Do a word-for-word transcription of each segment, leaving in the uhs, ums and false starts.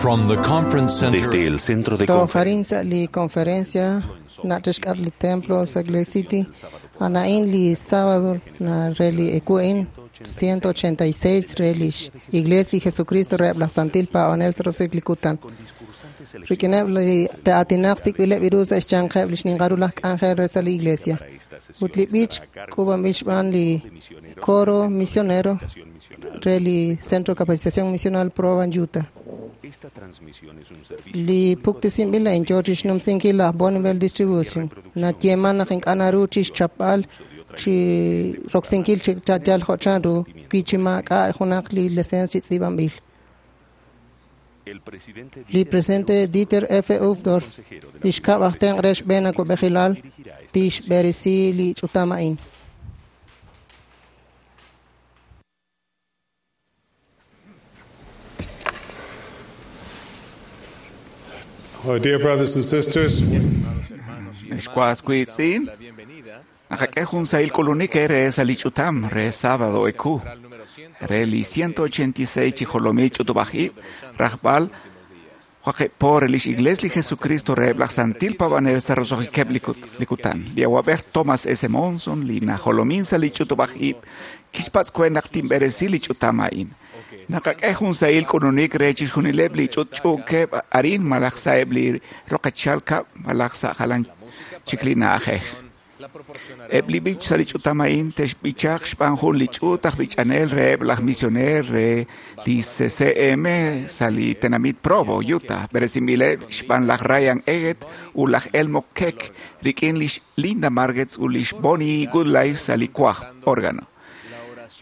From the conference center Desde el centro de Tojarin conferencias sa li conferencia na tishkat li templo sa Salt City anain li sábado na reli ekuin ciento ochenta y seis relish Iglesia Jesucristo reb la Santil pa onel rosiklikutan Rikineb li teatinaq sikbile virus eschanqeb li xninqaru laj k'anjel re sa li iglesia. Ut li b'ich k'ub'anb'il xb'aan li coro misionero re li Centro de Capacitación Misional Provo en Utah. Li puktisinb'il en George xnumsinkil laj Bonneville Distribution. Natyeman naq ink'a' naru chixchapb'al chi roksinkil chi yal jo' chanru wi chi maak'a' junaq li licencia chi tz'iib'anb'il. Li presidente Dieter F. Uchtdorf, li xkab' aj tenq' re xb'een awa'b'ejilal, tixb'eresi li ch'utam a'in. Oh, dear brothers and sisters, Xkuaskuitzin, naqak'e jun sahil k'ulunik re sa li ch'utam re sábado eku re li ciento ochenta y seis chi jolomil ch'utub'ajib' rajb'al waqib' por lix Iglesia li Jesucristo reheb' laj Santil Pabanel sa roso'jikeb' likutan. Li awab'ej Thomas S. Monson li najolomin sa li ch'utub'ajib' kixpatz' kwe naq tinb'eresi li ch'utam a'in. Naqak'e jun sahil k'ulunik re chixjunileb' li ch'utch'uukeb' arin malaj sa'eb' li roqechal kab' malaj sa' jalan chik li na'ajej. Eb' li b'ich sa li ch'utam a'in texb'ichaq xb'aan jun li ch'uut aj b'ich'anel reheb' laj misioner re li C C M sa li tenamit Provo, Utah, b'eresinb'ileb' xb'aan laj Ryan Eggett ut laj Elmo Keck rik'in lix Linda Margetts ut lix Bonnie Goodlife sa li kuaj órgano.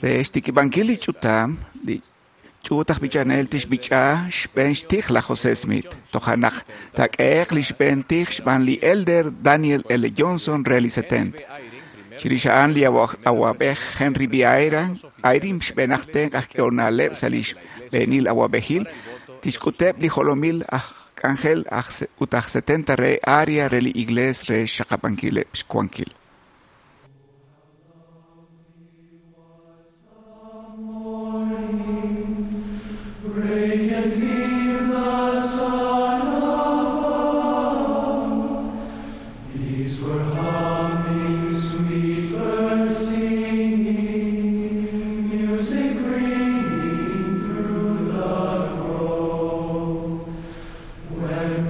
Re xtikib'ankil li ch'utam, li ch'uut aj b'ichanel tixb'ich'a xb'een xtij laj José Smith. Toja' naq taak'ehe'q li xb'een tij xb'aan li Elder Daniel L. Johnson re li setenta. Chirix a'an li awa-, awab'ej Henry B. Eyring xb'een aj tenq' aj k'ehonaleb' sa' li xb'eenil awab'ejil tixk'uteb' li jolomil aj k'anjel aj se-, ut aj setenta re área re li iglees re xxaqab'ankileb' xwankil.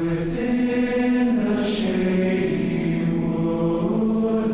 Within the shady wood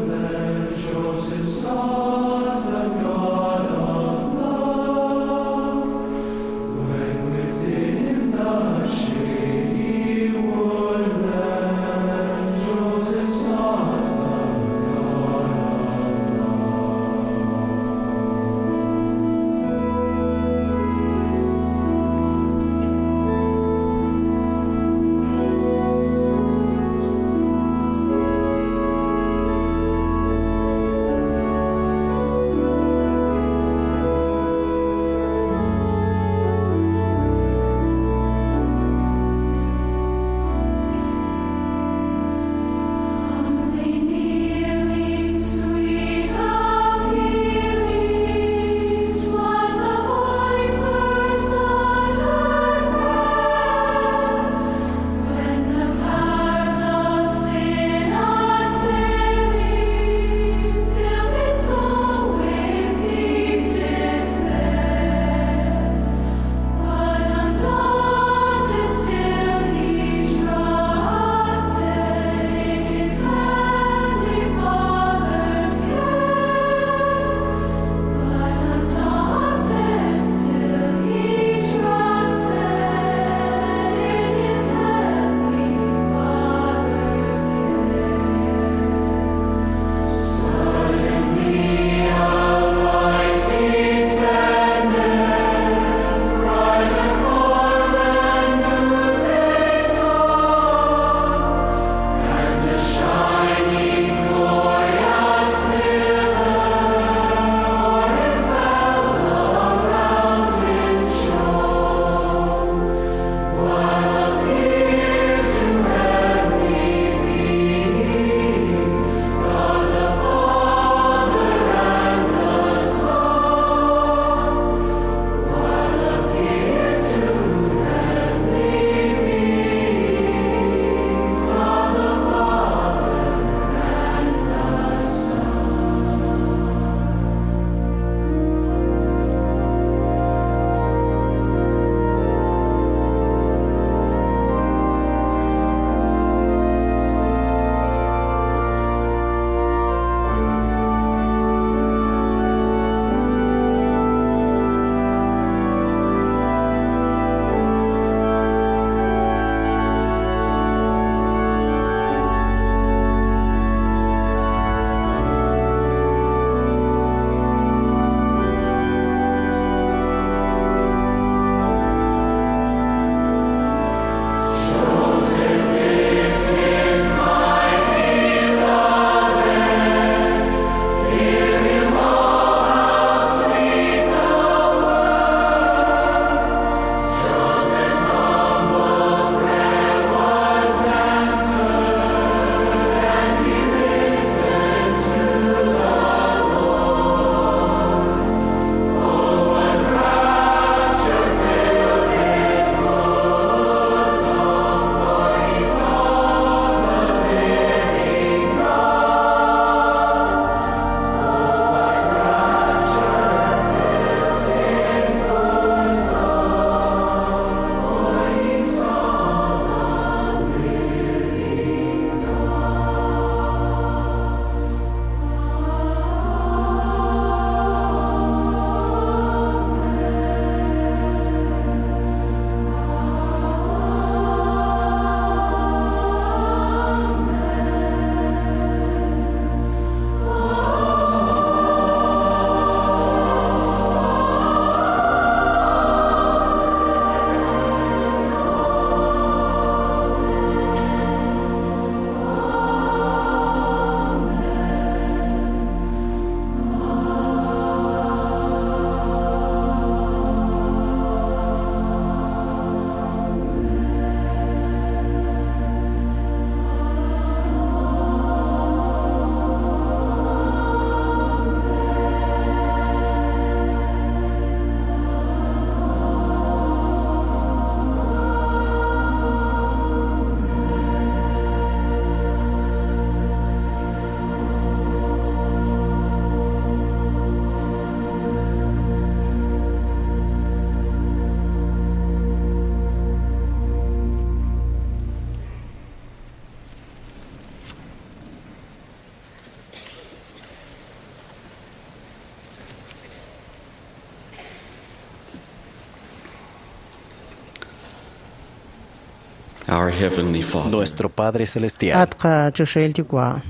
Our Heavenly Father, Nuestro Padre Celestial, At qachoxahil yuwa'.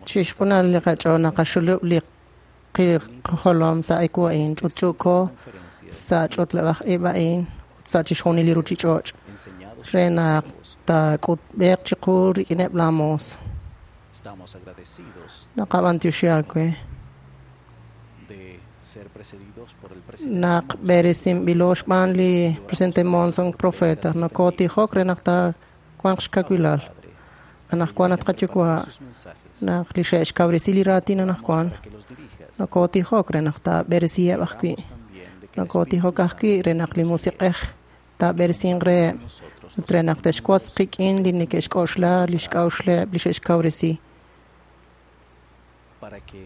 Chixjunal li qach'ool naqaxulub' li qijolom sa' ewu a'in, ch'utch'uuko sa' ch'utleb'aj ib' a'in ut sa' chixjunil li ruchich'och' re naq taak'utb'eq chiqu rik'ineb' laa moos. estamos agradecidos Naqab'antioxi aawe de ser precedidos por el presidente naq b'eresinb'ilo xb'aan li presidente Monson profeta nokotijok re naq taawanq xkawilal. Anaqwan at qayuwa' sus mensajes naq li xe'xkawresi li raatin anaqwan que los dirijas. nokotijok re naq taab'eresiheb' ajwi'. También de que el Nokotijok ajwi' re naq li musiq'ej taab'eresinq reheb' ut re naq te'xwotz qik'in li neke'xk'oxla li xk'a'uxleb' li xe'xkawresi para que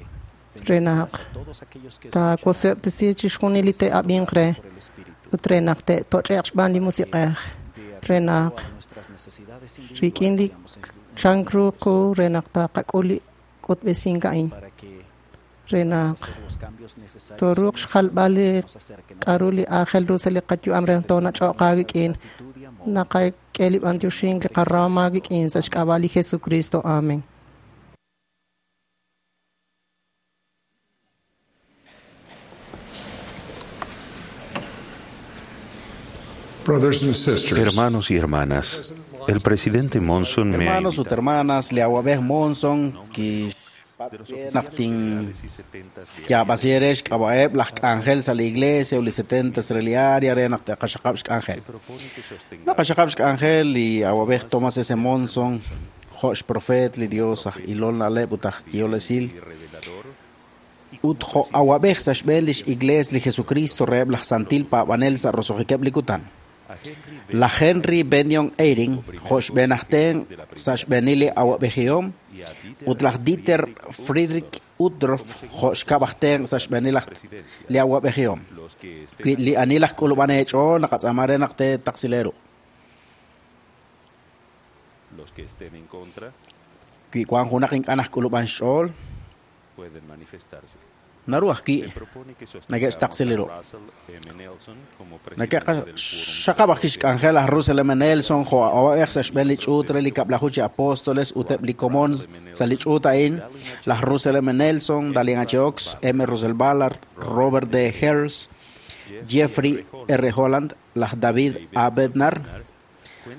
re naq bendigas a todos aquellos que escuchan taawoseb'tesi chixjunil li te'ab'inq re por el Espíritu ut re naq te'toch'e'q xb'aan li musiq'ej de re naq acuerdo a nuestras necesidades rik'in li individuales seamos en- chan ru qu re naq taqak'ul li k'utb'esink a'in para que re naq hacer los cambios necesarios tooruuq xjalb'al li nos acerquen a k'a'ru li aajel ru sa' li qayu'am re naq toonach'oq aawik'in actitud y amor naqak'e li b'antioxink li qarahom aawik'in sa' xk'ab'a' li Jesucristo. Amén. Brothers and sisters, Hermanos y hermanas, el presidente Monson me ha Hermanos ut invitado hermanas, li awab'ej Monson ki naq tin yaab'asierex k'ab'a'eb' laj k'anjel sa' la iglesia u li setentas re li área re naq te'qaxaqab' xk'anjel. Naqaxaqab' xk'anjel li awab'ej Thomas S. Monson jo' xprofet li Dios aj ilol na'leb' ut aj yeholesil ut jo' awab'ej sa' xb'een lix iglees li Jesucristo reheb' laj santil paab'anel sa' roso'jikeb' li kutan. Laj Henry Benyon Eyring jo' xb'een aj tenq sa' xb'eenil li awab'ejihom ut laj Dieter Friedrich Uchtdorf jo' xkab' aj tenq sa' xb'eenil aj li awab'ejihom. Wi li ani laj k'ulub'an eech'ool naqatz'aama re naq teetaqsileru. Los que estén en contra Wi wank junaq ink'a' naj k'ulub'an xch'ool pueden manifestarse. naru ajwi' Se propone que sostengamos a neke'xtaqsileru. Russell M. Nelson como presidente del quórum Nake'qaxaqab' ajwi' xk'anjel aj Russell M. Nelson jo' awab'ej sa' xb'een li ch'uut re li kab'laju chi apóstoles ut eb' li komon sa' li ch'uut a'in laj Russell M. Nelson, Dalian H. Oaks, M. Russell Ballard, Robert D. Hales, Jeffrey R. Holland, laj David A. Bednar,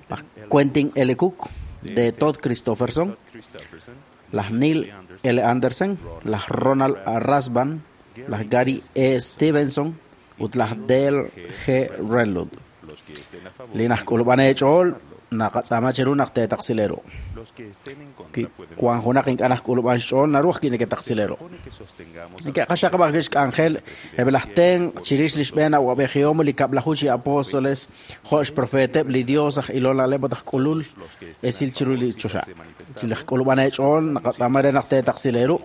laj Quentin L. Cook, de Todd Christofferson, Christopherson, laj Neil L. Andersen, laj Ronald A. Rasband, laj Gary E. Stevenson ut laj Dale G. Renlund. los que estén a favor, Li naj k'ulub'an eech'ool naqatz'aama chiru naq teetaqsileru. los que estén en Wi contra pueden wank junaq ink'a' naj k'ulub'an xch'ool naru ajwi' neke'taqsileru. propone que sostengamos a Neke'qaxaqab' ajwi' xk'anjel eb' laj tenq chirix li xb'een awab'ejihom li kab'laju chi apóstoles jo' xprofeteb' li Dios aj ilol na'leb' ut aj k'ulul esil chiru li choxa. Chi laj k'ulub'an eech'ool naqatz'aama re naq teetaqsileru.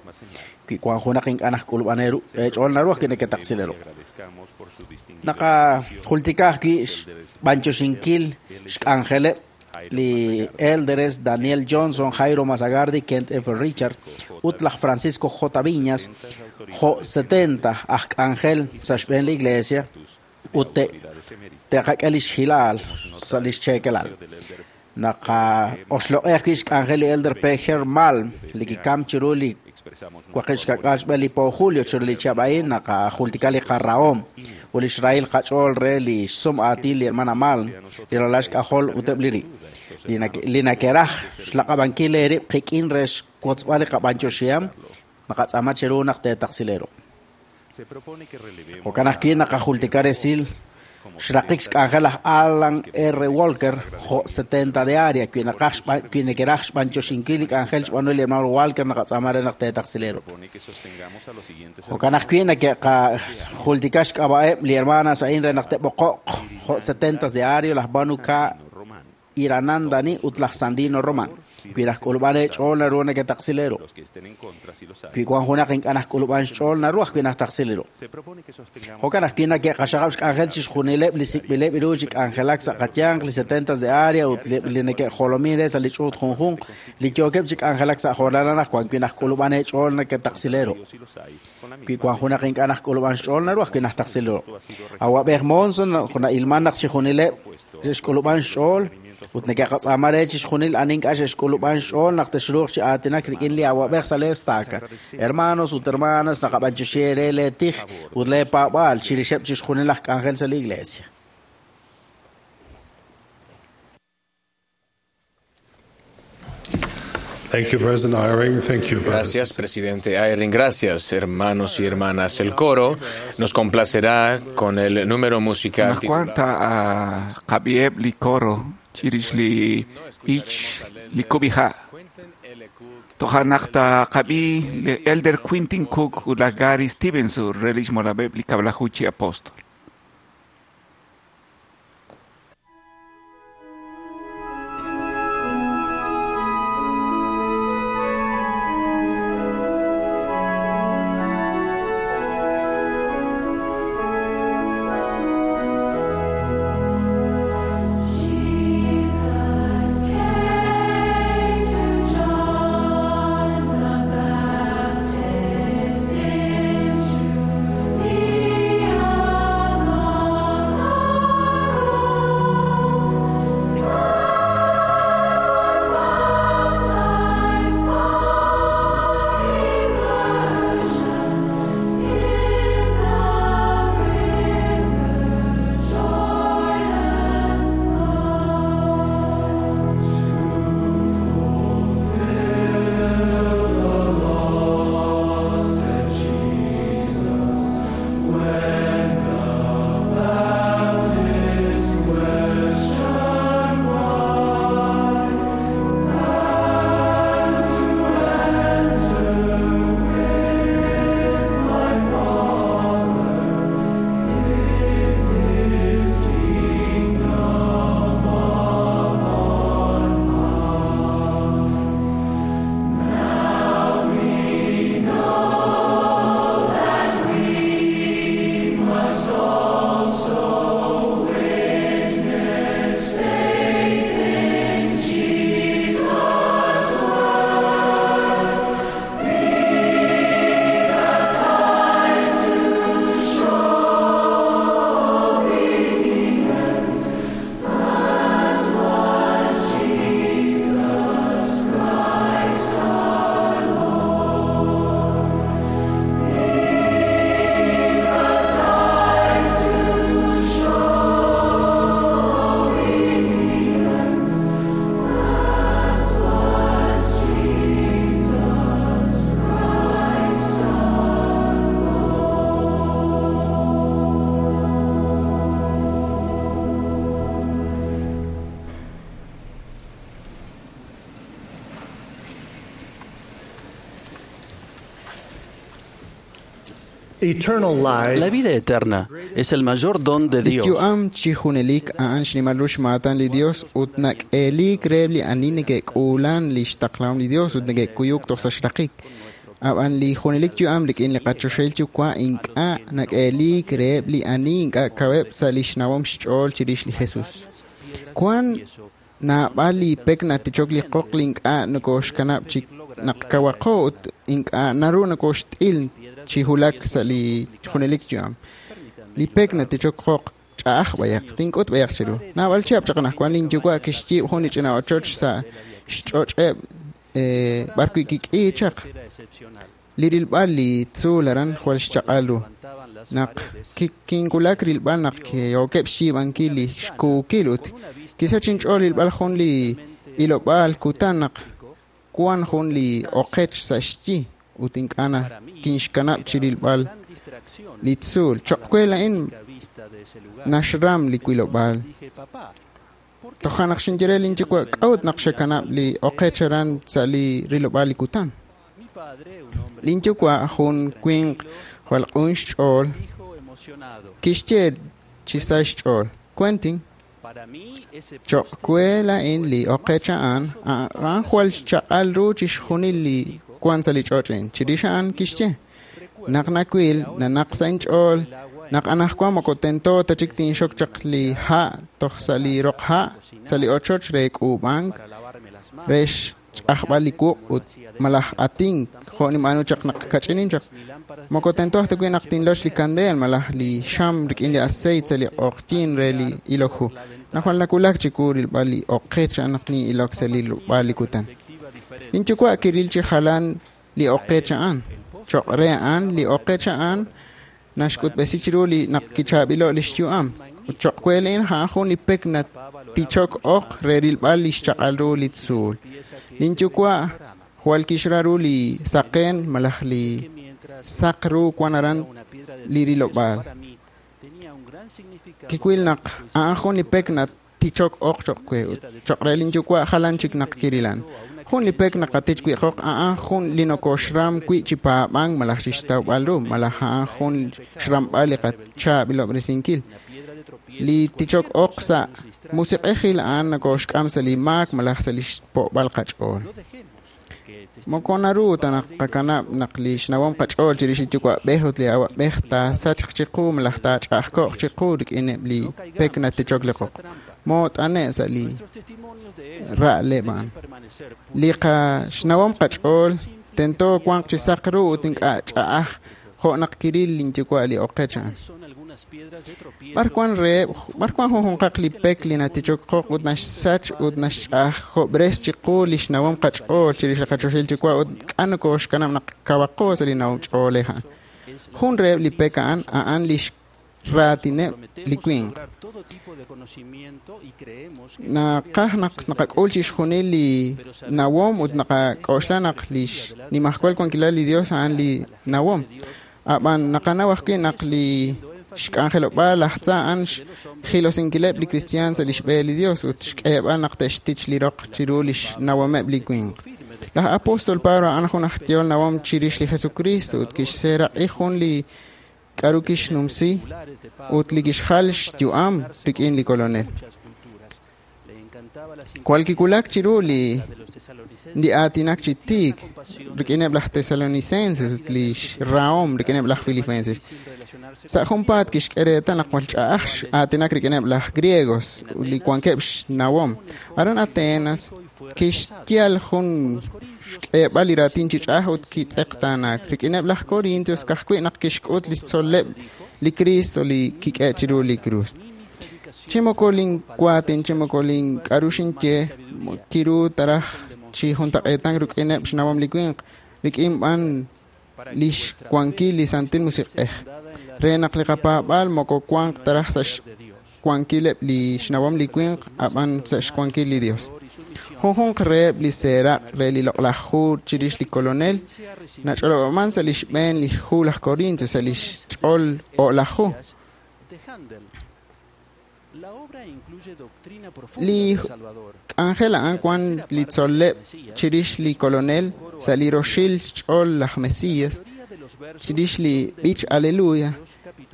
Wi wank junaq ink'a' naj k'ulub'an eru eech'ool naru ajwi' neke'taqsileru. agradezcamos por su distinguido Naqajultika ajwi' xb'anchoxinkil xk'anjeleb' li Elders Daniel Johnson, Jairo Mazagardi, Kent F. Richard ut laj Francisco J. Viñas jo' setenta aj k'anjel sa' xb'een li iglesia ut te te'qak'e lix hilaal sa' lix cheekelal. Naqaoxloq'ej ajwi' xk'anjel li Elder P. Malm li kikam chiru li expresamos waqib' xka'k'aal xb'een li po julio chiru li chihab' a'in naqajultika li qarahom ut li xrahil qach'ool re li xsum aatin li hermana Malm li ralal xk'ajol ut eb' li ri li nake- li nakeraj xlaq'ab'ankil eerib' qik'in re xwotzb'al li qab'anchoxiham naqatz'aama chiru naq teetaqsileru. Se propone que relevemos Jo'kan ajwi' naqajultika resil xraqik xk'anjel laj Alan R. Walker jo' setenta de área wi naqaj xb'an- wi nekeraj xb'anchoxinkil li k'anjel xb'aanu li hermano Walker naqatz'aama re naq teetaqsileru. propone que sostengamos a los siguientes Jo'kan ajwi' nake'qajultika xk'ab'a'eb' li hermanas a'in re naq te'b'oqo'q jo' setentas de área laj Banu K. Román, Iranandani ut laj Sandino Román. Wi laj k'ulub'an eech'ool naru neke'taqsileru. los que estén en contra si los hay. Wi wank junaq ink'a' naj k'ulub'an xch'ool naru ajwi' naj taqsileru. Se propone que sostengamos Jo'kan ajwi' nake'qaxaqab' xk'anjel chixjunileb' li sik'b'ileb' ru chi k'anjelak sa' qayanq li setentas de área ut li li neke'jolomin re sa' li ch'uut junjunq li yookeb' chi k'anjelak sa' jo'lal anaqwan wi naj k'ulub'an eech'ool neke'taqsileru. si los hay con la Wi misma wank junaq ink'a' naj k'ulub'an xch'ool naru ajwi' naj taqsileru. Awab'ej Monson na'ilman naq chixjunileb' xk'ulub'an xch'ool Ut neke'qatz'aama re chixjunil ani ink'a' xe'xk'ulub'an xch'ool naq texruuq chi aatinak rik'in li awab'ej sa' lee estaca. Hermanos ut hermanas, naqab'anyoxi eere lee tij ut lee paab'aal chirixeb' chixjunil laj k'anjel sa' li iglesia. Thank you, President Eyring. Thank you, brothers. Gracias, presidente Eyring. Gracias, hermanos y hermanas. El coro nos complacerá con el número musical Anajwan titulado ta qab'iheb' li coro chirix li b'ich li kub'iha'. Toja' naq taqab'i li Elder Quentin Cook ut laj Gary Stevenson re lix molab'eb' li kab'laju chi apóstol. Jesus came to John the Baptist in Judea Eternal life La vida eterna es el mayor don de Li Dios. yu'am chi junelik a'an xnimal ru xmaatan li Dios ut nak'eelik reheb' li ani neke'k'uulan li xtaqlahom li Dios ut neke'kuyuk toj sa' xraqik. Ab'an li junelik yu'am rik'in li qachoxahil yuwa' ink'a' nak'eelik reheb' li ani ink'a' kaweb' sa' li xnawom xch'ool chirix li Jesus. Wan naab'al li pek natichok li qoq li ink'a' nokoxkanab' chi naq kawaqo ut ink'a' naru nokoxt'il chi hulak sa' li junelik yu'am. Li pek natichok qoq ch'a'aj b'ayaq, tink'ut b'ayaq chiru. Naab'al chihab' chaq anaqwan linyuwa' kixyiib' jun li ch'ina ochoch sa' xch'och'eb' eh, b'arwi' kik'i chaq. Li rilb'al li tzuul aran jwal xchaq'al ru. Naq ki- kinwulak rilb'al naq yookeb' xyiib'ankil li xkuukil ut kisach inch'ool rilb'al jun li ilob'aal kutan naq wan jun li oqech sa' xyi ut ink'a' na kinxkanab' chi rilb'al li tzuul. Choq' we la'in naxram li wilob'aal. Toja' naq xinye re linyuwa' k'a'ut naq xakanab' li oqech aran sa' li rilob'aal li kutan. Linyuwa' jun winq jwal q'un xch'ool kixye chi sa xch'ool. Quentin, choq' we la'in li oqech a'an, a'an jwal xchaq'al ru chixjunil li wan sa' li ch'och' a'in. Chirix a'an kixye, naq nawil, nanaq sa' inch'ool, naq anaqwan moko tento ta chik tinxok chaq li ha' toj sa' li roq ha' sa' li ochoch re k'uub'ank, re xch'ajb'al li wuq' ut malaj atink jo' ninb'aanu chaq naq kach'inin chaq. Moko tento ta wi' naq tinloch li kandeel malaj li xam rik'in li aceite sa' li q'oqyin re li ilok hu. Najwal nawulak chiwu rilb'al li oqech a'an naq nin'ilok sa' li rilb'al li kutan. Linyuwa' kiril chi jalan li oqech a'an. Choq' re a'an li oqech a'an naxk'utb'esi chiru li naq kichaab'ilo' li xyu'am. Ut choq' we a'in a'an jun li pek natichok oq re rilb'al li xchaq'al ru li tzuul. Linyuwa' jwal kixra ru li saqen malaj li saq ru wan aran li rilob'aal. Kiwil naq a'an jun li pek natichok oq choq' we ut choq' re linyuwa' jalan chik naq kirilan. Jun li pek naqatich wi' qoq a'an jun li nokoxram wi' chi paab'ank malaj xixtawb'al ru malaj a'an jun xramb'al li qachaab'ilob'resinkil. Li tichok oq sa' musiq'ejil a'an nokoxk'am sa' li maak malaj sa' li xpo'b'al qach'ool. Moko naru ta naq qakanab' naq li xnawom qach'ool chirix li yuwa'b'ej ut li awa'b'ej taasachq chiqu malaj taach'a'ajko'q chiqu rik'ineb' li pek natichok li qoq. Moot'ane' sa' li ra'leb' a'an. Li qaxnawom qach'ool tento wanq chi saq ru ut ink'a' ch'a'aj jo' naq kiril linyuwa' li oqech a'an. B'ar wan reheb' b'ar wan junjunqaq li pek li natichok qoq ut naxsach ut naxch'ajob'res chiqu li xnawom qach'ool chirix li qachoxahil yuwa' ut k'a' nokoxkanab' naq kawaqo sa' li nawom ch'oolej a'an. Jun reheb' li pek a'an a'an li raatineb' li winq. Naqaj naq naqak'ul chixjunil li nawom ut naqak'oxla naq li xnimajwal wankilal li Dios a'an li nawom. Ab'an naqanaw ajwi' naq li xk'anjelob'aal laj tza a'an xjilosinkileb' li kristiaan sa' li xb'e li Dios ut xk'eeb'al naq te'xtich li roq chiru li xnawomeb' li winq. Laj apóstol Pablo a'an jun aj yehol nawom chirix li Jesucristo ut kixseeraq'i jun li k'aru kixnumsi ut li kixjal xyu'am rik'in li Kolonel. Jwal kiwulak chiru li li aatinak chi tiik rik'ineb' laj Tesalonicenses ut li xrahom rik'ineb' laj Filipenses. Sa' junpaat kixk'e reetal naq jwal ch'a'aj aatinak rik'ineb' laj griegos ut li wankeb' xnawom. Aran Atenas kixyal jun xk'eeb'al li raatin chi ch'a'aj ut kitz'eqtaanaak. Rik'ineb' laj Corintios ka'ajwi' naq kixk'ut li xtzol'leb' li Cristo li kik'e chiru li krus. Chi moko linwaatin, chi moko link'aru xinye kiru taraj chi juntaq'eetan rik'ineb' xnawom li winq, rik'in b'an li xwankil li Santil Musiq'ej. Re naq li qapaab'aal moko wanq taraj sa' xwankileb' li xnawom li winq, ab'an sa' xwankil li Dios. Junjunq reheb' li seeraq' re li loq'laj hu chirix li Kolonel nach'olob'aman sa' li xb'een li hu laj Corintios sa' li xch'ol o'laj hu. Li k'anjel a'an wan li tzol'leb' chirix li Kolonel sa' li roxil xch'ool laj Mesias, chirix li b'ich Aleluya.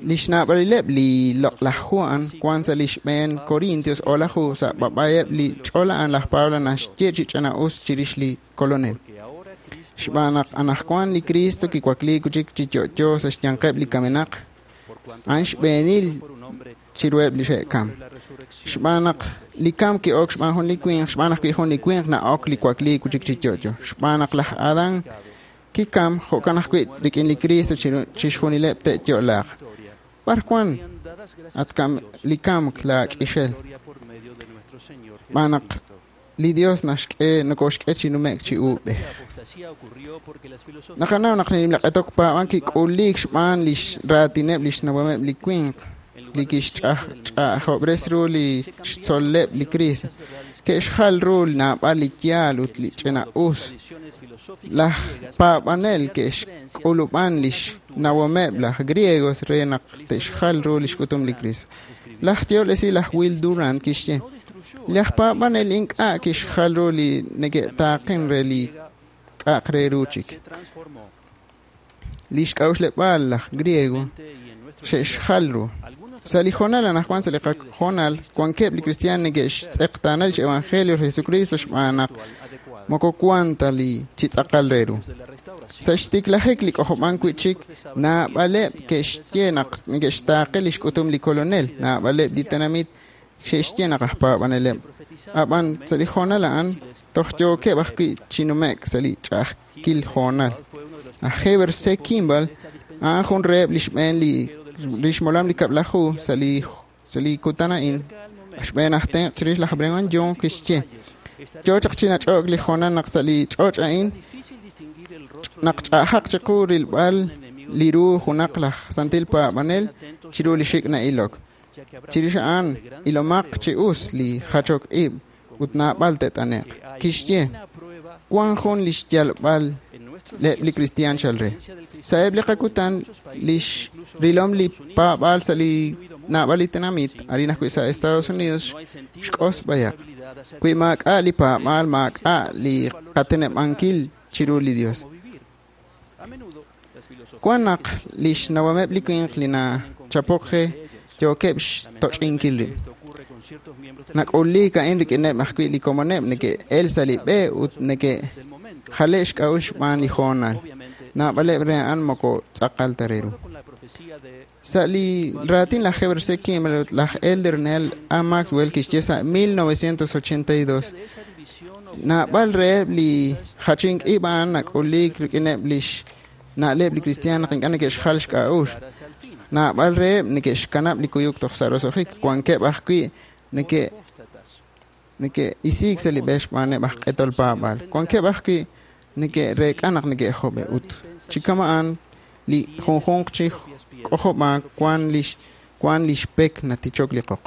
Li xnaab'alileb' li loq'laj hu a'an wan sa' li xb'een Corintios o'laj hu sa' b'ab'ayeb' li ch'ol a'an laj Pablo naxye chi ch'ina'us chirix li Kolonel. Xb'aan naq anaqwan li Cristo kiwakliik chik chi yo'yo sa' xyanqeb' li kamenaq, a'an xb'eenil chiruheb' li xe'kam. Xb'aan naq li kam ki'ok xb'aan jun li winq, xb'aan ajwi' jun li winq na'ok li wakliik chik chi yo'yo. Xb'aan naq laj Adán kikam jo'kan ajwi' rik'in li Cristo chixjunileb' te'yo'laaq. B'ar wan at kam li kamk laak'ixel. Xb'aan naq li Dios naxk'e nokoxk'e chi nume'k chi uub'ej. Naqanaw naq li q'etok paab'ank kik'uliik xb'aan li raatineb' li xnawomeb' li winq li kixch'a'ajob'res ru li xtzol'leb' li Cristo. Ke'xjal ru naab'al li yaal ut li ch'ina'us. Laj paab'anel ke'xk'ulub'an li xnawomeb' laj griegos re naq te'xjal ru li xk'utum li Cristo. Laj yehol esil laj Will Durant kixye: laj paab'anel ink'a' kixjal ru li neke'taaqen re li k'a'aq re ru chik. Li xk'a'uxleb'aal laj griego xe'xjal ru. Sa' li jonal anaqwan sa' li qajonal wankeb' li kristiaan neke'xtz'eqtaana lix evangelio Jesucristo xb'aan naq moko wan ta li chi tz'aqal re ru. Sa' xtiklajik li k'ojob'ank wi'chik naab'aleb' ke'xye naq neke'xtaaqe li xk'utum li Kolonel, naab'aleb' li tenamit xe'xye naq aj paab'aneleb'. Ab'an sa' li hoonal a'an toj yookeb' ajwi' chi nume'k sa' li ch'a'ajkil hoonal. Aj Heber C. Kimball a'an jun reheb' li xb'een li li xmolam li kab'laju sa' li sa' li kutan a'in xb'een aj tenq' chirix laj Brigham Young kixye yo chaq chi nach'o'k li hoonal naq sa' li ch'och' a'in naq ch'a'ajaq chiqu rilb'al li ru junaq laj santil paab'anel chiru li xik' na'ilok. Chirix a'an ilomaq chi us li jachok ib' ut naab'al te't'ane'q. Kixye wan jun li xyalb'al leb' li kristiaan chal re. Sa'eb' li qakutan lix rilom li paab'aal sa' li naab'al li tenamit arin ajwi' sa' Estados Unidos xk'os b'ayaq. Wi maak'a' li paab'aal maak'a' li qateneb'ankil chiru li Dios. Wan naq lix nawameb' li winq li nachapok re yookeb' xtoch'inkil rib'. Nak'uliik a'in rik'ineb' ajwi' li komoneb' neke'el sa' li b'e ut neke'jale' xk'a'uxl xb'aan li hoonal. Naab'aleb' re a'an moko tz'aqal ta re ru. Sa' li raatin laj Heber C. Kimball ut laj Elder Neal A. Maxwell kixye sa' mil novecientos ochenta y dos naab'al reheb' li jachink ib' a'an nak'uliik rik'ineb' lix na'leb' li kristiaan naq ink'a' neke'xjal xk'a'uxl. Naab'al reheb' neke'xkanab' li kuyuk toj sa' roso'jik. Wankeb' ajwi' neke' neke'isiik sa' li b'e xb'aaneb' aj q'etol paab'aal. Wankeb' ajwi' neke'reek'a naq neke'job'e ut chi kama'an li junjunq chi k'ojob'aak wan lix wan lix pek natichok li qoq.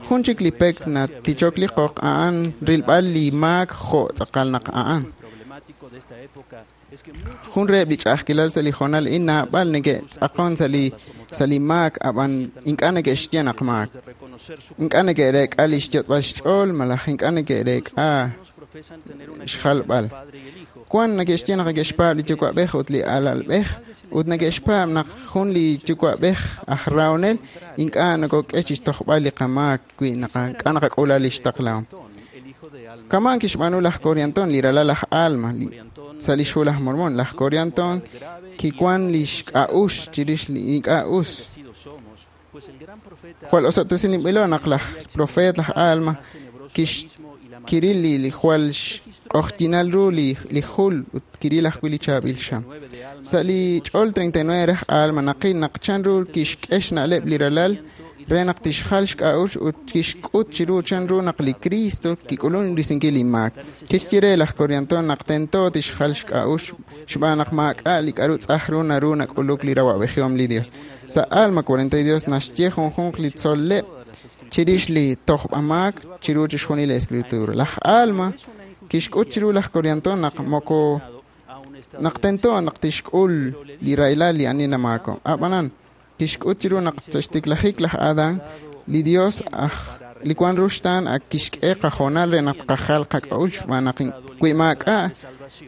Jun chik li pek natichok li qoq a'an rilb'al li maak jo' tz'aqal naq a'an. Jun reheb' li ch'a'ajkilal sa' li hoonal a'in naab'al neke'tz'aqon sa' li sa' li maak ab'an ink'a' neke'xye naq maak. Ink'a' neke'reek'a li xyot'b'al xch'ool malaj ink'a' neke'reek'a xjalb'al. Wan neke'xye naq neke'xpaab' li yuwa'b'ej ut li alalb'ej ut neke'xpaab' naq jun li yuwa'b'ej aj rahonel ink'a' nokok'e chixtojb'al li qamaak wi ink'a' naqak'ula li xtaqlahom. Kama'an kixb'aanu laj Corianton li ralal laj Alma li sa' lix hu laj Mormon. Laj Corianton kiwan lix k'a'uxl chirix li ink'a' us. Jwal osob'tesinb'ilo naq laj profeet laj Alma kix kiril li li jwal xq'oqyinal ru li li jul ut kiril ajwi' li chaab'il xam. Sa' li ch'ol treinta y nueve raj Alma naqil naq chanru kixk'e xna'leb' li ralal re naq tixjal xk'a'uxl ut kixk'ut chiru chanru naq li Cristo kik'ulun risinkil li maak. Kixye re laj Corianton naq tento tixjal xk'a'uxl xb'aan naq maak'a' li k'a'ru tz'aj ru naru nak'uluk li rawa'b'ejihom li Dios. Sa' Alma cuarenta y dos naxye junjunq li tzol'leb' chirix li tojb'amaak chiru chixjunil li escritura. Laj Alma kixk'ut chiru laj Corianton naq moko naq tento naq tixk'ul li rahilal li ani namaako. Ab'anan kixk'ut chiru naq sa' xtiklajik laj Adán li Dios aj li wan ruxtaan ak kixk'e qahoonal re naq qajal qak'a'uxl xb'aan naq wi maak'a'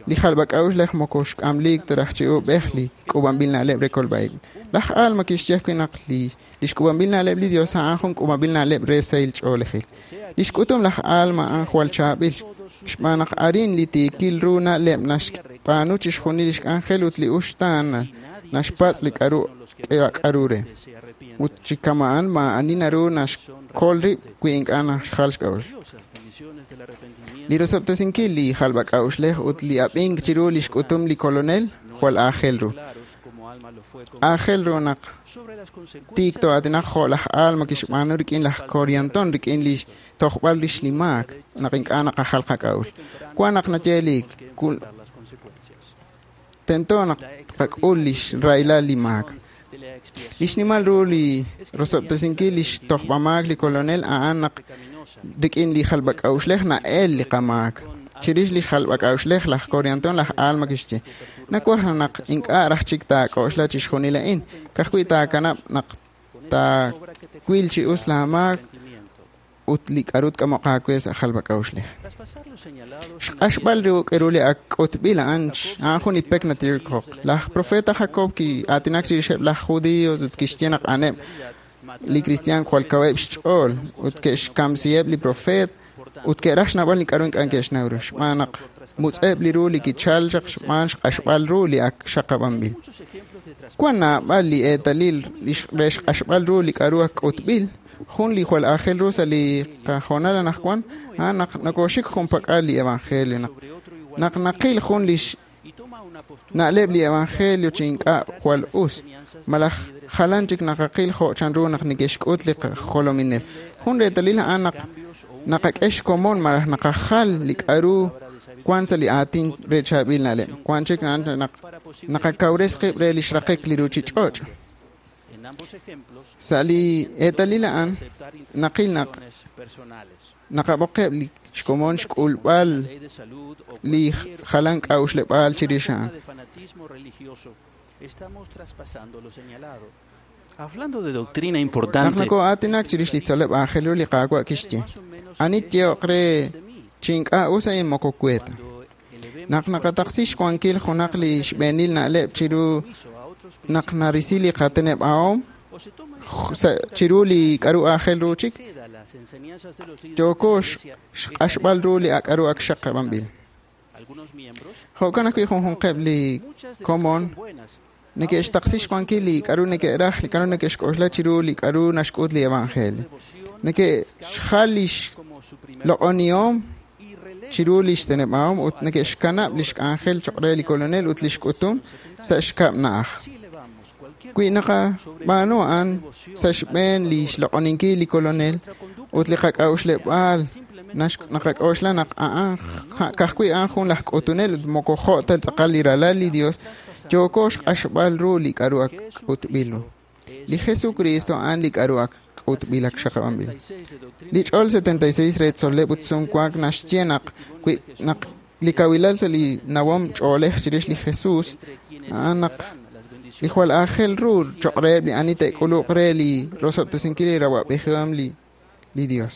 li jalb'ak'a'uxl laj moko xk'amliik ta raj chi ub'ej li k'uub'anb'il na'leb' re kolb'a'ib'. Laj Alma kixye ajwi' naq li lix k'uub'anb'il na'leb' li Dios a'an jun k'uub'anb'il na'leb' re sahil ch'oolejil. Lix k'utum laj Alma a'an jwal chaab'il xb'aan naq arin li tiikil ru na'leb' naxb'aanu chixjunil lix k'anjel ut li uxtaan naxpatz' li k'a'ru k'a'ru re. Ut chi kama'an maa'ani naru naxkol rib' wi ink'a' naxjal xk'a'uxl. Li rosob'tesinkil li jalb'ak'a'uxlej ut li ab'ink chiru lix k'utum li kolonel jwal aajel ru. Aajel ru naq tiik to'aatinaq jo' laj Alma kixb'aanu rik'in laj Corianton rik'in li tojb'al rix li maak naq ink'a' naqajal qak'a'uxl. Wan naq nayeelik tento naq tqak'ul lix rahilal li maak. Lix nimal ru li rosob'tesinkil lix tojb'amaak li kolonel a'an naq rik'in li jalb'ak'a'uxlej na'el li qamaak. Chirix lix jalb'ak'a'uxlej laj Corianton laj Alma kixye nawaj naq ink'a' raj chik taak'oxla chixjunil a'in ka'ajwi' taakanab' naq taawil chi us laa maak ut li k'a'ru tk'amoq aawe sa' jalb'ak'a'uxlej. Xq'axb'al ru k'eru li ak k'utb'il a'an a'an jun li pek natirikok. Laj profeta Jacob ki'aatinak chirixeb' laj judíos ut kixye naq a'aneb' li kristiaan jwal kaweb' xch'ool ut ke'xkamsiheb' li profeet ut ke'raj xnawb'al li k'a'ru ink'a' ke'xnaw ru xb'aan naq mutz'eb' li ru li kichal chaq xb'aan xq'axb'al ru li ak xaqab'anb'il. Wan naab'al li eetalil re xq'axb'al ru li k'a'ru ak k'utb'il, jun li jwal aajel ru sa' li qahoonal anaqwan, a'an naq nokoxik junpak'al li evangelio, naq naq naqil jun li na'leb' li evangelio chi ink'a' jwal us, malaj jalan chik naqaqil jo' chanru naq neke'xk'ut li qajolominel. Jun reetalil a'an naq naqak'e xkomon malaj naqajal li k'a'ru wan sa' li aatin re chaab'il na'leb'. Wan chik a'an naq naqakawres qib' re li xraqik li ruchich'och'. Sa' li eetalil a'an naqil naq naqab'oqeb' li xkomon xk'ulb'al li jalan k'a'uxleb'aal chirix a'an. Hablando de doctrina Naq importante, nakoo'aatinak chirix li tzol'leb' aajel ru li Qaawa' kixye, ani tyeehoq re chi ink'a' us a'in moko we ta. Naq naqataqsi xwankil junaq li xb'eenil na'leb' chiru naq narisi li qateneb'ahom chiru li k'a'ru aajel ru chik, yooko xq'axb'al ru li k'a'ru ak xaqab'anb'il. Jo'kan ajwi' junjunqeb' li komon neke'xtaqsi xwankil li k'a'ru neke'raj, li k'a'ru neke'xk'oxla chiru li k'a'ru naxk'ut li evangelio. Neke'xjal li xloq'onihom chiru li xteneb'ahom ut neke'xkanab' li xk'anjel choq' re li kolonel ut li xk'utum sa' xkab' na'aj. Wi naqab'aanu a'an sa' xb'een li xloq'oninkil li kolonel ut li qak'a'uxleb'aal naqak'oxla naq a'an ka'ajwi' a'an jun laj k'utunel ut moko jo' ta tz'aqal li ralal li Dios, yooko xq'axb'al ru li k'a'ru ak k'utb'il ru. Li Jesucristo a'an li k'a'ru ak k'utb'il ak xaqab'anb'il. Li ch'ol setenta y seis re tzol'leb' ut sumwank naxye naq wi naq li kawilal sa' li nawom ch'oolej chirix li Jesus a'an naq li jwal aajel ru choq' reheb' li ani te'k'uluq re li rosob'tesinkil li rawa'b'ejihom li li Dios.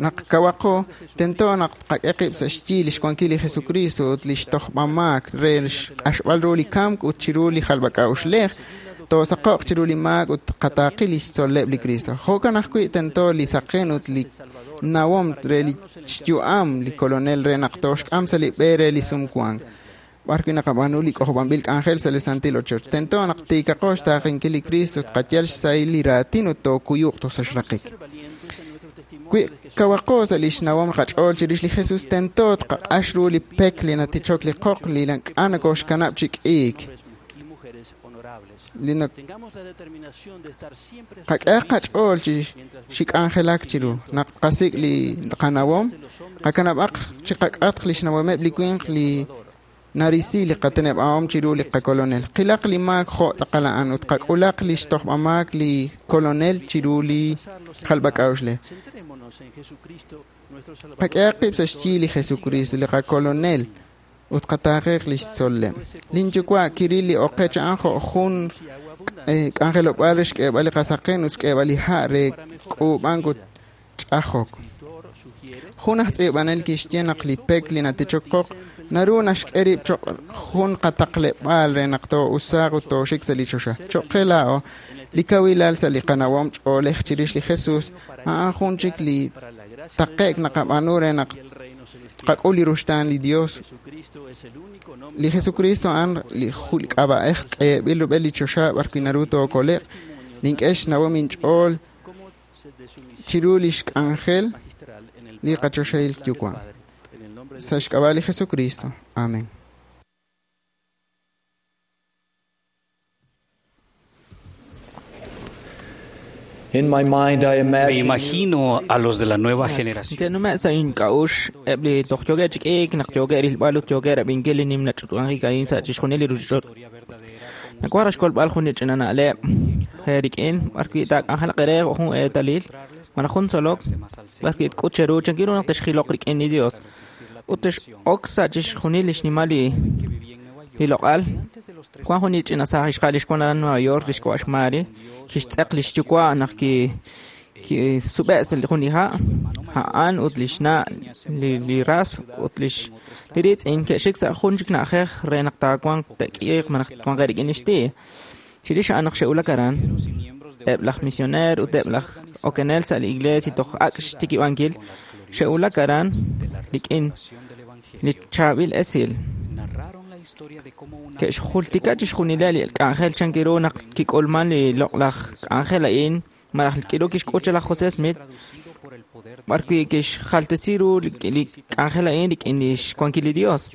Naq kawaqo, tento naq tqak'e qib' sa' xyi li xwankil li Jesucristo ut li xtojb'amaak re xq'axb'al ru li kamk ut chiru li jalb'ak'a'uxlej, toosaqo'q chiru li maak ut qataaqi li xtzol'leb' li Cristo. Jo'kan ajwi' tento li saqen ut li nawom re li xyu'am li kolonel re naq tooxk'am sa' li b'e re li sumwank, b'ar wi' naqab'aanu li k'ojob'anb'il k'anjel sa' li santil ochoch. Tento naq tiikaqo xtaaqenkil li Cristo, tqayal xsahil li raatin ut tookuyuq toj sa' xraqik. Wi kawaqo sa' li xnawom qach'ool chirix li Jesus, tento tqaq'ax ru li pek li natichok li qoq li ink'a' nokooxkanab' chi k'iik. Li qak'ehaq qach'ool chi xik'anjelak chiru naq tqasik' li qanawom, qakanab'aq chi qak'atq li xnawomeb' li winq li narisi li qateneb'ahom chiru li qakolonel. Qilaq li maak jo' tz'aqal a'an ut qak'ulaq li xtojb'amaak li kolonel chiru li jalb'ak'a'uxlej. Qak'ehaq qib' sa' xyi li Jesucristo, li qakolonel, ut qataaqeq li xtzol'leb'. Linyuwa' kiril li oqech a'an jo' jun k'anjelob'aal re xk'eeb'al li qasaqen ut xk'eeb'al li ha' re k'uub'ank ut ch'ajok. Jun aj tz'iib'anel kixye naq li pek li natichok qoq naru naxk'e rib' choq' jun qataqleb'aal re naq too'usaaq ut tooxik sa' li choxa. Choq' qe laa'o, li kawilal sa' li qanawom ch'oolej chirix li Jesus a'an jun chik li taqe'k naqab'aanu re naq tqak'ul li ruxtaan li Dios. Li Jesucristo a'an li k'ab'a'ej k'eeb'il rub'el li choxa b'ar wi' naru tookole'q. Nink'e xnawom inch'ool chiru li xk'anjel li qachoxahil Yuwa'. Sa' xk'ab'a' li Jesucristo. Amén. In my mind, I Me imagine imagino a los de la nueva generación. Ke'nume' sa' ink'a'uxl eb' li toj yookeb' chi k'iik naq yookeb' rilb'al ut yookeb' rab'inkil li nimla ch'utub'anjik a'in sa' chixjunil li ruchich'och'. Nawaj raj xkolb'al jun li ch'ina na'leb' re rik'in b'ar wi' taak'anjelaq eere jo' jun eetalil malaj jun tzolok b'ar wi' tk'ut cheru chankiru naq texjiloq rik'in li Dios ut tex'ok sa' chixjunil li xnimal li li loq'al. Wan jun li ch'ina saaj ixqa'al li xwan aran Nueva York li xk'ab'a' xMary kixtz'eq li xyuwa' naq ki kisub'e' sa' jun li ha' a'an ut li xna' li li ras ut lix li riitz'in ke'xik sa' jun chik na'ajej re naq taawanq te'k'iiq malaj twanqeb' rik'in li xti'. Chirix a'an naq xe'wulak aran, eb' laj misioneer ut eb' laj okenel sa' li iglesia toj ak' xtikib'ankil xe'wulak aran rik'in Li chaab'il esil. Ke'xjultika chixjunileb' li k'anjel chan ru naq kik'ulman li loq'laj k'anjel a'in malaj k'iru kixk'ut laj José Smith b'ar wi' kixjaltesi ru li k'anjel a'in rik'in lix wankil li Dios.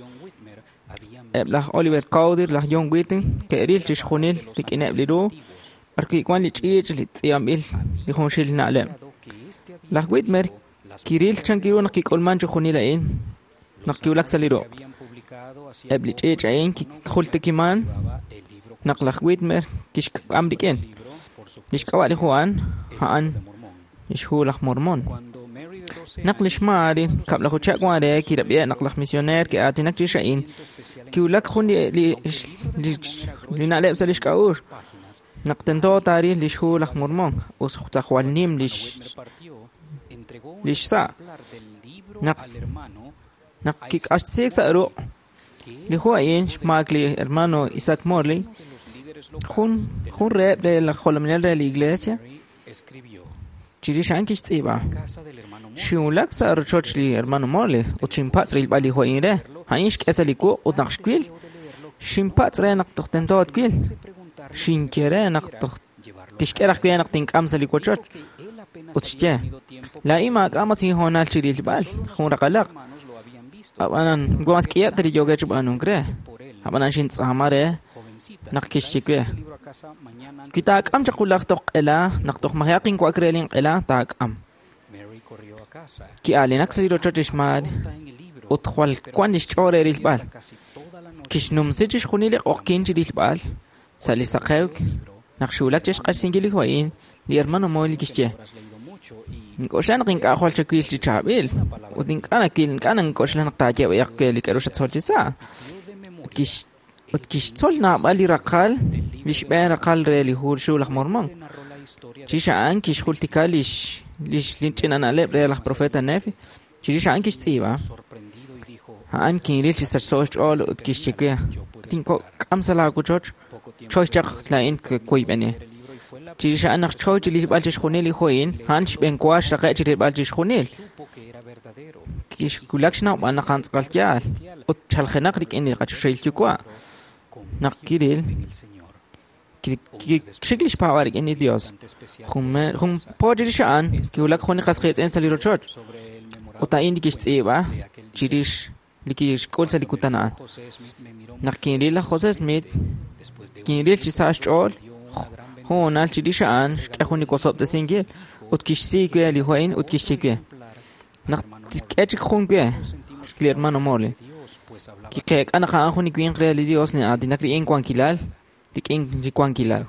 Eb' laj Oliver Cowdery, laj John Whitmer ke'ril chixjunil rik'ineb' li ru b'ar wi' wan li ch'iich' li tz'iib'anb'il li junxil na'leb'. Laj Whitmer kiril chan ru naq kik'ulman chixjunil a'in naq kiwulak sa' li ruq'. Eb' li ch'iich' a'in kijultikiman naq laj Whitmer kixk'am rik'in. Lix k'ab'a' li hu a'an, a'an lix hu laj Mormon. Naq lix Mary kab'laju chihab' wan re kirab'iha' naq laj misioneer ke'aatinak chirix a'in, kiwulak jun li li li li na'leb' sa' lix k'a'uxl naq tento taaril lix hu laj Mormon ut jwal nim lix lix sa'. Naq naq kik'axtesiik sa' ruq' li hu a'in xmaak li hermano Isaac Morley, jun jun reheb' re laj jolominel re li iglesia, chirix a'an kixtz'iib'a. Xinwulak sa' rochoch li hermano Morley ut xinpatz' rilb'al li hu a'in re. A'in xk'e sa' li wuq' ut naq xwil, xinpatz' re naq toj tento twil. Xinye re naq toj tixk'e raj we naq tink'am sa' li wochoch. Ut xye, laa'in maak'a' mas inhoonal chi rilb'al, jun raqalaq. Ab'anan mas k'iheb' ta li yookeb' chi b'aanunk re. Ab'anan xintz'aama re naq kixye we. Wi taak'am chaq wulaj toj q'ela, naq toj maji'aq inwa'ak re linq'ela, taak'am. Ki'aalinak sa' li rochoch lix Mary ut jwal wan lix ch'ool re rilb'al. Kixnumsi chixjunil li q'oqyink chi rilb'al sa' li saqewk naq xiwulak chi xq'axsinkil li hu a'in, li hermano Morley kixye. Ink'oxla naq ink'a' jwal chawil chi chaab'il ut ink'a' nawil ink'a' nank'oxla naq taaye b'ayaq we li k'a'ru xatzol chi sa'. Ut kix ut kixtzol naab'al li raqal li xb'een raqal re li hu xhu laj Mormon. Chirix a'an kixjultika lix lix li ch'ina na'leb' re laj profeta Nefi. Chirix a'an kixtz'iib'a. A'an kinril chi sachso xch'ool ut kixye we. Tink'am sa' laawochoch choy chaq laa'in woyb'eni. Chirix a'an naq choy chi rilb'al chixjunil li hu a'in, a'an xb'een wa xraqe' chi rilb'al chixjunil. Kixwulak xnawb'al naq a'an tz'aqal yaal ut chaljenaq rik'in li qachoxahil yuwa'. Naq kiril, kixik lix paab'aal rik'in li Dios. Jun po chirix a'an, kiwulak jun li qas qiitz'in sa' li rochoch. Ut a'in li kixtz'iib'a chirix li kixk'ul sa' li kutan a'an. Naq kinril laj José Smith, kinril chi sa' xch'ool hoonal chirix a'an xk'e jun li wosob'tesinkil ut kixsi we li hu a'in ut kixye we. Naq k'e chik jun we li hermano Morley. Kiqeek'a naq a'an jun li winq re li Dios li aatinak rik'in wankilal, rik'in li wankilal.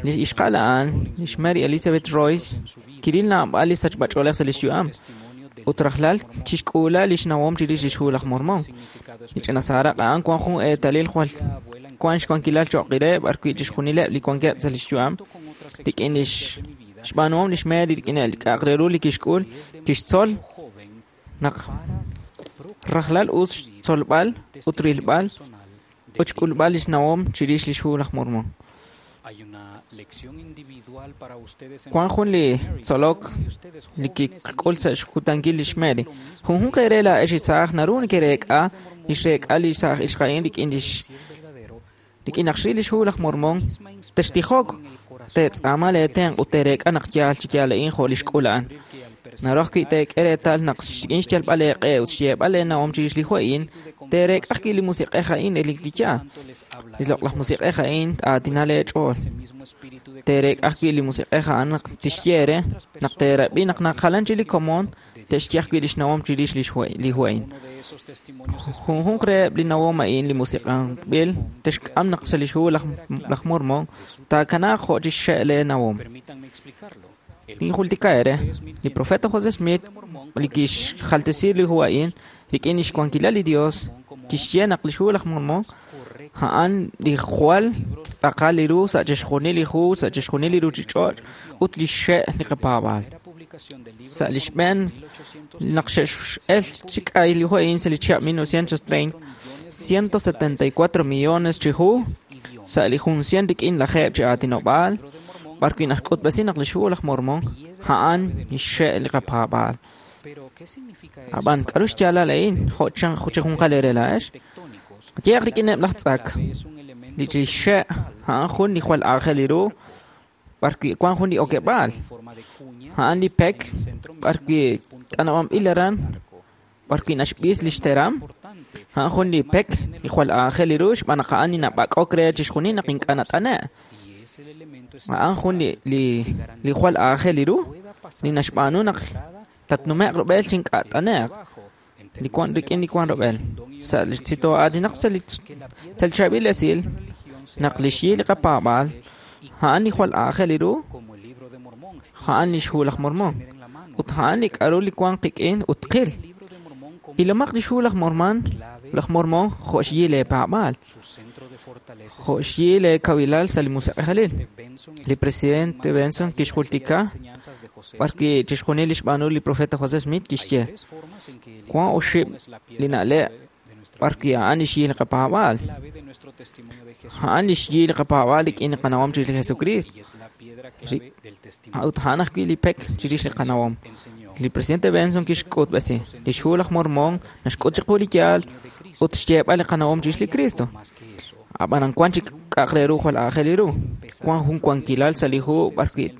Li ixqa'al a'an, lix Mary Elizabeth Royce, kiril naab'al li sachb'ach'oolej sa' lix yu'am. Ut rajlal chixk'uula lix nawom chirix lix hu laj Mormon. Li ch'ina saaraq a'an wan jun eetalil jwal wan xwankilal cho'q re b'ar wi' chixjunileb' li wankeb' sa' lix yu'am rik'in lix xb'aanuhom lix Mary rik'in li k'a'aq re ru li kixk'ul, kixtzol naq rajlal us xtzolb'al ut rilb'al ut xk'ulb'al lix nawom chirix lix hu laj Mormon. Wan jun li tzolok li kik'ul sa' xkutankil lix Mary. Junjunq eere laa'ex li saaj naru nekereek'a lix reek'a li saaj ixqa'in rik'in lix rik'in naq xril lix hu laj Mormon, textijok, teetz'aama leetenq' ut teereek'a naq yaal chi yaal a'in jo' lix k'ul a'an. Naru ajwi' teek'e reetal naq rik'in xyalb'al eeq'e ut xyeeb'al eenawom chirix li hu a'in, teereek'a ajwi' li musiq'ej a'in li li yaal. Li loq'laj musiq'ej a'in aatina leech'ool. Teereek'a ajwi' li musiq'ej a'an naq tixye eere naq teerab'i naq naq jalan chik li komon te'xye ajwi' lix nawom chirix lix hu li hu a'in. Junjunq reheb' li nawom a'in li musiq'anb'il texk'am naq sa' lix hu laj laj Mormon taakanaaq jo' chixxe' lee nawom. Tinjultika eere, li profeta José Smith li kixjaltesi li hu a'in rik'in lix wankilal li Dios kixye naq lix hu laj Mormon a'an li jwal tz'aqal li ru sa' chixjunil li hu sa' chixjunil li ruchich'och' ut lix xe' li qapaab'aal. Sa' li xb'een naq xe'x'el chi k'ay li hu a'in sa' li chihab' mil novecientos treinta, ciento setenta y cuatro millones chi hu sa' li jun cien rik'in lajeeb' chi aatinob'aal b'ar wi' naxk'utb'esi naq lix hu laj Mormon a'an lix xe' li qapaab'aal. Ab'an k'aru xyaalal a'in jo' chan chi junqal eere laa'ex? Qayehaq rik'ineb' laj tz'ak. Li chixxe' a'an jun li jwal aajel ru b'arwi' wan jun li okeb'aal. A'an li pek b'arwi' t'anab'anb'il aran b'arwi' naxb'is li xteram. A'an jun li pek li jwal aajel ru xb'aan naq a'an li nab'ak'ok re chixjunil naq ink'a' nat'ane'. A'an jun li li li jwal aajel ru li naxb'aanu naq tatnume'q rub'el chi ink'a' t'ane'q. Li wan rik'in li wan rub'el. Sa' li tzito'aatinaq sa' li sa' li chaab'il esil naq li xyi li qapaab'aal a'an li jwal aajel ru a'an li xhu laj Mormon ut a'an li k'aru li wan qik'in ut qil. Ilomaq li xhu laj Mormon laj Mormon jo' xyi leepaab'aal jo' xyi leekawilal sa' li musiq'ejalil. Li presidente Benson kixjultika b'arwi' chixjunil li xb'aanu li profeta José Smith kixye wan oxib' li na'leb' b'arwi' a'an li xyi li qapaab'aal. A'an li xyi li qapaab'aal rik'in li qanawom chirix li Jesucristo. Ut a'an ajwi' li pek chirix li qanawom. Li presidente Benson kixk'utb'esi li xhu laj Mormon naxk'ut chiqu li yaal ut xyeeb'al li qanawom chirix li Cristo. Ab'an wan chik k'a'aq re ru jwal aajel ru. Wan jun wankilal sa' li hu b'arwi'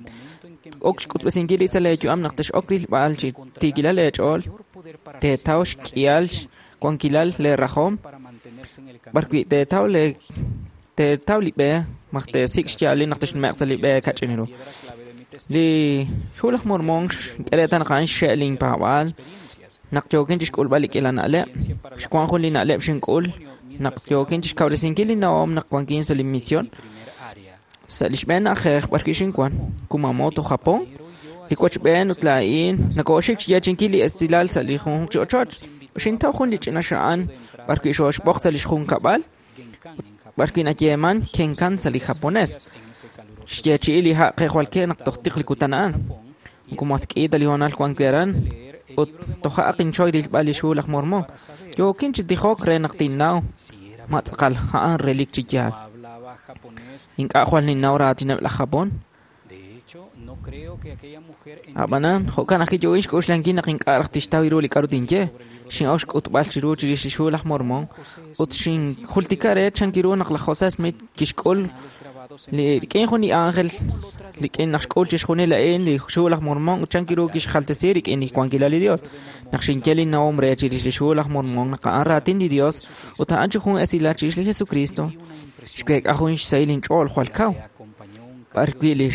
ok xk'utb'esinkil li sa' leeyu'am naq tex'ok rilb'al chi tiikilal leech'ool teetaw xk'ihal wankilal leerajom b'arwi' teetaw le teetaw li b'e maj teesik' xyaalil naq texnume'q sa' li b'e kach'in ru. Li xhu laj Mormon xk'e reetal naq a'an xxe' linpaab'aal naq yookin chixk'ulb'al li k'iila na'leb'. Xwan jun li na'leb' xink'ul naq yookin chixkawresinkil li nawom naq wankin sa' li misión sa' li xb'een na'ajej b'arwi' xinwan Kumamoto, Japón. Li wochb'een ut laa'in nakooxik xyeechinkil li esilal sa' li junjunq chi ochoch. Xintaw jun li ch'ina xa'an b'arwi' xooxb'oq sa' li xjunkab'al b'arwi' nayeeman Kenkan sa' li japonés. Xyeechi'i li ha' qe jwal ke naq toj tiq li kutan a'an. Moko mas k'i ta li hoonal wan wi' aran ut toja' inchoy rilb'al li xhu laj Mormon. Yookin chi tijok re naq tinnaw ma tz'aqal a'an relik chi yaal. Ink'a' jwal ninnaw raatineb' laj Japón. Ab'anan jo'kan ajwi' yookin xk'oxlankil naq ink'a' raj tixtaw ru li k'aru tinye. Xin'ok xk'utb'al chiru chirix li xhu laj Mormon ut xinjultika re chan ru naq laj José Smith kixk'ul li rik'in jun li ángel rik'in naq xk'ul chixjunil a'in li xhu laj Mormon ut chan ru kixjaltesi rik'in li xwankilal li Dios. Naq xinye li nawom re chirix li xhu laj Mormon naq a'an raatin li Dios ut a'an chi jun esilal chirix li Jesucristo xweek'a jun xsahil inch'ool jwal kaw. B'arwi' li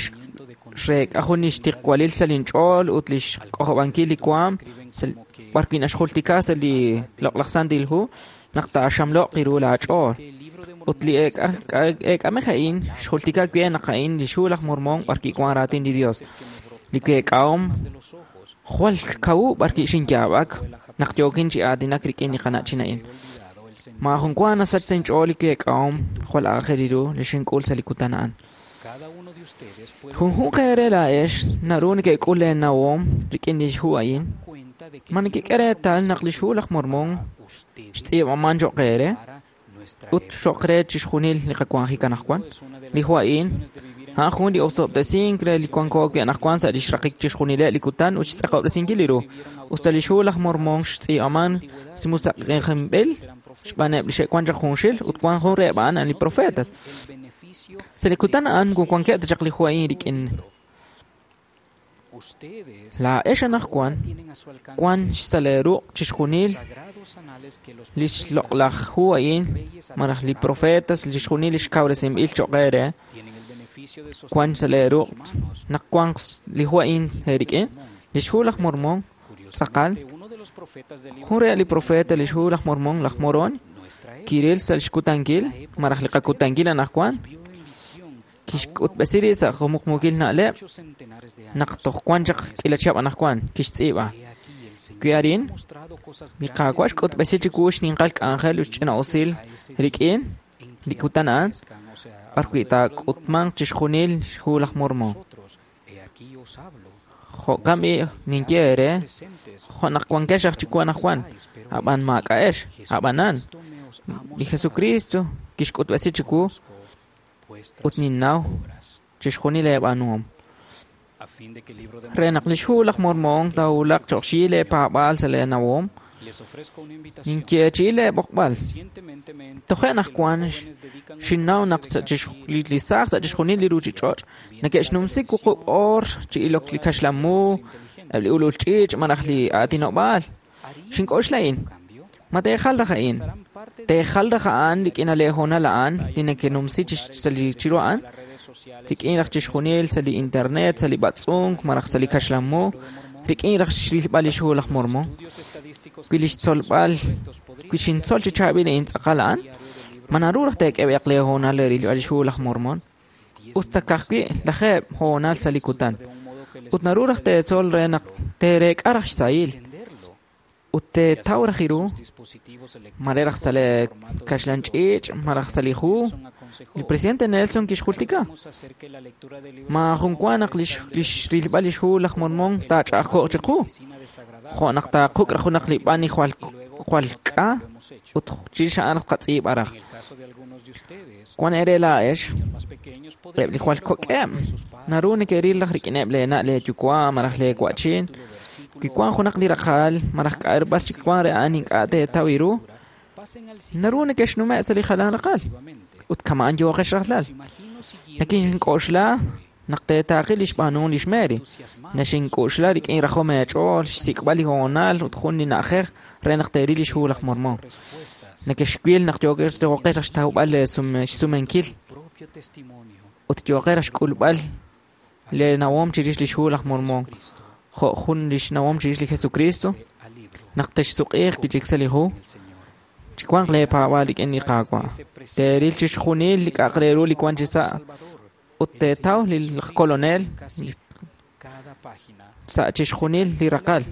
xreek'a jun li xtiqwalil sa' linch'ool ut li xk'ojob'ankil li waam b'arwi' naxjultika sa' li loq'laj Santil Hu naq taaxamlo'q ru laach'ool. Ut li eek'amej a'in xjultika wi' naq a'in li xhu laj Mormon b'arwi' wan raatin li Dios. Li week'ahom jwal kawu b'arwi' xinyaab'ak naq yookin chi aatinak rik'in li qana'chin a'in. Maajun wa nasach sa' inch'ool li week'ahom jwal aajel ru li xink'ul sa' li kutan a'an. Junjunq eere laa'ex naru neke'k'ul leenawom rik'in li xhu a'in. Ma nekek'e reetal naq li xhu laj Mormon xtz'iib'aman cho'q eere ut cho'q re chixjunil li qawanjik anaqwan. Li hu a'in a'an jun li osob'tesink re li wanko wi' anaqwan sa' li xraqik chixjunileb' li kutan ut xtz'aqob'resinkil li ru. Ut sa' li xhu laj Mormon xtz'iib'aman simusaq'ejinb'il xb'aaneb' li xe'wan chaq junxil ut wan jun reheb' a'an li profetas. Sa' li kutan a'an wankeb' ta chaq li hu a'in rik'in. Laa'ex anaqwan wan sa' leeruq' chixjunil li xloq'laj hu a'in malaj li profetas chixjunil li xkawresinb'il cho'q eere wan sa' leeruq' naq wan li hu a'in eerik'in. Li xhu laj Mormon tz'aqal jun reheb' li profeta li xhu laj Mormon laj Moroni kiril sa' xkutankil malaj li qakutankil anaqwan kixk'utb'esi rib' sa' jumuqmukil na'leb' naq toj wan chaq k'iila chihab' anaqwan kixtz'iib'a. Wi arin li Qaawa' xk'utb'esi chiwu xninqal k'anjel ut xch'ina'usil rik'in li kutan a'an b'arwi' taak'utmanq chixjunil xhu laj Mormon. Jo'kan b'i' ninye eere jo' naq wankex aj chiwu anaqwan ab'an maak'a'ex ab'anan li Jesucristo kixk'utb'esi chiwu ut ninnaw chixjunil eeb'aanuhom. Re naq lix hu laj Mormon taawulaq choq xyi leepaab'aal sa' leenawom, ninyeechi'i leeb'oqb'al. Toje' naq wan xinnaw naq li saaj sa' chixjunil li ruchich'och' neke'xnumsi wuqub' oor chi ilok li kaxlamu, eb' li ulul ch'iich' malaj li aatinob'aal. Xink'oxla a'in, ma teejal raj a'in? Teejal raj a'an rik'in leehoonal a'an li nekenumsi chiru a'an? Rik'in raj chixjunil sa' li internet, sa' li b'atz'unk, malaj sa' li kaxlamu, rik'in raj xrilb'al lix hu laj Mormon. Wi lix tzolb'al, wi xintzol chi chaab'il a'in tz'aqal a'an, ma naru raj teek'eb'eq leehoonal re rilb'al lix hu laj Mormon? Us ta ka'ajwi' lajeeb' hoonal sa' li kutan. Ut naru raj teetzol re naq teereek'a raj xsahil. Ut teetaw raj iru, mare raj sa' li kaxlan ch'iich', malaj sa' li hu. Li presidente Nelson kixjultika. Maajun wa naq lix rilb'al lix hu laj Mormon taach'a'ajko'q chiqu. Jo' naq taaquk' raj junaq li b'an jwal jwal k'a ut chirix a'an raj qatz'iib'a raj. Wan eere laa'ex, eb' li jwal kok'eb', naru neke'ril raj rik'ineb' leena' leeyuwa' malaj leewa'chin. Wi wan junaq li raqal malaj k'a'rb'ar chik wan re a'an ink'a' teetaw iru, naru neke'xnume' sa' li jalan raqal. Ut kama'an yooqex rajlal. Nakink'oxla naq teetaaqi lix b'aanuhom lix Mary. Naxink'oxla rik'in rajom eech'ool, xsik'b'al li hoonal ut jun li na'ajej re naq teeril lix hu laj Mormon. Nekexwil naq yooqex raj xtawb'al xsumenkil ut yooqex raj xk'ulb'al leenawom chirix lix hu laj Mormon. Jo' jun lix nawom chirix li Jesucristo, naq texsuq'iiq wi'chik sa' li hu, chiwanq leepaab'aal rik'in li Qaawa'. Teeril chixjunil li k'a'aq re ru li wan chi sa' ut teetaw li Kolonel sa' chixjunil li raqal.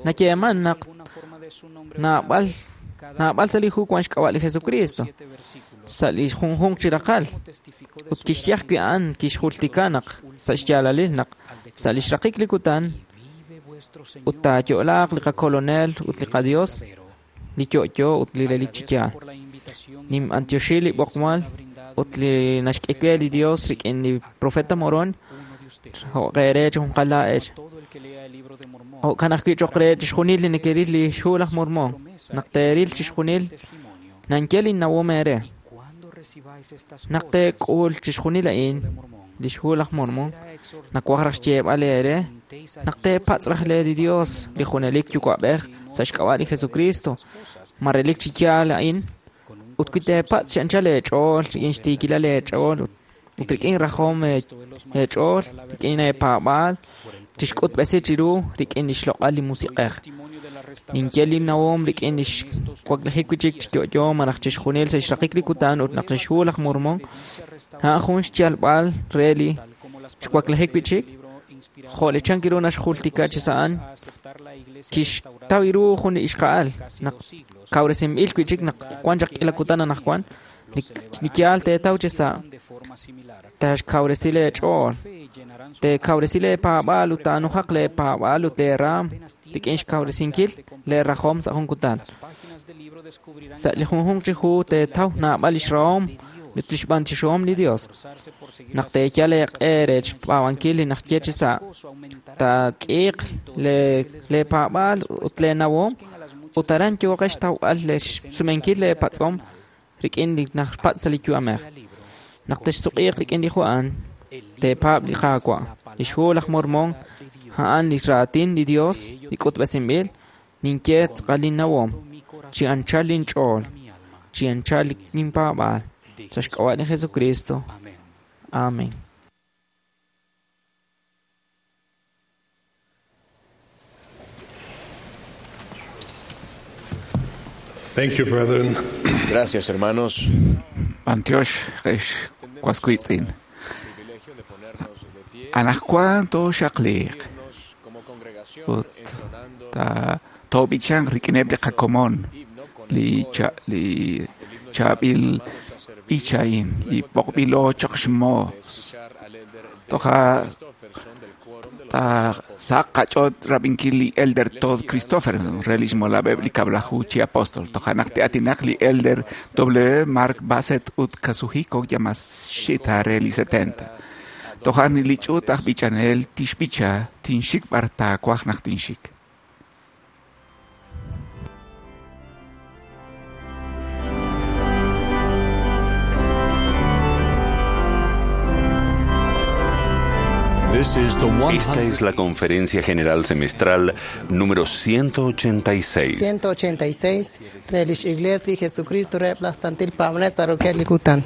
Nayeeman naq naab'al naab'al sa' li hu wan xk'ab'a' li Jesucristo sa' li junjunq chi raqal. Ut kixye ajwi' a'an kixjultika naq sa' xyaalalil naq sa' lix raqik li kutan ut taayo'laaq li qakolonel ut li qaDios li yo'yo ut li relik chi yaal. Ninb'antioxi li b'oqmal ut li naxk'e we li Dios rik'in li profeta Moroni jo' qeere chi junqal laa'ex. Jo'kan ajwi' choq re chixjunil li nekeril li xhu laj Mormon, naq teeril chixjunil nanye linnawom eere. Naq teek'ul chixjunil a'in lix hu laj Mormon, nawaj raj xyeeb'al eere naq teepatz' raj le li Dios li junelik yuwa'b'ej sa' xk'ab'a' li Jesucristo, ma relik chi yaal a'in, ut wi teepatz' chi anchal eech'ool rik'in xtiikilal eech'ool ut rik'in rajom eech'ool rik'in eepaab'aal, tixk'utb'esi chiru rik'in lix loq'al li musiq'ej. Ninye linnawom rik'in lix waklajik wi'chik chi yo'yo malaj chixjunil sa' xraqik li kutan ut naq lix hu laj Mormon a'an jun xyalb'al re li xwaklajik wi'chik. Jo' li chan kiru naxjultika chi sa' a'an, kixtaw iru jun li ixqa'al naq kawresinb'il wi'chik naq wan chaq k'ila kutan anaqwan, li yaal teetaw chi sa' taaxkawresi leech'ool, teekawresi leepaab'aal ut taanujaq leepaab'aal ut leeraam rik'in xkawresinkil leerajom sa' jun kutan. Sa' li junjunq chi hu teetaw naab'al lix rahom ut lix b'antioxihom li Dios. Naq teeyal eeq'e re xpaab'ankil li naxye chi sa' taak'iiq leepaab'aal ut leenawom ut aran yooqex xtawb'al xsumenkil leepatz'om rik'in li najpatz' sa' li yu'amej. Naq texsuq'iiq rik'in li hu a'an, teepaab' li Qaawa'. Lix hu laj Mormon a'an li raatin li Dios li k'utb'esinb'il, ninye tz'aqal linnawom, chi anchal linch'ool, chi anchal linpaab'aal, sa' xk'ab'a' li Jesucristo. Amén. Thank you, brethren. Gracias, hermanos. Antioch, rex, waskuitzin. Anajkuan to xaqliq. Ut ta tobichan rik'ineb li qakomon li cha li chaab'il b'ichain li b'oqb'ilo chaq xmoos. Toja ta saq qach'ot rab'inkil li Elder Todd Christofferson re lix molab'eb' li kab'laju chi apóstol. Toja naq te'atinaq li Elder W. Mark Bassett ut Kazuhiko Yamashita re li setenta. Toja' li ch'uut aj b'ichanel tixb'icha tinxik b'ar taawaj naq tinxik. Esta es la Conferencia General Semestral número ciento ochenta y seis. ciento ochenta y seis re lix Iglesia li Jesucristo reheb' laj Santil Paab'anel sa' rokeb' li kutan.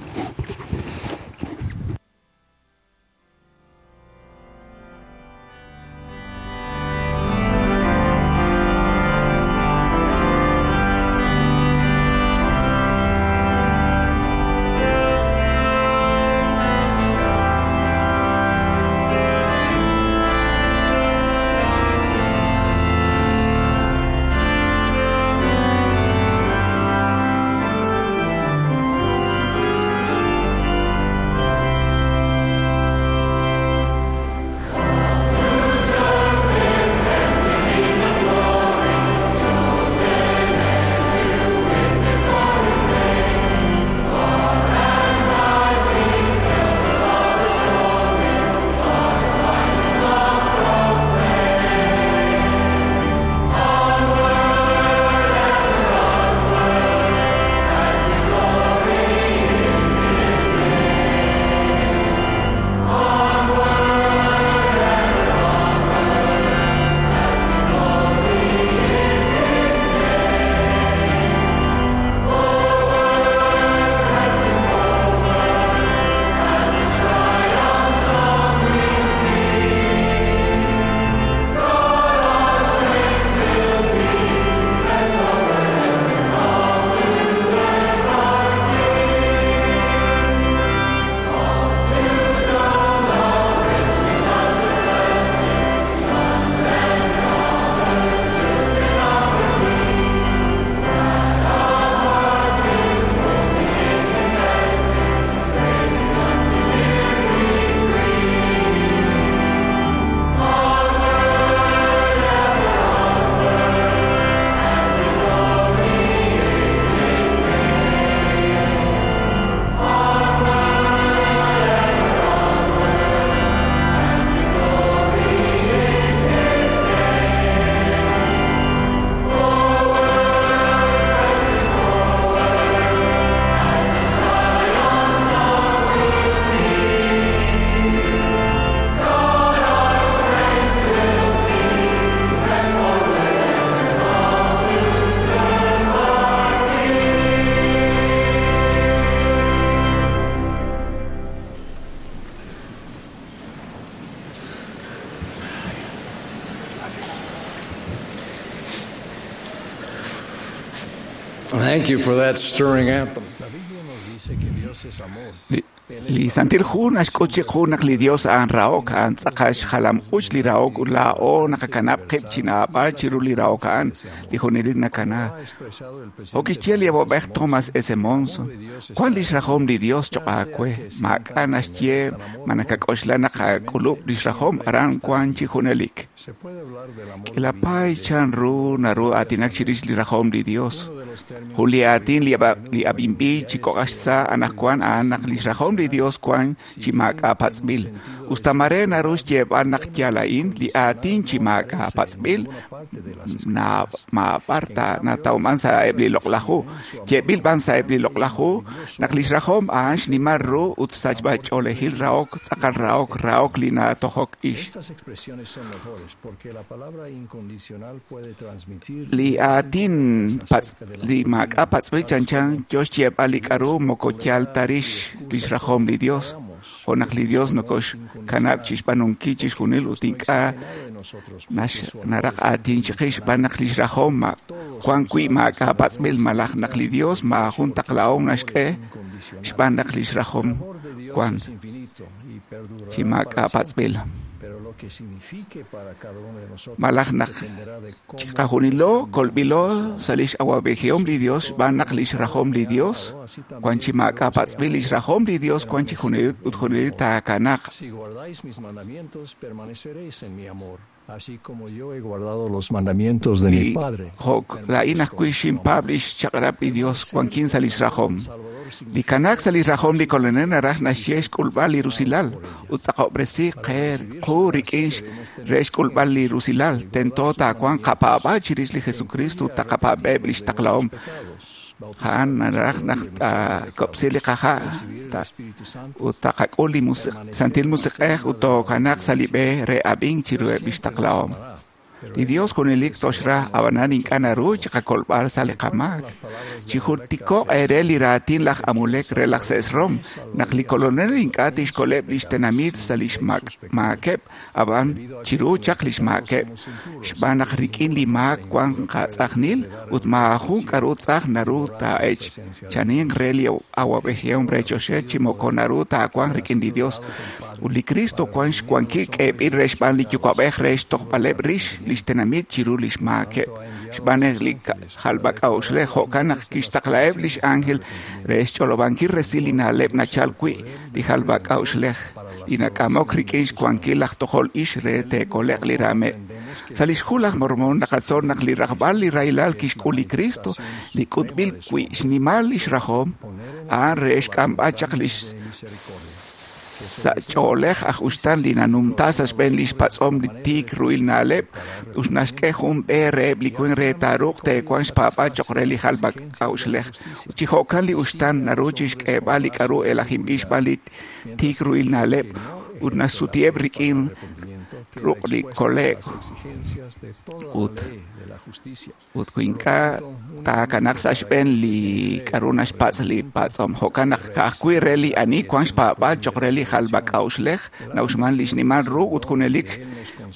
Thank you for that stirring anthem. Li Santil Hu naxk'ut chiqu naq li Dios a'an rahok, a'an tz'aqal xjalam uch li rahok ut laa'o naqakanab' qib' chi naab'al chiru li rahok a'an, li junelik nakana. Jo' kixye li awab'ej Thomas S. Monson, wan lix rajom li Dios choq' aawe, maak'a' naxye ma nakak'oxla naq aak'ulub' lix rajom aran wan chi junelik. K'ilapay chan ru naru aatinak chirix li rajom li Dios. Jun li aatin li ab'inb'il chi kok'aj xsa' anaqwan a'an naq lix rajom li Dios wan chi maak'a' patz'b'il. Usta mare naru xyeeb'al naq yal a'in, li aatin chi maak'a' patz'b'il maab'ar ta natawman sa' eb' li loq'laj hu. Yeeb'il b'an sa' eb' li loq'laj hu naq lix rajom a'an xnimal ru ut sachb'ach'oolejil rahok, tz'aqal rahok, rahok li natojok ix. Li aatin li maak'a' patz'b'il chanchan yo xyeeb'al li k'aru moko yal ta rix lix rajom li Dios. Jo' naq li Dios nokoxkanab' chixb'aanunkil chixjunil ut ink'a' naraq aatin chiqix xb'aan naq lix rajom wan wi' maak'a' patz'b'il malaj naq li Dios maajun taqlahom naxk'e xb'aan naq lix rajom wan chi maak'a' patz'b'il. Malaj naq chiqajunilo kolb'ilo sa' lix awab'ejihom li Dios xb'aan naq lix rajom li Dios wan chi maak'a' patz'b'il lix rajom li Dios wan chi junelik ut junelik taakanaq. Así como yo he guardado los mandamientos de mi Padre. Jo' laa'in ajwi' xinpaab' lix chaq'rab' li Dios wankin sa' lix rajom. Li kanaak sa' li rajom li Kolonel naraj naxye xk'ulb'al li rusilal ut tz'aqob'resi qe qu rik'in re xk'ulb'al li rusilal. Tento taawanq qapaab'aal chirix li Jesucristo ut taqapaab'eb' lix taqlahom. A'an naraj naq taakob'si li qaha' ut taqak'ul li Santil Musiq'ej ut tookanaq sa' li b'e re ab'ink chiruheb' lix taqlahom. Li Dios junelik toxra ab'anan ink'a' naru chiqakolb'al sa' li qamaak. Chijultiko'q eere li raatin laj Amulek re laj Sesrom naq li Kolonel ink'a' tixkoleb' lix tenamit sa' lix maakeb' ab'an chiru chaq lix maakeb' xb'aan naq rik'in li maak wan qatz'ajnil ut maajun k'aru tz'aj naru taa'ech chaninq re li awab'ejihom re choxa chi moko naru taawanq rik'in li Dios. Ut li Cristo wan xwankil k'eeb'il re xb'aan li Yuwa'b'ej re xtojb'aleb' rix lix tenamit chiru lix maakeb' xb'aan naq li jalb'ak'a'uxlej jo'kan naq kixtaqlaheb' lix ángel re xch'olob'ankil resil li na'leb' nachal wi' li jalb'ak'a'uxlej li nak'amok rik'in xwankil laj tojol ix re teekole'q li raameb'. Sa' lix hu laj Mormon naqatzol naq li rajb'al li rahilal kixk'ul li Cristo li k'utb'il wi' xnimal lix rajom a'an re xk'amb'al chaq lix sa' ch'oolej aj uxtan li nanumta sa' xb'een lix patz'om li tiik ruhil na'leb' ut naxk'e jun b'e reheb' li winq re taaruuq teewanq xpaab'aal cho'q re li jalb'ak'a'uxlej. Ut chi jo'kan li uxtan naru chixk'eeb'al li k'aru elajinb'il xb'aan li tiik ruhil na'leb' ut naxsutiheb' rik'in ruq' li kole'k ut ut wi ink'a' taakanaq sa' xb'een li k'aru naxpatz' li patz'om. Jo'kan naq ka'ajwi' re li ani wan xpaab'aal cho'q re li jalb'ak'a'uxlej na'uxman li xnimal ru ut junelik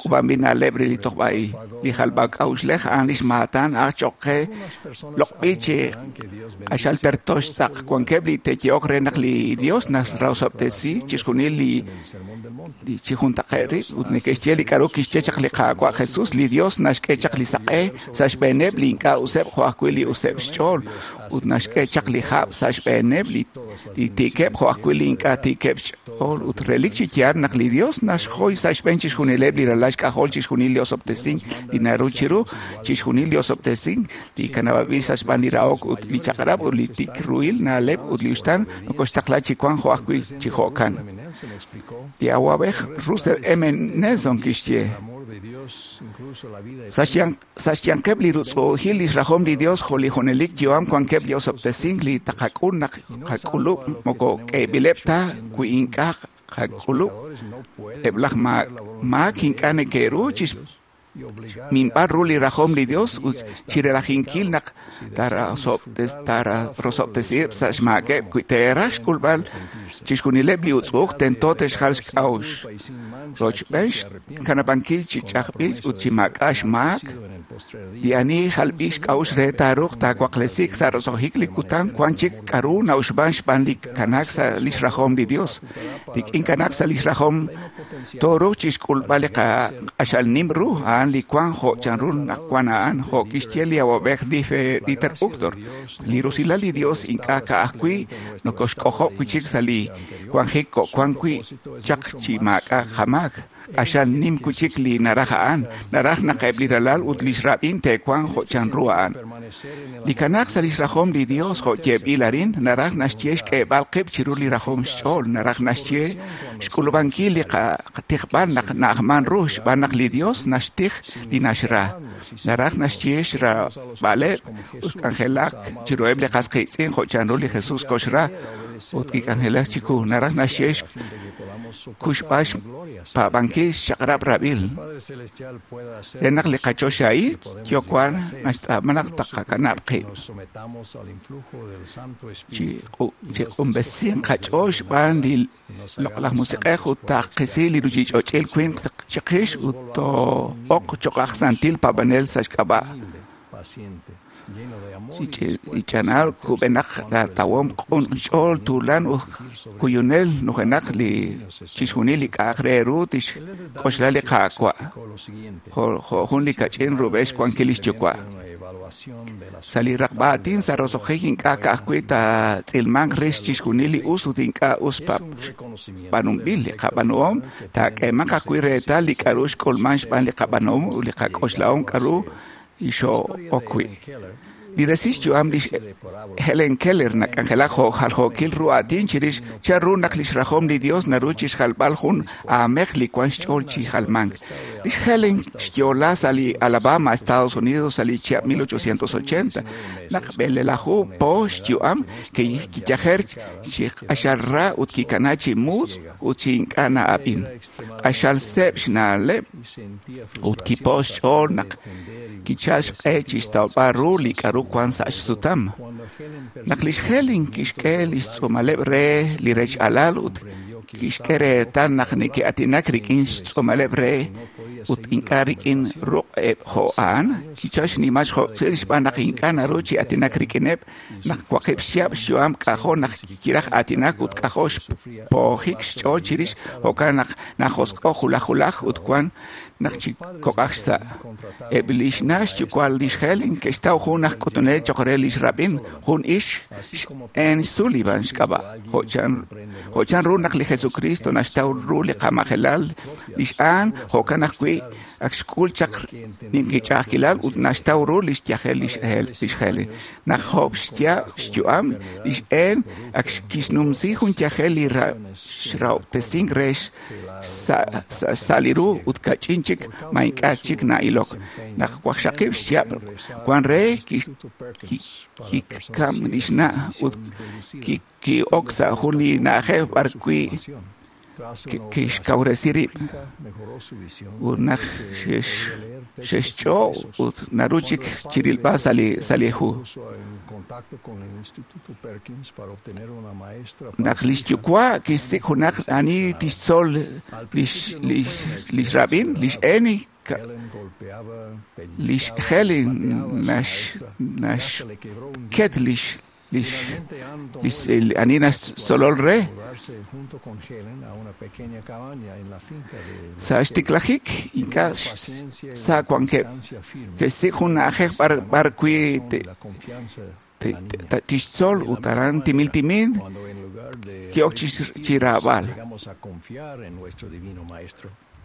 k'uub'anb'il na'leb' re li tojb'a'i. Li jalb'ak'a'uxlej a'an lix maatan aj cho'q qe loq'b'il chi q'axal terto xtz'aq. Wankeb' li te'ye'ok re naq li Dios narosob'tesi chixjunil li chi juntaqe' rib' ut neke'xye li k'aru kixye chaq li Qaawa' Jesus. Li Dios naxk'e chaq li saq'e sa' xb'eeneb' li ink'a' useb' jo' ajwi' li useb' xch'ool ut naxk'e chaq li hab' sa' xb'eeneb' li tiikeb' jo' ajwi' li ink'a' tiikeb' xch'ool. Ut relik chi yaal naq li Dios naxjoy sa' xb'een chixjunileb' li ralal xk'ajol chixjunil li osob'tesink li naru chiru chixjunil li osob'tesink li kanab'ab'il sa' xb'aan li rahok ut li chaq'rab' ut li tik ruhil na'leb' ut li uxtan nokoxtaqla chi wank jo' ajwi' chi jo'kan. Li awab'ej Russell M. Nelson kixye sa' xyanqeb' li rutz'u'ujil lix rajom li Dios jo' li junelik yu'am wankeb' li osob'tesink li taqak'ul naq qak'ulub' moko k'eeb'ileb' ta wi ink'a' qak'ulub'. Eb' laj maak ink'a' neke'ru chi minb'al ru li rajom li Dios ut chirelajinkil naq tararosob'tesiheb' sa' xmaakeb' wi teeraj xk'ulb'al chixjunileb' li utz'u'uj tento te'xjal xk'a'uxl rochb'een xkanab'ankil chi ch'ajb'il ut chi maak'a' xmaak. Li ani jalb'il xk'a'uxl re taaruuq taawaqlesiik sa' roso'jik li kutan wan chik k'aru na'uxb'an xb'aan li kanaak sa' lix rajom li Dios. Rik'in kanaak sa' lix rajom tooruuq chixk'ulb'al li q'axal nim ru a'an li wank jo' chanru naq wan a'an jo' kixye li awab'ej Dieter Uchtdorf. Li rusilal li Dios ink'a' ka'ajwi' nokoxk'ojob' wi' chik sa' li wanjik ko'wan wi' chaq chi maak'a' qamaak. Q'axal nim wi' chik li naraj a'an, naraj naq eb' li ralal ut lix rab'in te'wanq jo' chanru a'an. Li kanaak sa' lix rajom li Dios jo' yeeb'il arin naraj naxye xk'eeb'al qib' chiru li rajom xch'ool, naraj naxye xk'ulub'ankil li qatijb'al naq na'ajman ru xb'aan naq li Dios naxtij li naxra. Naraj naxye xrab'aleb' ut k'anjelak chiruheb' li qas qiitz'in jo' chanru li Jesus koxra ut kik'anjelak chiku. Naraj naxye kuxb'al xpaab'ankil xchaq'rab' rab'il re naq li qachoxahil yo'wan naxtz'aama naq taqakanab' qib' chi q'unb'esin qach'ool xb'aan li loq'laj musiq'ej ut taqisi li ruchich'och'il winq chiqix ut too'oq cho'q aj santil paab'anel sa' xk'ab'a'. Ich'anal kub'enaq ratawom q'un ch'ool tuulan ut kuyunel nujenaq li chixjunil li k'a'aq re ru tixk'oxla li Qaawa' jo' jun li kach'in rub'el xwankil lix yuwa'. Sa' li raqb'a aatin sa' roso'jik ink'a' ka'ajwi' taatz'ilmanq rix chixjunil li us ut ink'a' us b'aanunb'il li qab'aanuhom, taak'eemanq ajwi' reetal li k'a'ru xk'ulman xb'aan li qab'aanuhom ut li qak'oxlahom k'a'ru xoo'ok wi'. Li resil xyu'am lix Helen Keller nak'anjelak jo' jaljookil ru aatin chirix chan ru naq lix rajom li Dios naru chixjalb'al jun aamej li wan xch'ool chi jalmank. Lix Helen xyo'la sa' li Alabama, Estados Unidos, sa' li chihab' mil ochocientos ochenta. Naq b'elelaju po xyu'am kiyajer chi q'axal ra ut kikana chi mutz' ut chi ink'a' na'ab'in. Q'axal seeb' xna'leb' ut kipo xch'ool naq kichal xq'e chixtawb'al ru li k'a'ru wan sa' xsutam. Naq lix Helen kixk'e lix tz'uumaleb' re li rech alal ut kixk'e reetal naq neke'aatinak rik'in xtz'uumaleb' re ut ink'a' rik'in ruq'eb' jo' a'an, kichal xnimal xjo'tzil xb'aan naq ink'a' naru chi aatinak rik'ineb' naq waqib' xchihab' xyu'am k'ajo' naq kiraj aatinak ut k'ajo' xpoojik xch'ool chirix jo'kan naq najosq'o' julaj julaj ut wan naq chi kok'aj xsa'. Eb' lix na' xyuwa' lix Helen ke'xtaw jun aj k'utunel choq' re lix rab'in, jun ix Ann Sullivan xk'ab'a'. Jo' chan ru naq li Jesucristo naxtaw ru li qamajelal lix Ann, jo'kan ajwi' ak xk'ul chaq ninqich'a'ajkilal ut naxtaw ru lix yajel lix Helen. Naq job xya' xyu'am lix Ann ak kixnumsi jun yajel li xrahob'tesink re sa' li ru ut kach'in chik ma ink'a' chik na'ilok. Naq waqxaqib' xchihab' wan re kikam lix na' ut ki'ok sa' jun li na'ajej b'arwi' kixkawresi rib' ut naq xe'xch'o' ut naru chik chirilb'al sa' li sa' li hu. Naq lix yuwa' kixsik' junaq ani tixtzol lix lix rab'in, lix Annie lix Helen nax naxket lix lix lix ani naxtzolol re. Sa' xtiklajik ink'a' sa' wankeb' ke'xsik' jun na'ajej b'arwi' tixtzol ut aran timil timil ki'ok chi raab'al.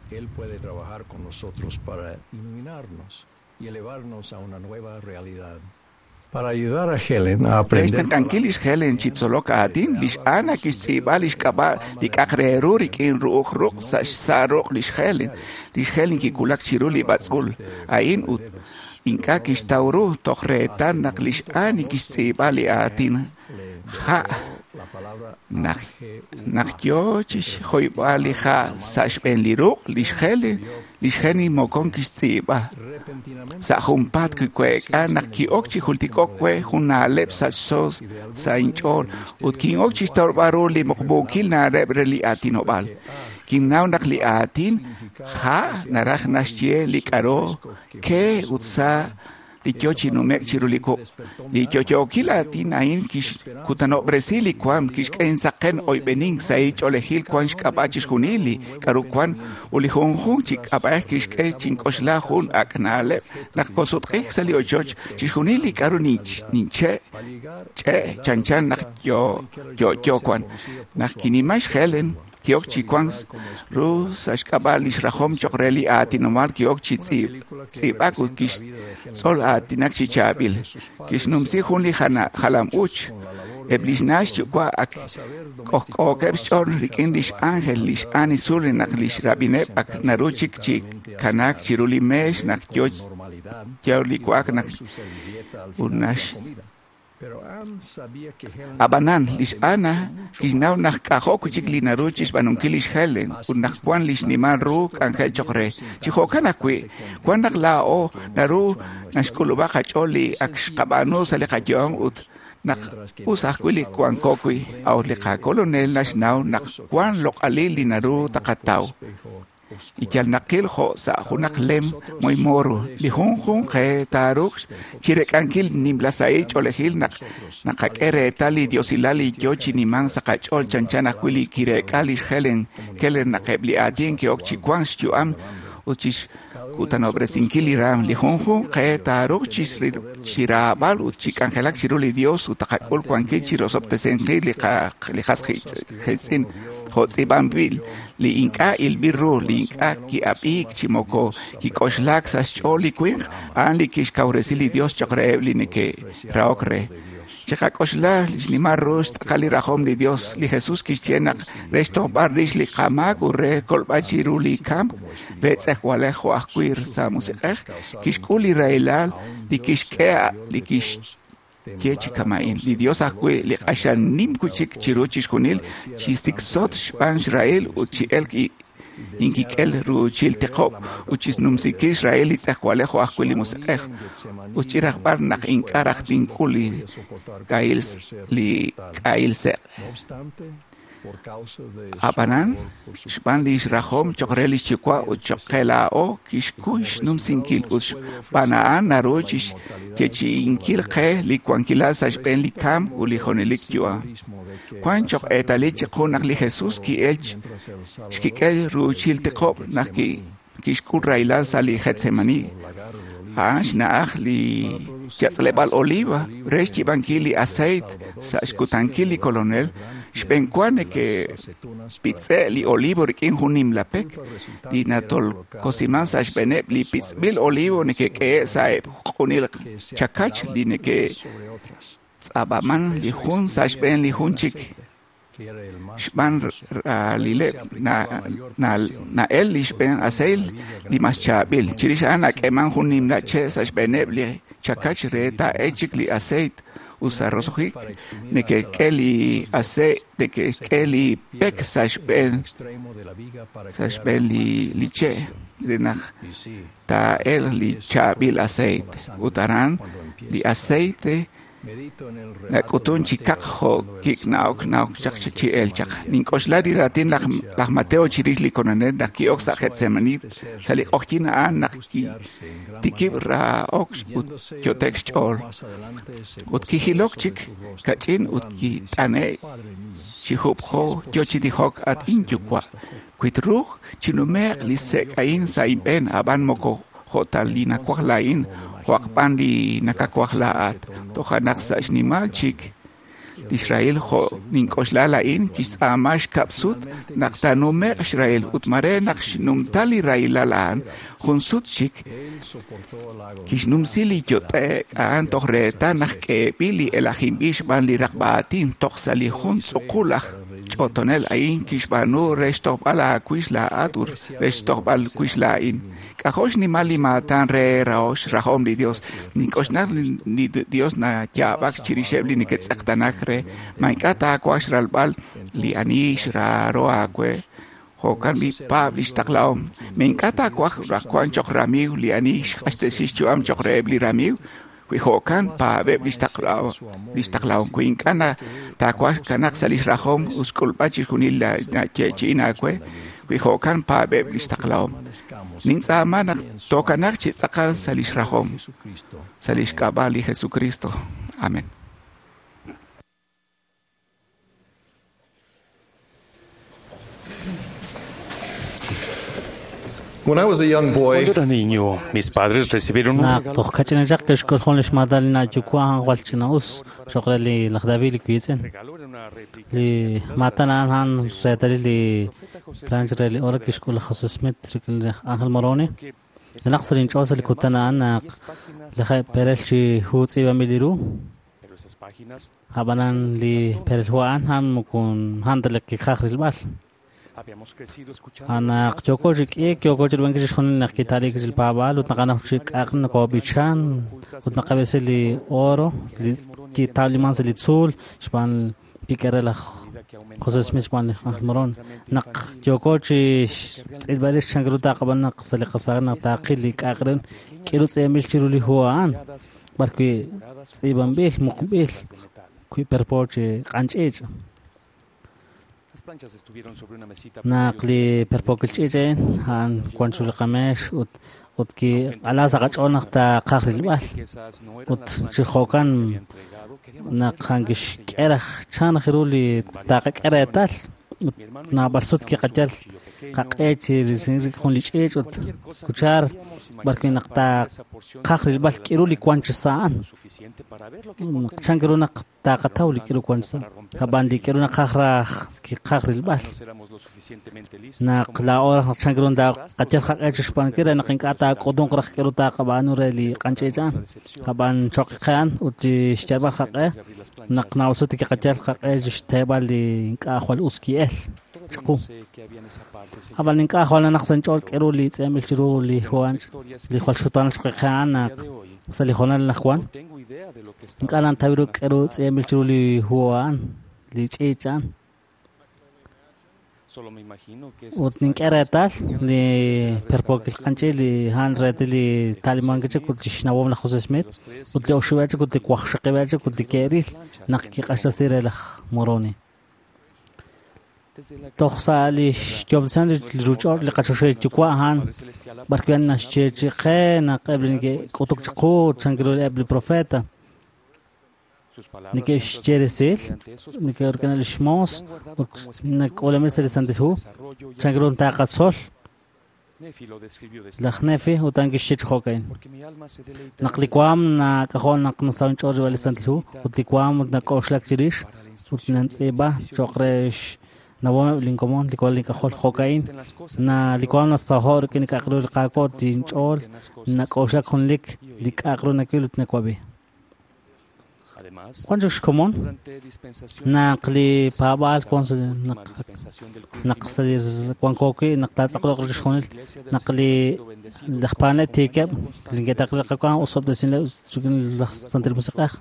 Él puede trabajar con nosotros para iluminarnos y elevarnos a una nueva realidad. Para ayudar a Helen a aprender. Rextenq'ankil lix Helen chi tzolok aatin, lix Ana kixtz'iib'a lix k'ab'a' li k'aq re ru rik'in ru'uj ruq' sa' xsa' ruq' lix Helen. Lix Helen kiwulak chiru li b'atz'ul a'in ut ink'a' kixtaw ru toj reetal naq lix Ana kixtz'iib'a li aatin ja'. Naq naq yo chixjoyb'al li ja' sa' xb'een li ruq' lix Helen, lix Helen mokon kixtz'iib'a. Sa' junpaat kiweek'a naq ki'ok chi jultik'ok we jun na'leb' sa' xsos sa' inch'ool ut kin'ok chixtawb'al ru li muqmuukil na'leb' re li aatinob'aal. Kinnaw naq li aatin ja' naraj naxye li k'a'ru ke ut sa' li yo chi nume'k chiru li wuq'. Li yo'yookil aatin a'in kixkutanob'resi li waam, kixk'e insaqen oyb'enink sa' inch'oolejil wan xk'ab'a' chixjunil li k'a'ru wan ut li junjunq chi k'ab'a'ej kixk'e chink'oxla jun ak' na'leb' naq kosutq'ik sa' li ochoch chixjunil li k'a'ru ninche' ch'e' chanchan naq yo'yo wan. Naq kinima xHelen ki'ok chi wan ru sa' xk'ab'a' lix rajom choq' re li aatinomal ki'ok chi tz'iib'ak ut kixtzol aatinak chi chaab'il. Kixnumsi jun li jalam-uuch. Eb' lix na' xyuwa' ak k'ojk'ookeb' xch'ool rik'in lix ángel lix Annie Sullivan naq lix rab'ineb' ak naru chik chi kanaak chiru li meex naq yo yo li wa'ak naq ut nax Ab'anan, lix Ana kixnaw naq k'ajo' wi' chik li naru chixb'aanunkil lix Helen ut naq wan lix nimal ru k'anjel choq' re. Chi jo'kan ajwi', wan naq laa'o naru naxk'ulub'a qach'ool li ak xqab'aanu sa' li qayu'am ut naq us ajwi' li wanko wi', a'ut li qakolonel naxnaw naq wan loq'alil li naru taqataw. Li yal naqil jo' sa' junaq lem moymoru li junjunq qe taaruuq chirek'ankil nimla sahil ch'oolejil naq naqak'e reetal li diosilal li yo chi nimank sa' qach'ool chanchan ajwi' li kireek'a lix Helen Keller naq eb' li aatin ke'ok chi wank xyu'am ut chixkutanob'resinkil li raam. Li junjunq qe taaruuq chiraab'al ut chi k'anjelak chiru li Dios ut taqak'ul wankil chirosob'tesinkil li qas qiitz'in jo' tz'iib'anb'il li ink'a' ilb'il ru, li ink'a' ki'ab'iik chi moko kik'oxlaak sa' xch'ool li winq, a'an li kixkawresi li Dios cho'q reheb' li neke'rahok re. Chiqak'oxla xnimal ru xtz'aqal li rajom li Dios. Li Jesús kixye naq re xtojb'al rix li qamaak ut re kolb'al chiru li kamk re tz'ejwalej jo' ajwi' sa' musiq'ej, kixk'ul li rahilal li kixk'e li kixye chi kama'in. Li Dios ajwi' li q'axal nim wi'chik chiru chixjunil chi siksot xb'aan xrahil ut chi elk inkik'el ruuchil tiqob' ut chisnumsikil xrahil li tz'ejwalej jo' ajwi' li musiq'ej ut chirajb'al naq ink'a' raj tink'ul li k'ahil li k'ahil seq'. Ab'anan xb'aan li xrajom cho'q re li xyuwa' ut cho'q qe laa'o kixkuy xnumsinkil ut xb'aan a'an naru chixyeechi'inkil qe li wankilal sa' xb'een li kamk ut li junelik yu'am. Wank cho'q eetalil chiqu naq li Jesús ki'el xkik'el ruuchil tiqob' naq kixk'ul rahilal sa' li Getsemani. A'an xna'aj li yatz'leb'aal oliva re xyiib'ankil li aceite sa' xkutankil li Kolonel. Xb'eenwa neke'pitz'e' li olivo rik'in jun nimla pek li natolkosiman sa' xb'eeneb' li pitz'b'il olivo neke'k'ehe' sa' eb' q'unil chakach li neke'tz'ab'aman li jun sa' xb'een li jun chik. Xb'aan ralileb' na'el li xb'een aceite li mas chaab'il. Chirix a'an nak'eeman jun nimla che' sa' xb'eeneb' li chakach re taa'el chik li aceite ut sa' roso'jik neke'k'e li aceite neke'k'e li pek sa' xb'een sa' xb'een li li che' re naq taa'el li chaab'il aceite. Ut aran li aceite nak'utun chi kaq jo' kik'na'ok na'ok chaq chi el chaq. Nink'oxla li raatin laj Mateo chirix li Kolonel naq ki'ok sa' Getsemani sa' li q'oqyink a'an naq kitikib' rahok ut yo'tek xch'ool. Ut kijilok chik kach'in ut kit'ane' chi jub'jo yo chi tijok at inyuwa'. Wi truuq chinume'q li sek' a'in sa' inb'een ab'an moko jo' ta li nawaj laa'in jo'aq b'an li nakawaj laa'at. Toja' naq sa' xnimal chik li xrahil jo' nink'oxla laa'in kixtz'aama xkab' sut naq taanume'q xrahil ut mare naq xnumta li rahilal a'an jun sut chik kixnumsi li yot'e'k a'an toj reetal naq k'eeb'il li elajinb'il xb'aan li raqb'a aatin toj sa' li jun tz'uqul aj ch'otonel a'in kixb'aanu re xtojb'al aawix laa'at ut re xtojb'al wix laa'in. K'ajo' xnimal li maatan re xrahom li Dios. Nink'oxla li Dios nayaab'ak chirixeb' li neke'tz'eqtanak re ma ink'a' taawaj xralb'al li ani xraaro aawe. Jo'kan b'i paab' li xtaqlahom. Ma ink'a' taawaj raj wank cho'q ramiiw li ani xq'axtesi xyu'am cho'q reheb' li ramiiw. Wi jo'kan paab'eb' li xtaqlahom. Wi ink'a' taawaj kanaq sa' li xrajom ut xk'ulb'al chixjunil nayeechi'in aawe. Wi jo'kan paab'eb' li xtaqlahom. Nintz'aama naq tookanaq chi tz'aqal sa' li xrajom, sa' li xk'ab'a' li Jesucristo. Amén. When I was a young boy, Cuando era niño, mis padres recibieron un Naq regalo. toj kach'inachaq kixk'ul jun li xmaatan li nayuwa' a'an jwal ch'ina'us cho'q re li laj David li wiitz'in. Li maatan a'an a'an reetalil li planch re li oro kixk'ul laj José Smith rik'in laj Ángel Moroni. Naq sa' linch'ool sa' li kutan a'an naq laj perel chi hu tz'iib'anb'il li ru. Pero esas páginas Ab'anan li perel hu a'an a'an moko a'an ta li kiqaj rilb'al. habíamos crecido escuchando Anaq yooko chi k'iik yooko chi rub'ankil chixjunil naq kitalik li paab'aal ut naqanaw chi k'aq nokob'ichan ut naqab'esi li oro li kitawliman sa' li tzuul xb'aan kik'e re laj José Smith xb'aan li Ángel Moroni. Naq yooko chi xtz'ilb'al rix chan ru taqab'an naq sa' li qasaaj naq taqil li k'aq re k'iru tz'iib'anb'il chiru li hu a'an b'arwi' tz'iib'anb'il muqb'il wi' perpo chi q'anch'iich'. Naq li perpookil ch'iich' a'in a'an wan chiru li qameex ut ut kiq'ala sa' qach'ool naq taqaj rilb'al ut chi jo'kan naq a'an kixk'e raj chan raj ru li taqak'e reetal ut naab'al sut kiqayal qaq'e chi risinkil jun li ch'iich' ut cuchar b'arwi' naq taqaj rilb'al k'iru li wan chi sa' a'an chan ru naq taqataw li k'iru wan chi sa' ab'an li k'iru naqaj raj kiqaj rilb'al naq laa'o raj naq chan ru taqayal qaq'e chi xb'aanunkil re naq ink'a' taak'utunq raj k'iru taqab'aanu re li q'anch'iich' a'an ab'an choq qe a'an ut chi xyalb'al qaq'e naq naab'al sut kiqayal qaq'e chi xteeb'al li ink'a' jwal us ki'el chiqu ab'an ink'a' jwal nanaq sa' inch'ool k'iru li tz'iib'anb'il chiru li hu a'an li jwal xutaanal choq qe a'an naq sa' li hoonal anaqwan ink'a' nantaw ru k'iru tz'iib'anb'il chiru li hu a'an li ch'iich' a'an ut nink'e reetal li perpookil q'anch'iich' li a'an reetal li talimank chik ut li xnawom laj José Smith ut li oxib'eb' chik ut li waqxaqib'eb' chik ut li ke'ril naq kiq'axtesi re laj Moroni. Toj sa' li xyoob'tesinkil li ruuch'och' li qachoxahil yuwa' a'an b'arwi' naxyeechi'i qe naq eb' li neke'k'utuk chiqu chan ru eb' li profeta neke'xye resil neke'ruk'in li xmoos ut nak'uulamin sa' li Santil Hu chan ru taqatzol laj Nefi ut a'an kixye chi jo'ka'in naq li waam nak'ajo' naq nasaw inch'ool rib'al li Santil Hu ut li waam ut nak'oxlak chirix ut nantz'iib'a cho'q re xnawomeb' linkomon li walal ink'ajol jo'ka'in na li waam nasaho' rik'in li k'a'aq ru li Qaawa' ut inch'ool nak'oxlak junlik li k'a'aq ru nawil ut nawab'i. Wan chik xkomon naq li paab'aal wan sa' naq naq sa' li wanko wi' naq taatz'aqloq chixjunil naq li laj paanel tiikeb' li neke'taql li Qaawa' osob'tesinleb' rik'in laj Santil Musiq'ej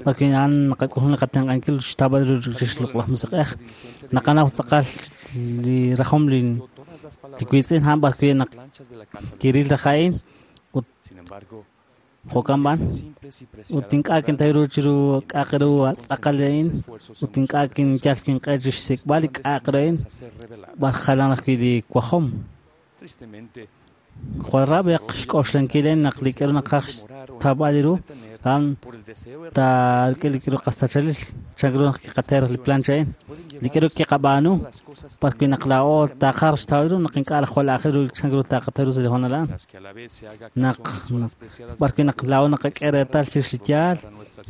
b'arwi' a'an naqak'ul jun li qatenq'ankil xtawb'al ru chix Loq'laj Musiq'ej naqanaw tz'aqal li rajom li li wiitz'in a'an b'arwi' naq kiril raj a'in ut jo'kan b'an ut ink'a' kintaw ru chiru k'a'aq ru tz'aqal a'in ut ink'a' kinyal kinq'e chi xsik'b'al li k'a'aq ru a'in b'ar jalan ajwi' li wajom. Jwal rab'eq xk'oxlankil a'in naq li k'aru naqaj xtawb'al ru a'an taarik'in li k'aru qasachalil chan ru naq kiqater li plancha a'in li k'aru kiqab'aanu b'arwi' naq laa'o taqaj xtawb'al ru naq ink'a' jwal aajel ru chan ru taqataw ru sa' li hoonal a'an naq b'arwi' naq laa'o naqak'e reetal chirix li yaal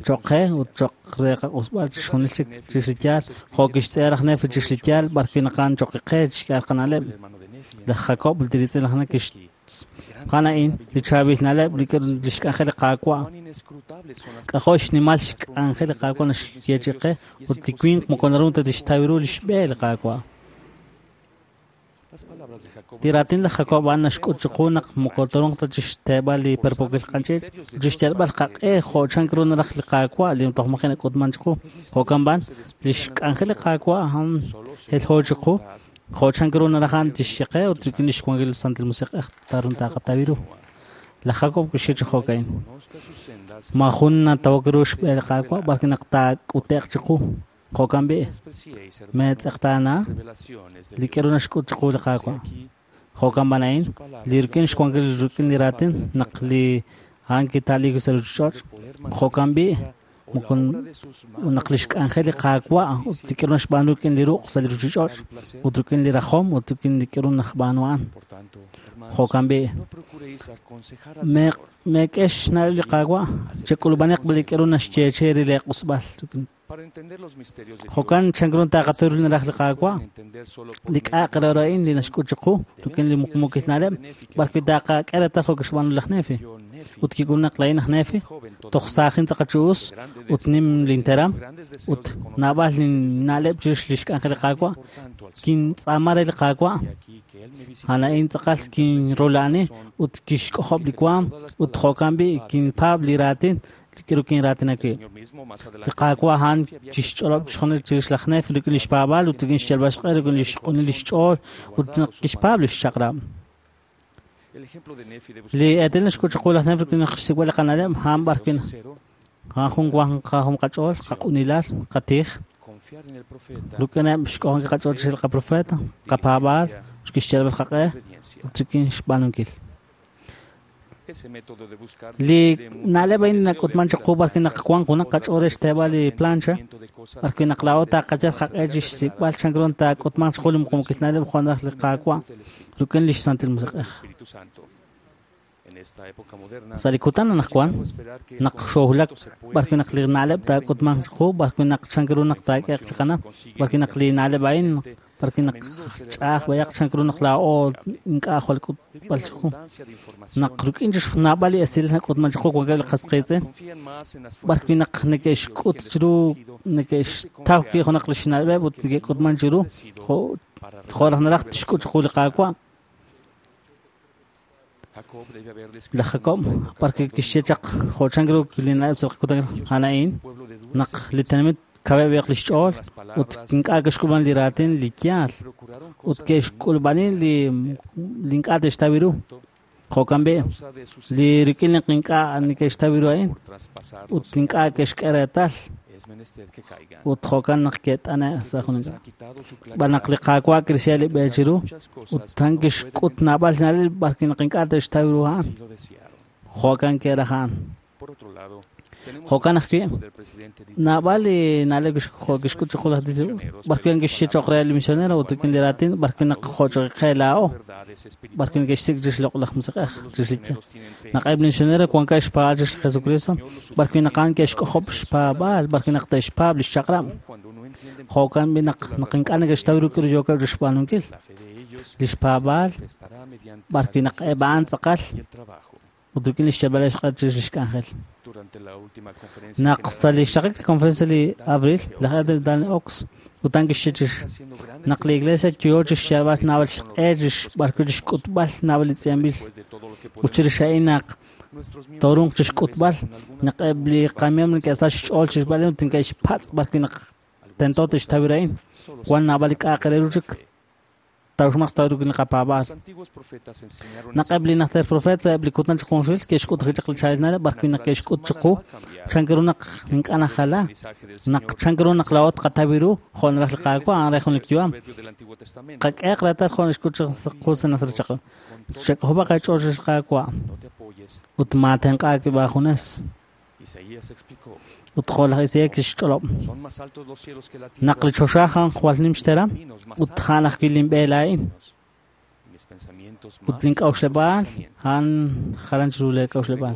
cho'q qe ut cho'q re qaq'usb'al chixjunil chik chirix li yaal jo' kixtz'e laj Nefi chirix li yaal b'arwi' naq a'an cho'q qe chixk'e qana'leb' laj Jacob li riitz'in laj Nefi kixqan a'in li chaab'il na'leb' li xk'anjel li Qaawa' k'ajo' xnimal xk'anjel li Qaawa' naxyeechi'i qe ut li winq moko naru ta tixtaw ru li xb'e li Qaawa'. Li raatin laj Jacob a'an naxk'ut chiqu naq moko torunq ta chixteeb'al li perpookil q'anch'iich' ut chixyalb'al qaq'e jo' chan ru naraj li Qaawa' li toj maji' nak'utman chiqu jo'kan b'an li xk'anjel li Qaawa' a'an helho chiqu jo' chan ru naraj a'an tixye qe ut rik'in li xwankil li Santil Musiq'ej tarun taqataw ru. Laj Jacob kixye chi jo'ka'in maajun natawok ru xb'e li Qaawa' b'arwi' naq taak'ute'q chiqu jo'kan b'i' meetz'eqtaana li k'aru naxk'ut chiqu li Qaawa' jo'kan b'an a'in li rik'in xwankil rik'in li raatin naq li a'an kita'liik sa' ruuchich'och' jo'kan b'i' moko naq li xk'anjel li Qaawa' ut li k'aru naxb'aanu rik'in li ruq' sa' li ruuchich'och' ut rik'in li rajom ut rik'in li k'aru naxb'aanu a'an jo'kan b'i' meek'e xna'leb' li Qaawa' chek'ulub'aniq li k'aru naxyeechi'i re leeq'usb'al jo'kan chan ru taqataw ru naraj li Qaawa' li k'a'aq re ru a'in li naxk'ut chiqu rik'in li muqmuukil na'leb' b'arwi' taqak'e reetal jo' kixb'aanu laj Nefi ut kik'ul naq laa'in aj Nefi toj saajin tz'aqal chi us ut nim linteram ut naab'al linna'leb' chirix li xk'anjel li Qaawa' kintz'aama re li Qaawa' a'an a'in tz'aqal kinrola'ani ut kixk'ojob' li waam ut jo'kan b'i' kinpaab' li raatin li k'aru kinraatina wi'. Li Qaawa' a'an kixch'olob' chixjunil chirix laj Nefi rik'in li xpaab'aal ut rik'in xyalb'al xq'e rik'in li xq'unil li xch'ool ut naq kixpaab' li xchaq'rab'. Li eetalil naxk'ut chiqu laj Nefi rik'in naq xsik'b'al li qana'leb' a'an b'arwi' a'an jun wan qajom qach'ool, qaq'unilal, qatij Ruk'ineb' xk'ojonkil qach'ool chirix li qaprofeta, qapaab'aal, xkixyalb'al qaq'e ut rik'in xb'aanunkil. Li na'leb' a'in nak'utman chiqu b'arwi' naq wan junaq qach'ool re xteeb'al li plancha, b'arwi' naq laa'o taqayal qaq'e chi xsik'b'al chan ru taak'utmanq chiqu li muqmuukil na'leb' jo' naraj li Qaawa' rik'in lix Santil Musiq'ej. Sa' li kutan anaqwan naq xoohulak b'arwi' naq li na'leb' taak'utmanq chiqu, b'arwi' naq chan ru naq taak'eeq chiqanam, b'arwi' naq li na'leb' a'in, b'arwi' naq ch'a'aj b'ayaq chan ru naq laa'o ink'a' jwal k'utb'al chiqu. Naq rik'in naab'al li esil nak'utman chiqu wankeb' li qas qiitz'in, b'arwi' naq neke'xk'ut chiru neke'xtaw wi' junaq li xna'leb'eb' ut neke'k'utman chiru jo' jo' raj naraj tixk'ut chiqu li Qaawa'. Laj Jacob b'arwi' kixye chaq jo' chan ru li na'leb' sa' li qakutan a'an a'in naq li tenamit kaweb' li xch'ool ut ink'a' ke'xk'ulb'an li raatin li yaal ut ke'xk'ulb'ani li li ink'a' te'xtaw ru. Jo'kan b'i' li rik'in naq ink'a' neke'xtaw ru a'in ut ink'a' ke'xk'e reetal ut jo'kan naq ke't'ane' sa' jun ink'a'. B'an naq li Qaawa' kirisya li b'e chiru ut a'an kixk'ut naab'al na'leb' b'arwi' naq ink'a' te'xtaw ru a'an. Jo'kan ke'raj a'an. Jo'kan ajwi' naab'al li na'leb' jo' kixk'ut chiqu laj b'arwi' kixye cho'q re li misionero ut rik'in li raatin b'arwi' naq jo' cho'q qe laa'o b'arwi' neke'xsik' chirix li Loq'laj Musiq'ej chirix li yaal. Naq eb' li misionero wankeb' xpaab'aal chirix li Jesucristo b'arwi' naq a'an ke'xk'ojob' xpaab'aal b'arwi' naq te'xpaab' li xchaq'rab'. Jo'kan b'i' naq naq ink'a' neke'xtaw ru k'aru yookeb' chixb'aanunkil li xpaab'aal b'arwi' naq eb' a'an tz'aqal ut rik'in li xyalb'al xq'e chirix li xk'anjel. Naq sa' li xraqik li conferencia li abril, laj Elder Dallin Oaks ut a'an kixye chirix naq li iglesia yoo chixyalb'al naab'al xq'e chirix b'arwi' chixk'utb'al naab'al li tz'iib'anb'il ut chirix a'in naq torunq chixk'utb'al naq eb' li qamiiw neke'sach xch'ool chixb'al ut neke'xpatz' b'arwi' naq tento te'xtaw ru a'in. Wan naab'al li k'a'aq re ru chik tawxmaq xtaw ru li qapaab'aal. Naq eb' li najter profeet sa' eb' li kutan chi junxil ke'xk'ut chaq li chaab'il na'leb' b'arwi' naq ke'xk'ut chiqu chan ru naq ink'a' najala naq chan ru naq laa'o tqataw ru jo' naraj li Qaawa' a'an re jun li yu'am. Qak'ehaq reetal jo' naxk'ut chiqu sa' najter chaq. Chak'ojob'aq qach'ool chirix li Qaawa' ut maatenq'aak b'aajunes. Ut jo' laj Isaías kixch'olob' naq li choxa a'an jwal nim xteram ut a'an ajwi' linb'e laa'in ut link'a'uxleb'aal a'an jalan chiru leek'a'uxleb'aal.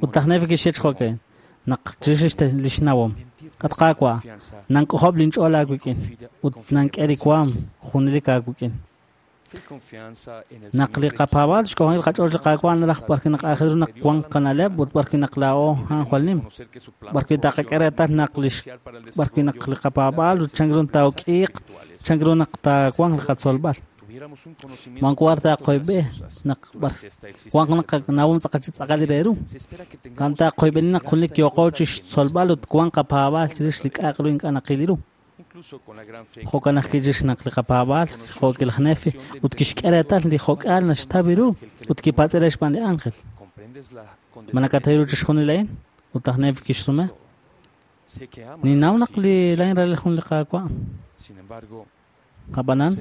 Ut laj Nefi kixye chi jo'kan naq chirix li xnawom at Qaawa' nank'ojob' linch'ool aawik'in ut nank'e li waam junelik aawik'in. Naq li qapaab'aal xk'ojonkil qach'ool li Qaawa' naraj b'arwi' naq aajel ru naq wan qana'leb' ut b'arwi' naq laa'o a'an jwal nim b'arwi' taqak'e reetal naq lix b'arwi' naq li qapaab'aal ut chan ru taak'iiq chan ru naq taawanq li qatzolb'al. Mankuar taqoyb'e naq wan naq nawom tz'aqal chi tz'aqal re ru. Kan taqoyb'eni naq junelik yooqo chi xtzolb'al ut wan qapaab'aal chirix li k'a'aq ru ink'a' naqil ru. Jo'kan ajwi' chirix naq li qapaab'aal jo'ki laj Nefi ut kixk'e reetal li jo'k'aal naxtaw ru ut kipatz'e re xb'aan li ángel. Ma nakataw ru chixjunil a'in? Ut laj Nefi kixsume. Ninnaw naq li laa'in ralal jun li Qaawa'. Ab'anan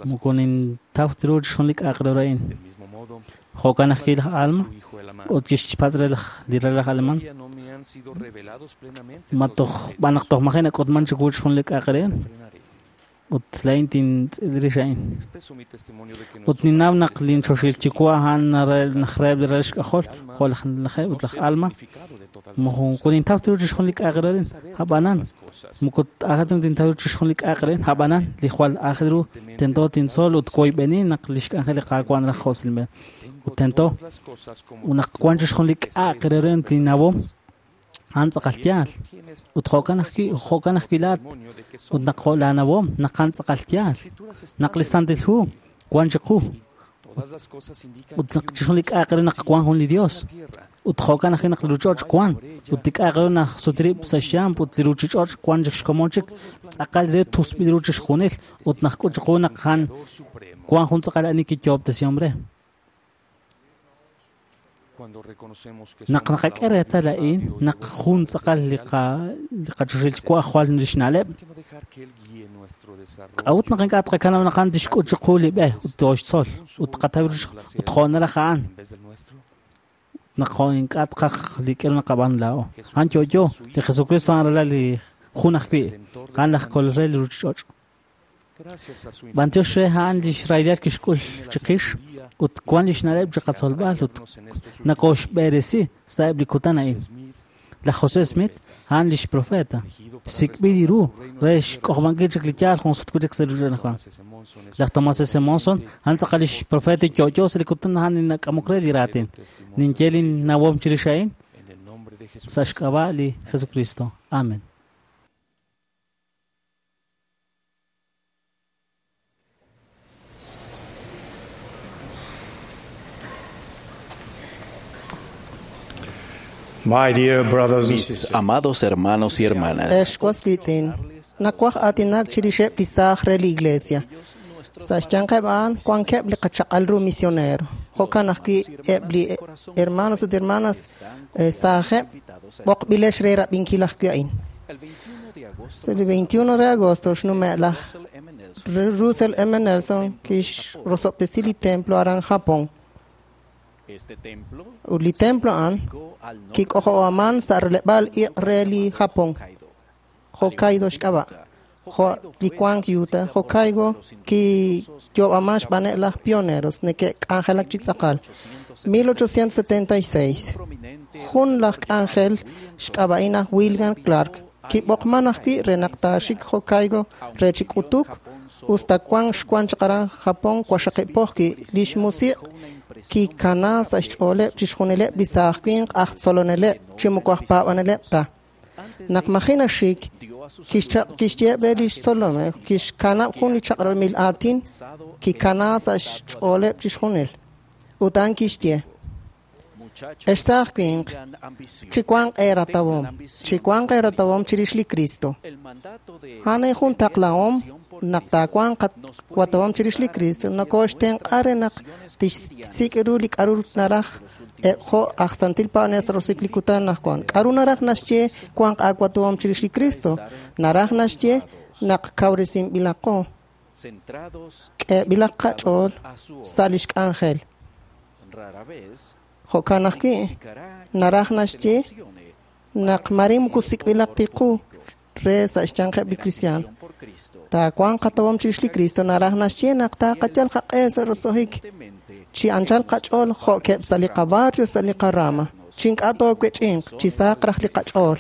moko nintaw ru chixjunil li k'a'aq re ru a'in. Jo'kan ajwi' laj Alma ut kixpatz' re li ralal laj Alemán ma toj b'an naq toj maji' nak'utman chiwu chixjunil li k'a'aq re ut laa'in tintz'il rix a'in. Ut ninnaw naq linchoxil Yuwa' a'an naq reheb' li ralal xk'ajol jo' laj Lajeb' ut laj Alma moko nintaw ru chixjunil li k'a'aq re a'in. Ab'anan moko aajel ru tintaw ru chixjunil li k'a'aq re a'in. Ab'anan li jwal aajel ru tento tintzol ut woyb'eni naq li xk'anjel li Qaawa' naraj jo' silb'en. Ut tento naq wan chixjunil li k'a'aq re a'in linnawom a'an tz'aqal yaal. Ut jo'kan ajwi' jo'kan ajwi' laat ut naq jo' laanawom naq a'an tz'aqal yaal. Naq li Santil Hu wan chiqu ut naq chixjunil li k'a'aq re naq wan jun li Dios ut jo'kan ajwi' naq li ruuchich'och' wan ut li k'a'aq re naq sutrib' sa' xyamp ut li ruuchich'och' wan chik xkomon chik tz'aqal re tusb'il ru chixjunil ut naq k'ut chiqu naq a'an wan jun tz'aqal ani kiyoob'tesihom re. Naq naqak'e reetal a'in, naq jun tz'aqal li qachoxahil Yuwa' jwal lix na'leb', k'a'ut naq ink'a' tqakanab' naq a'an tixk'ut chiqu li b'e ut tooxtzol ut tqataw ut jo' naraj a'an naq jo' ink'a' tqaj li k'aru naqab'aanu laa'o. A'an yo'yo, li Jesucristo a'an ralal li jun ajwi', a'an laj Kolol re li ruchich'och'. B'antiox re a'an lix rahilal kixk'ul chiqix ut wan lix na'leb' chiqatzolb'al ut nakooxb'eresi sa'eb' li kutan a'in. Laj José Smith a'an lix profeta, sik'b'il ru re xk'ojob'ankil chik li yaal jun sut wi' chik sa' li ruchich'och' anaqwan. Laj Thomas S. Monson a'an tz'aqal lix profeta yo'yo sa' li kutan a'an li nak'amok re li raatin. Ninye lin nawom chirix a'in sa' xk'ab'a' li Jesucristo. Amen. My dear brothers and Mis sisters, amados hermanos y hermanas, Ex was wiitz'in, nawaj aatinak chirixeb' li saaj re li iglesia. Sa' xyanqeb' a'an wankeb' li qachaq'al ru misionero. Jo'kan ajwi' eb' li hermanos ut hermanas eh, saajeb' b'oqb'ilex re rab'inkil ajwi' a'in. Sa' li veintiuno de agosto xnume' laj Russell M. Nelson kixrosob'tesi li templo aran Japón. Ut li templo a'an kik'ojob'aman sa' releb'aal iq' re li Japón, Hokkaido xk'ab'a'. Jo' li wank Utah, Hokkaido kiyoob'aman xb'aaneb' laj pioneros neke'k'anjelak chi tz'aqal. mil ochocientos setenta y seis Jun laj k'anjel xk'ab'a'in aj William Clark kib'oqman ajwi' re naq taaxik Hokkaido re chi k'utuk usta wan xwan chaq aran Japón waqxaqib' lix musiq' kikana sa' xch'ooleb' chixjunileb' li saaj winq aj tzoloneleb' chi moko aj paab'aneleb' ta. Naq maji naxik kixyeeb' re lix tzolomeb' kixkanab' jun li chaq'rab'il aatin kikana sa' xch'ooleb' chixjunil. Ut a'an kixye: Ex saaj winq, chiwanq eeratawom, chiwanq eeratawom chirix li Cristo. A'an jun taqlahom naq taawanq qatawom chirix li Cristo nokooxtenq'a re naq tixsik' ru li k'aru naraj eb' jo' aj santil paab'anel sa' roso'jik li kutan anaqwan. K'aru naraj naxye wanq aawatawom chirix li Cristo? Naraj naxye naq kawresinb'ilaqo, k'eeb'ilaq qach'ool sa' lix k'anjel. Jo'kan ajwi' naraj naxye naq mare moko sik'b'ilaq tiqu re sa' xyanqeb' li kristiaan. Taawanq qatawom chirix li Cristo naraj naxye naq taqayal qaq'e sa' roso'jik chi anchal qach'ool jo'keb' sa' li qabarrio sa' li qarama. Chi ink'a' toowech'inq, chi saq raj li qach'ool.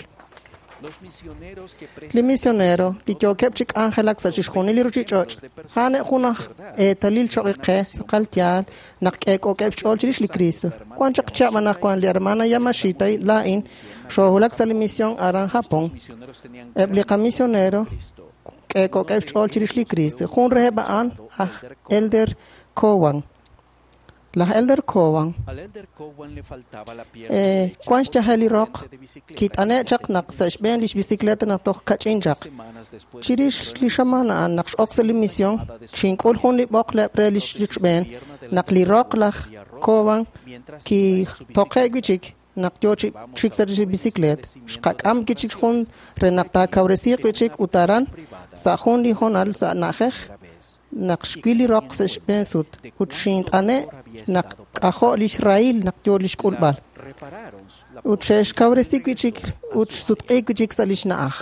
Li misionero li yookeb' chi k'anjelak sa' chixjunil li ruchich'och' a'aneb' jun aj eetalil choq' qe tz'aqal yaal naq k'eek'ookeb' xch'ool chirix li Cristo. Wan chaq chihab' anaqwan li hermana Yamashita laa'in xoohulak sa' li misión aran Japón. Eb' li qamisionero k'eek'ookeb' xch'ool chirix li Cristo. Jun reheb' a'an aj Elder Cowan. Laj Elder Cowan eh, wan xyajel li roq kit'ane' chaq naq sa' xb'een lix bicicleta naq toj kach'in chaq. Chirix li xamaan a'an naq x'ok sa' li misión xink'ul jun li b'oqleb' re lix xb'een naq li roq laj Cowan kitoqe' wi' chik naq yo chi chik sa' li bicicleta. Xqak'am wi' chik jun re naq taakawresiiq wi' chik ut aran sa' jun li hoonal sa' na'ajej naq xwil li roq sa' xb'een sut ut xint'ane' naq k'ajo' lix rahil naq yo lix k'ulb'al. Ut xe'xkawresi wi' chik ut xsutq'i wi' chik sa' lix na'aj.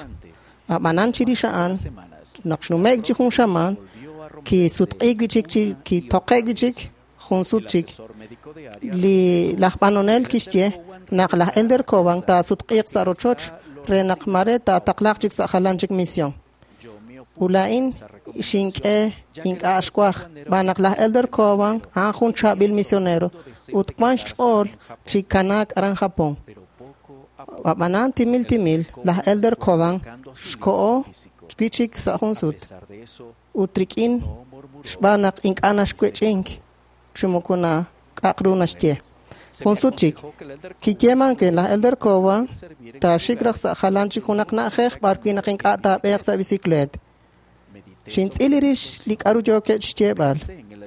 Ab'anan chirix a'an naq xnume'k chi jun xamaan kisutq'i wi' chik chi kitoqe' wi' chik jun sut chik. Li laj b'anonel kixye naq laj Elder Cowan taasutq'iiq sa' rochoch re naq mare taataqlaq chik sa' jalan chik misión. Ut laa'in xink'e ink'a' xwaj xb'aan naq laj Elder Cowan a'an jun chaab'il misionero ut wan xch'ool chi kanaak aran Japón. Ab'anan timil timil laj Elder Cowan xko'o wi' chik sa' jun sut ut rik'in xb'aan naq ink'a' naxwech'ink chi moko nak'aq ru naxye. Jun sut chik kiyeeman ke laj Elder Cowan taaxik raj sa' jalan chik junaq na'ajej b'ar wi' naq ink'a' taab'eeq sa' bicicleta. Xintz'il rix li k'aru yookeb' xyeeb'al.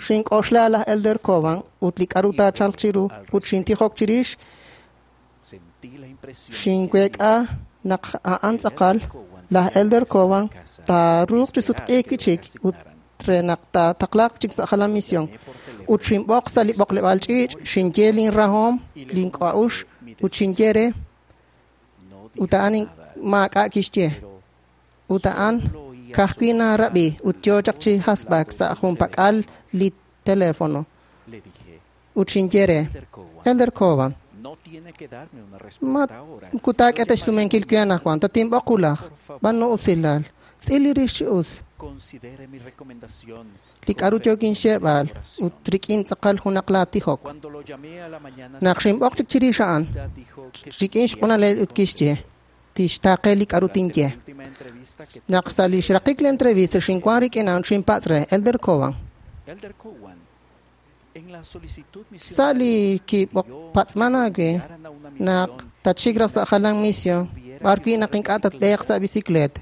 Xink'oxla laj Elder Cowan ut li k'a'ru taachalq chiru ut xintijok chirix. Xinweek'a naq a'an tz'aqal laj Elder Cowan taaruuq chi sutq'iik wi'chik ut re naq taataqlaaq chik sa' jalan misión. Ut xinb'oq sa' li b'oqleb'aal ch'iich', xinye linrahom, link'a'uxl ut xinye re ut a'an maak'a' kixye. Ut a'an ka'ajwi' narab'i ut yo chaq chi hasb'ak sa' junpak'al li teléfono. Ut xinye re, Elder Cowan, ma kutaak'e ta xsumenkil wi anaqwan, tatinb'oq wulaj, b'anu usilal, tz'il li rix chi us. Li k'a'ru yookin xyeeb'al ut rik'in tz'aqal junaq laatijok. Naq xinb'oq chik chirix a'an, rik'in xq'unalel ut kixye, tixtaaqe li k'a'ru tinye. Naq sa' li xraqik li entrevista xinwan rik'in a'an xinpatz' re, Elder Cowan. Sa' li kib'oqpatz'man aawe naq tatxik raj sa' jalan misión, b'ar wi' naq ink'a' tatb'eeq sa' bicicleta.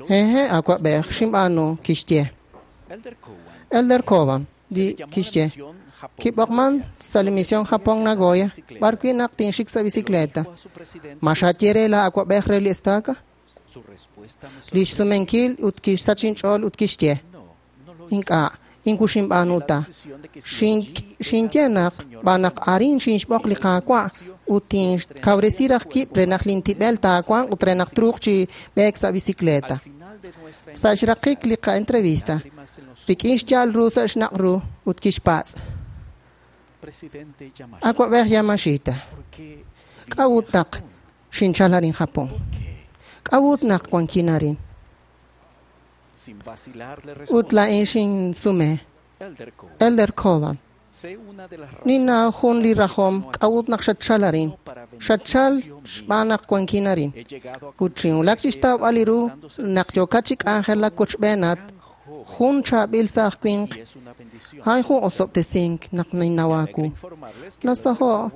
Hehe', awab'ej, xinb'aanu, kixye. Elder Cowan, di kixye, kib'oqman sa' li misión Japón Nagoya, b'ar wi' naq tinxik sa' bicicleta. Ma xaye re la awab'ej re li estaca? Li xsumenkil ut kixsach inch'ool ut kixye. Ink'a', inku xinb'aanu ta. Xinye naq b'an naq arin xinxb'oq li Qaawa' ut tinkawresi raj wib' re naq lintib'el taawanq ut re naq truuq chi b'eek sa' bicicleta. Sa' xraqik li qa'entrevista, rik'in xya'al ru sa' xnaq' ru ut kixpatz'. Awab'ej Yamashita, k'a'ut naq xinchal arin Japón? K'a'ut naq wankin arin? Ut laa'in xinsume, Elder Cowan, ninnaw jun li rajom k'a'ut naq xatchal arin. Xatchal xb'aan naq wankin arin. Ut xinwulak chi xtawb'al li ru naq yookat chi k'anjelak wochb'eenat jun chaab'il sa' aj winq, a'an jun osob'tesink naq ninnaw aawu. Nasaho'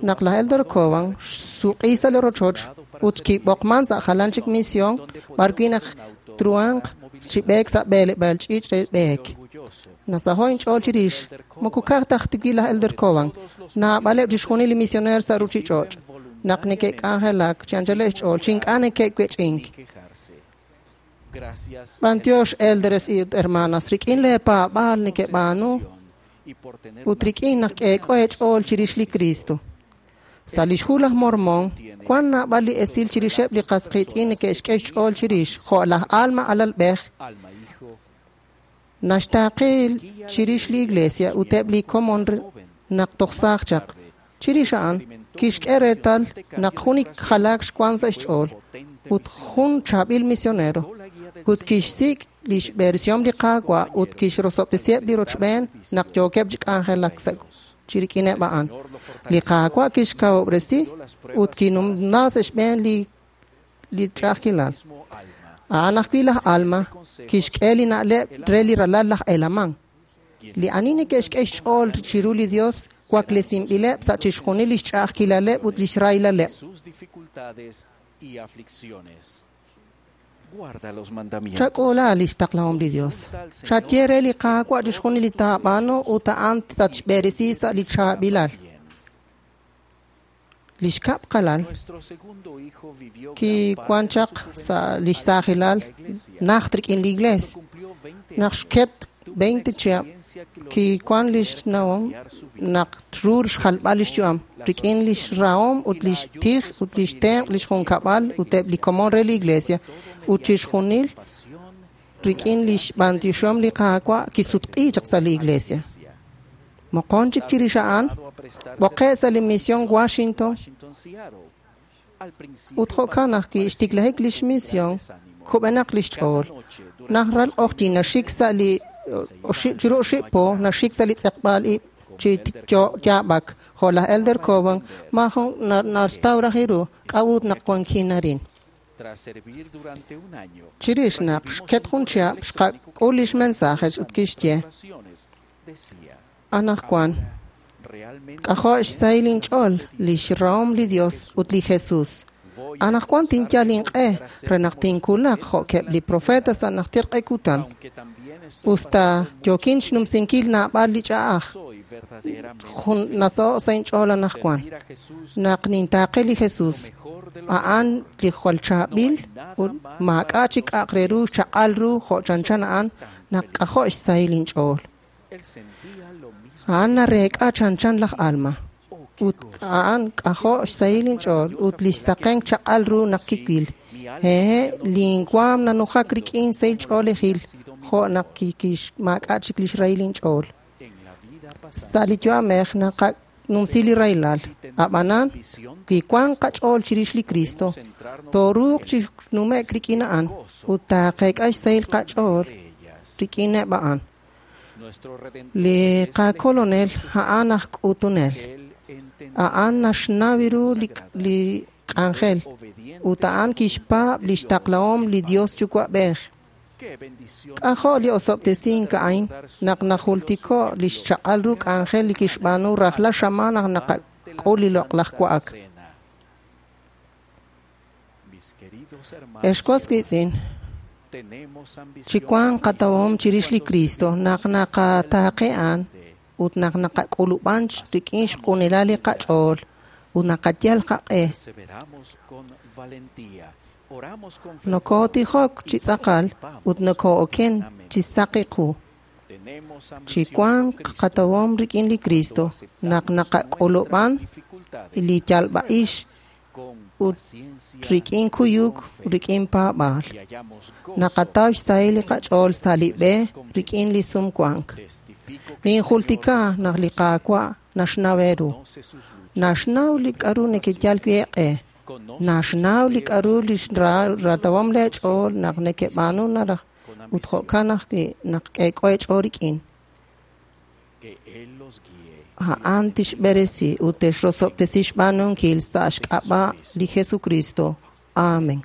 naq laj Elder Cowan xsuq'i sa' li rochoch ut kib'oqman sa' jalan chik misión b'ar wi' naq truhanq chi b'eek sa' b'eleb'aal ch'iich' re b'eek. Nasaho' inch'ool chirix, moko ka'aj ta ajwi' laj Elder Cowan, naab'aleb' chixjunil li misioneer sa' ruchich'och' naq neke'k'anjelak chi anchaleb' xch'ool chi ink'a' neke'wech'ink. B'antiox elders ut hermanas, rik'in leepaab'aal neke'b'aanu ut rik'in naq k'eek'o eech'ool chirix li Cristo. Sa' lix hu laj Mormon, wan naab'al li esil chirixeb' li qas qiitz'in neke'xk'e xch'ool chirix, jo' laj Alma alalb'ej, naxtaaqe chirix li iglesia ut eb' li komon naq toj saaj chaq. Chirix a'an, kixk'e reetal naq jun jalaak xwan sa' xch'ool ut jun chaab'il misionero ut kixsik' lix versión li Qaawa' ut kixrosob'tesiheb' li rochb'een naq yookeb' chi k'anjelak sa' chirik'ineb' a'an. Li Qaawa' kixkawob'resi ut kinumna sa' xb'een li li ch'a'ajkilal. A'an ajwi' laj Alma kixk'e li na'leb' re li ralal laj Helaman. Li ani neke'xk'e xch'ool chiru li Dios waklesinb'ileb' sa' chixjunil lix ch'a'ajkilaleb' ut lix rahilaleb'. Chak'uula lix taqlahom li Dios. Chaye re li Qaawa' chixjunil li taab'aanu ut a'an tatxb'eresi sa' li chaab'ilal. Lix kab' qalal kiwan chaq sa' lix saajilal najt rik'in li iglees. Naq xket veinte chihab' kiwan lix nawom naq tru xjalb'al lix yu'am rik'in lix rahom ut lix tij ut lix tenq' lix junkab'al ut eb' li komon re li iglesia ut chixjunil rik'in lix b'antioxom li Qaawa' kisutq'i chaq sa' li iglesia. Moqon chik chirix a'an, b'oqe' sa' li misión Washington ut jo'kan ajwi' xtiklajik lix misión kub'enaq lix ch'ool. Naq ral q'oqyin naxik sa' li oxib' chiru oxib' po naxik sa' li tz'eqb'aal ib' chi yaab'ak jo' laj Elder Cowan maajun naxtaw raj ru k'a'ut naq wankin arin. Chirix naq xket jun chihab' xqak'ul lix mensaje ut kixye, anaqwan k'ajo' xsahil inch'ool lix rahom li Dios ut li Jesus. Anaqwan tinyal inq'e re naq tinkulaq jo'keb' li profeta sa' najter q'e kutan. Usta yookin xnumsinkil naab'al li ch'a'aj, jun nasaho' sa' inch'ool anaqwan. Naq nintaaqe li Jesus, a'an li jwal chaab'il ut maak'a' chik k'a'aq re ru chaq'al ru jo' chanchan a'an naq k'ajo' xsahil inch'ool. A'an nareek'a chanchan laj Alma. Ut a'an k'ajo' xsahil inch'ool ut li xsaqenk chaq'al ru naq kiwil. Hehe', linwaam nanujak rik'in sahil ch'oolejil jo' naq maak'a' chik li xrahil inch'ool. Sa' li yu'amej naqanumsi li rahilal. Ab'anan, wi wank qach'ool chirix li Cristo, tooruuq chi nume'k rik'in a'an ut taaqeek'a xsahil qach'ool rik'ineb' a'an. Li qakolonel a'an aj k'utunel. A'an naxnaw ru li, li k'anjel ut a'an kixpaab' li xtaqlahom li Dios Yuwa'b'ej. K'ajo' li osob'tesink a'in naq najultiko' li xchaq'al ru k'anjel li kixb'aanu rajlal xamaan naq naqak'ul li loq'laj wa'ak. Ex was wiitz'in, chi wank qatawom chirix li Cristo naq naqataaqe a'an ut naq naqak'ulub'an rik'in xq'unilal li qach'ool ut naqayal qaq'e. Nokotijok chi tz'aqal ut nokoo'oken chi saqi qu. Chi wank qatawom rik'in li Cristo naq naqak'ulub'an li yalb'a'ix ut rik'in kuyuk rik'in paab'aal. Naqataw xsahil li qach'ool sa' li b'e rik'in li sumwank. Ninjultika naq li Qaawa' naxnaw eeru. Naxnaw li k'aru nekeyal wi' eeq'e. Naxnaw li k'aru li ratawom leech'ool naq nekeb'aanu naraj ut jo'kan ajwi' naq k'eek'o eech'ool rik'in. A'an tixb'eresi ut texrosob'tesi xb'aanunkil sa' xk'ab'a' li Jesucristo. Amen.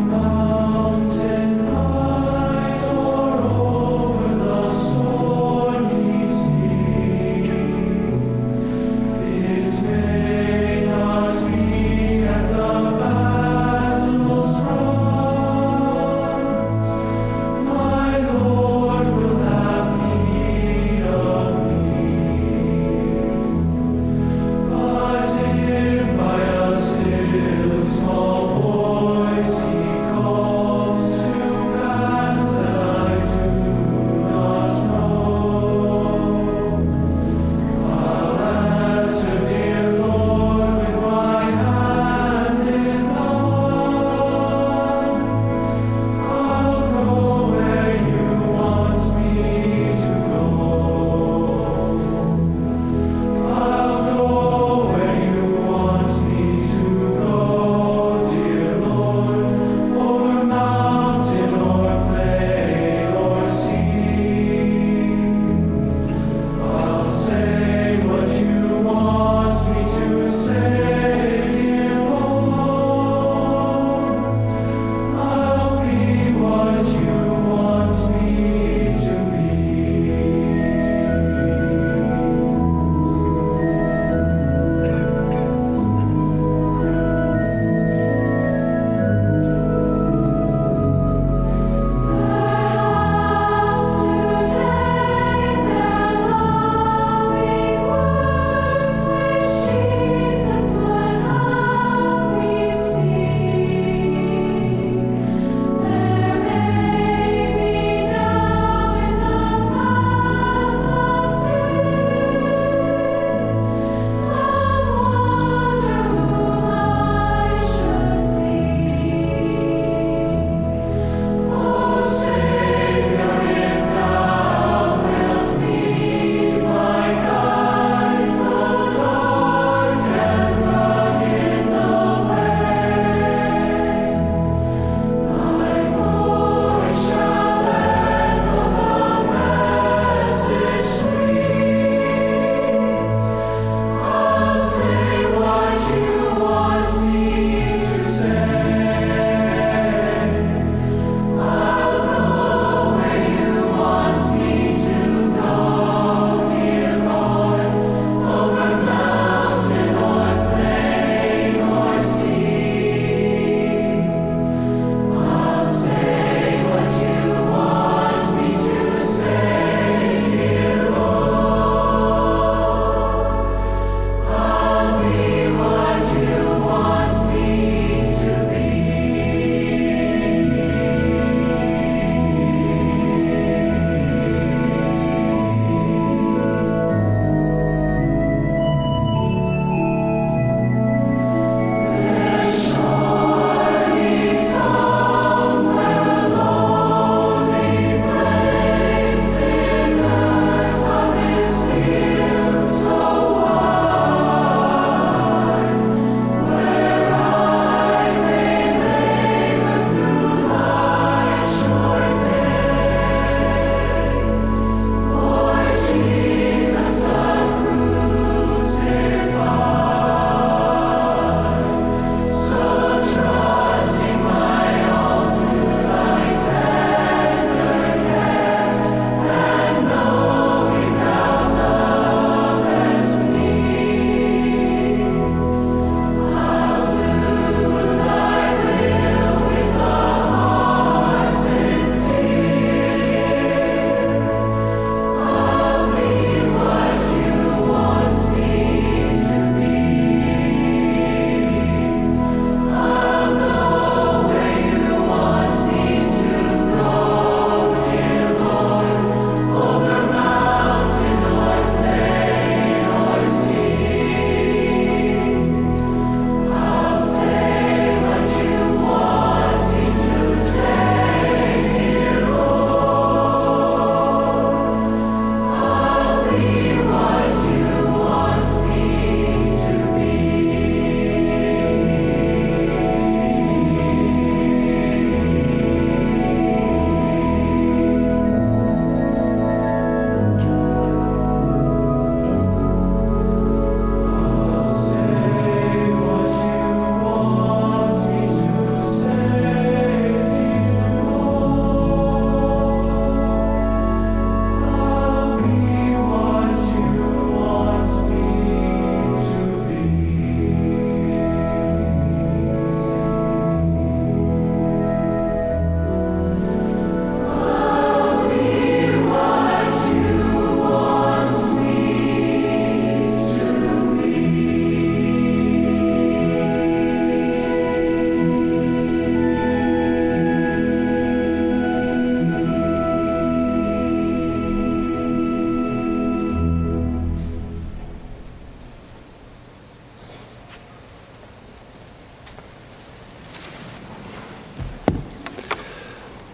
Mountain height or over the soil.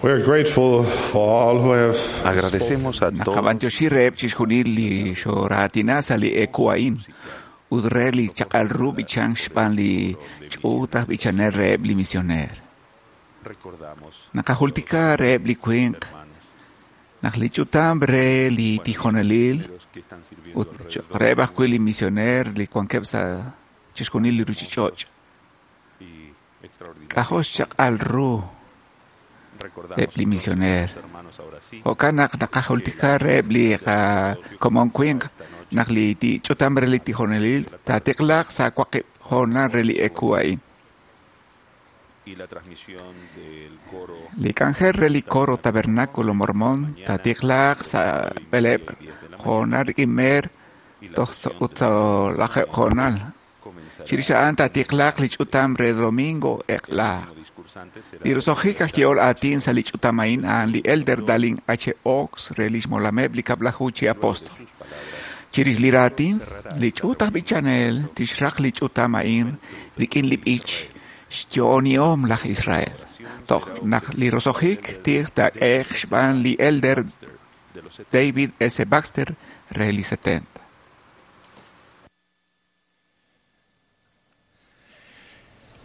We are grateful for all who have Agradecemos a todos Naqab'antioxi reheb' chixjunil li xoraatina sa' li eku a'in ut re li chaq'al ru b'ichan xb'aan li ch'uut aj b'ichanel reheb' li misioneer. Recordamos Naqajultika reheb' li winq naq li ch'utam re li tijonelil ut reheb' ajwi' li misioneer li wankeb' sa' chixjunil li ruchich'och'. y extraordinario. K'ajo' xchaq'al ru Recordamos eb' li entonces a misioneer. los hermanos ahora sí Jo'kan naq naqajultika reheb' li qakomon winq naq li ti- ch'utam re li tijonelil taatiqlaq sa' waqib' hoonal re li eku a'in. y la transmisión del coro Li k'anjel re li coro Tabernáculo Mormón taatiqlaq sa' b'eleb' hoonal rik'in meer toj sa- ut sa' lajeb' hoonal. Chirix a'an taatiqlaq li ch'utam re domingo eq'la. discursantes será Li roso'jik aj yehol aatin sa' li ch'utam a'in a'an li Elder Dallin H. Oaks re lix molameb' li kab'laju chi apóstol. Chirix li raatin, li ch'uut aj b'ichanel tixraq li ch'utam a'in rik'in li b'ich xyo'onihom laj Israel. Toj naq li roso'jik tij taak'ehe'q xb'aan li Elder David S. Baxter re li setenta.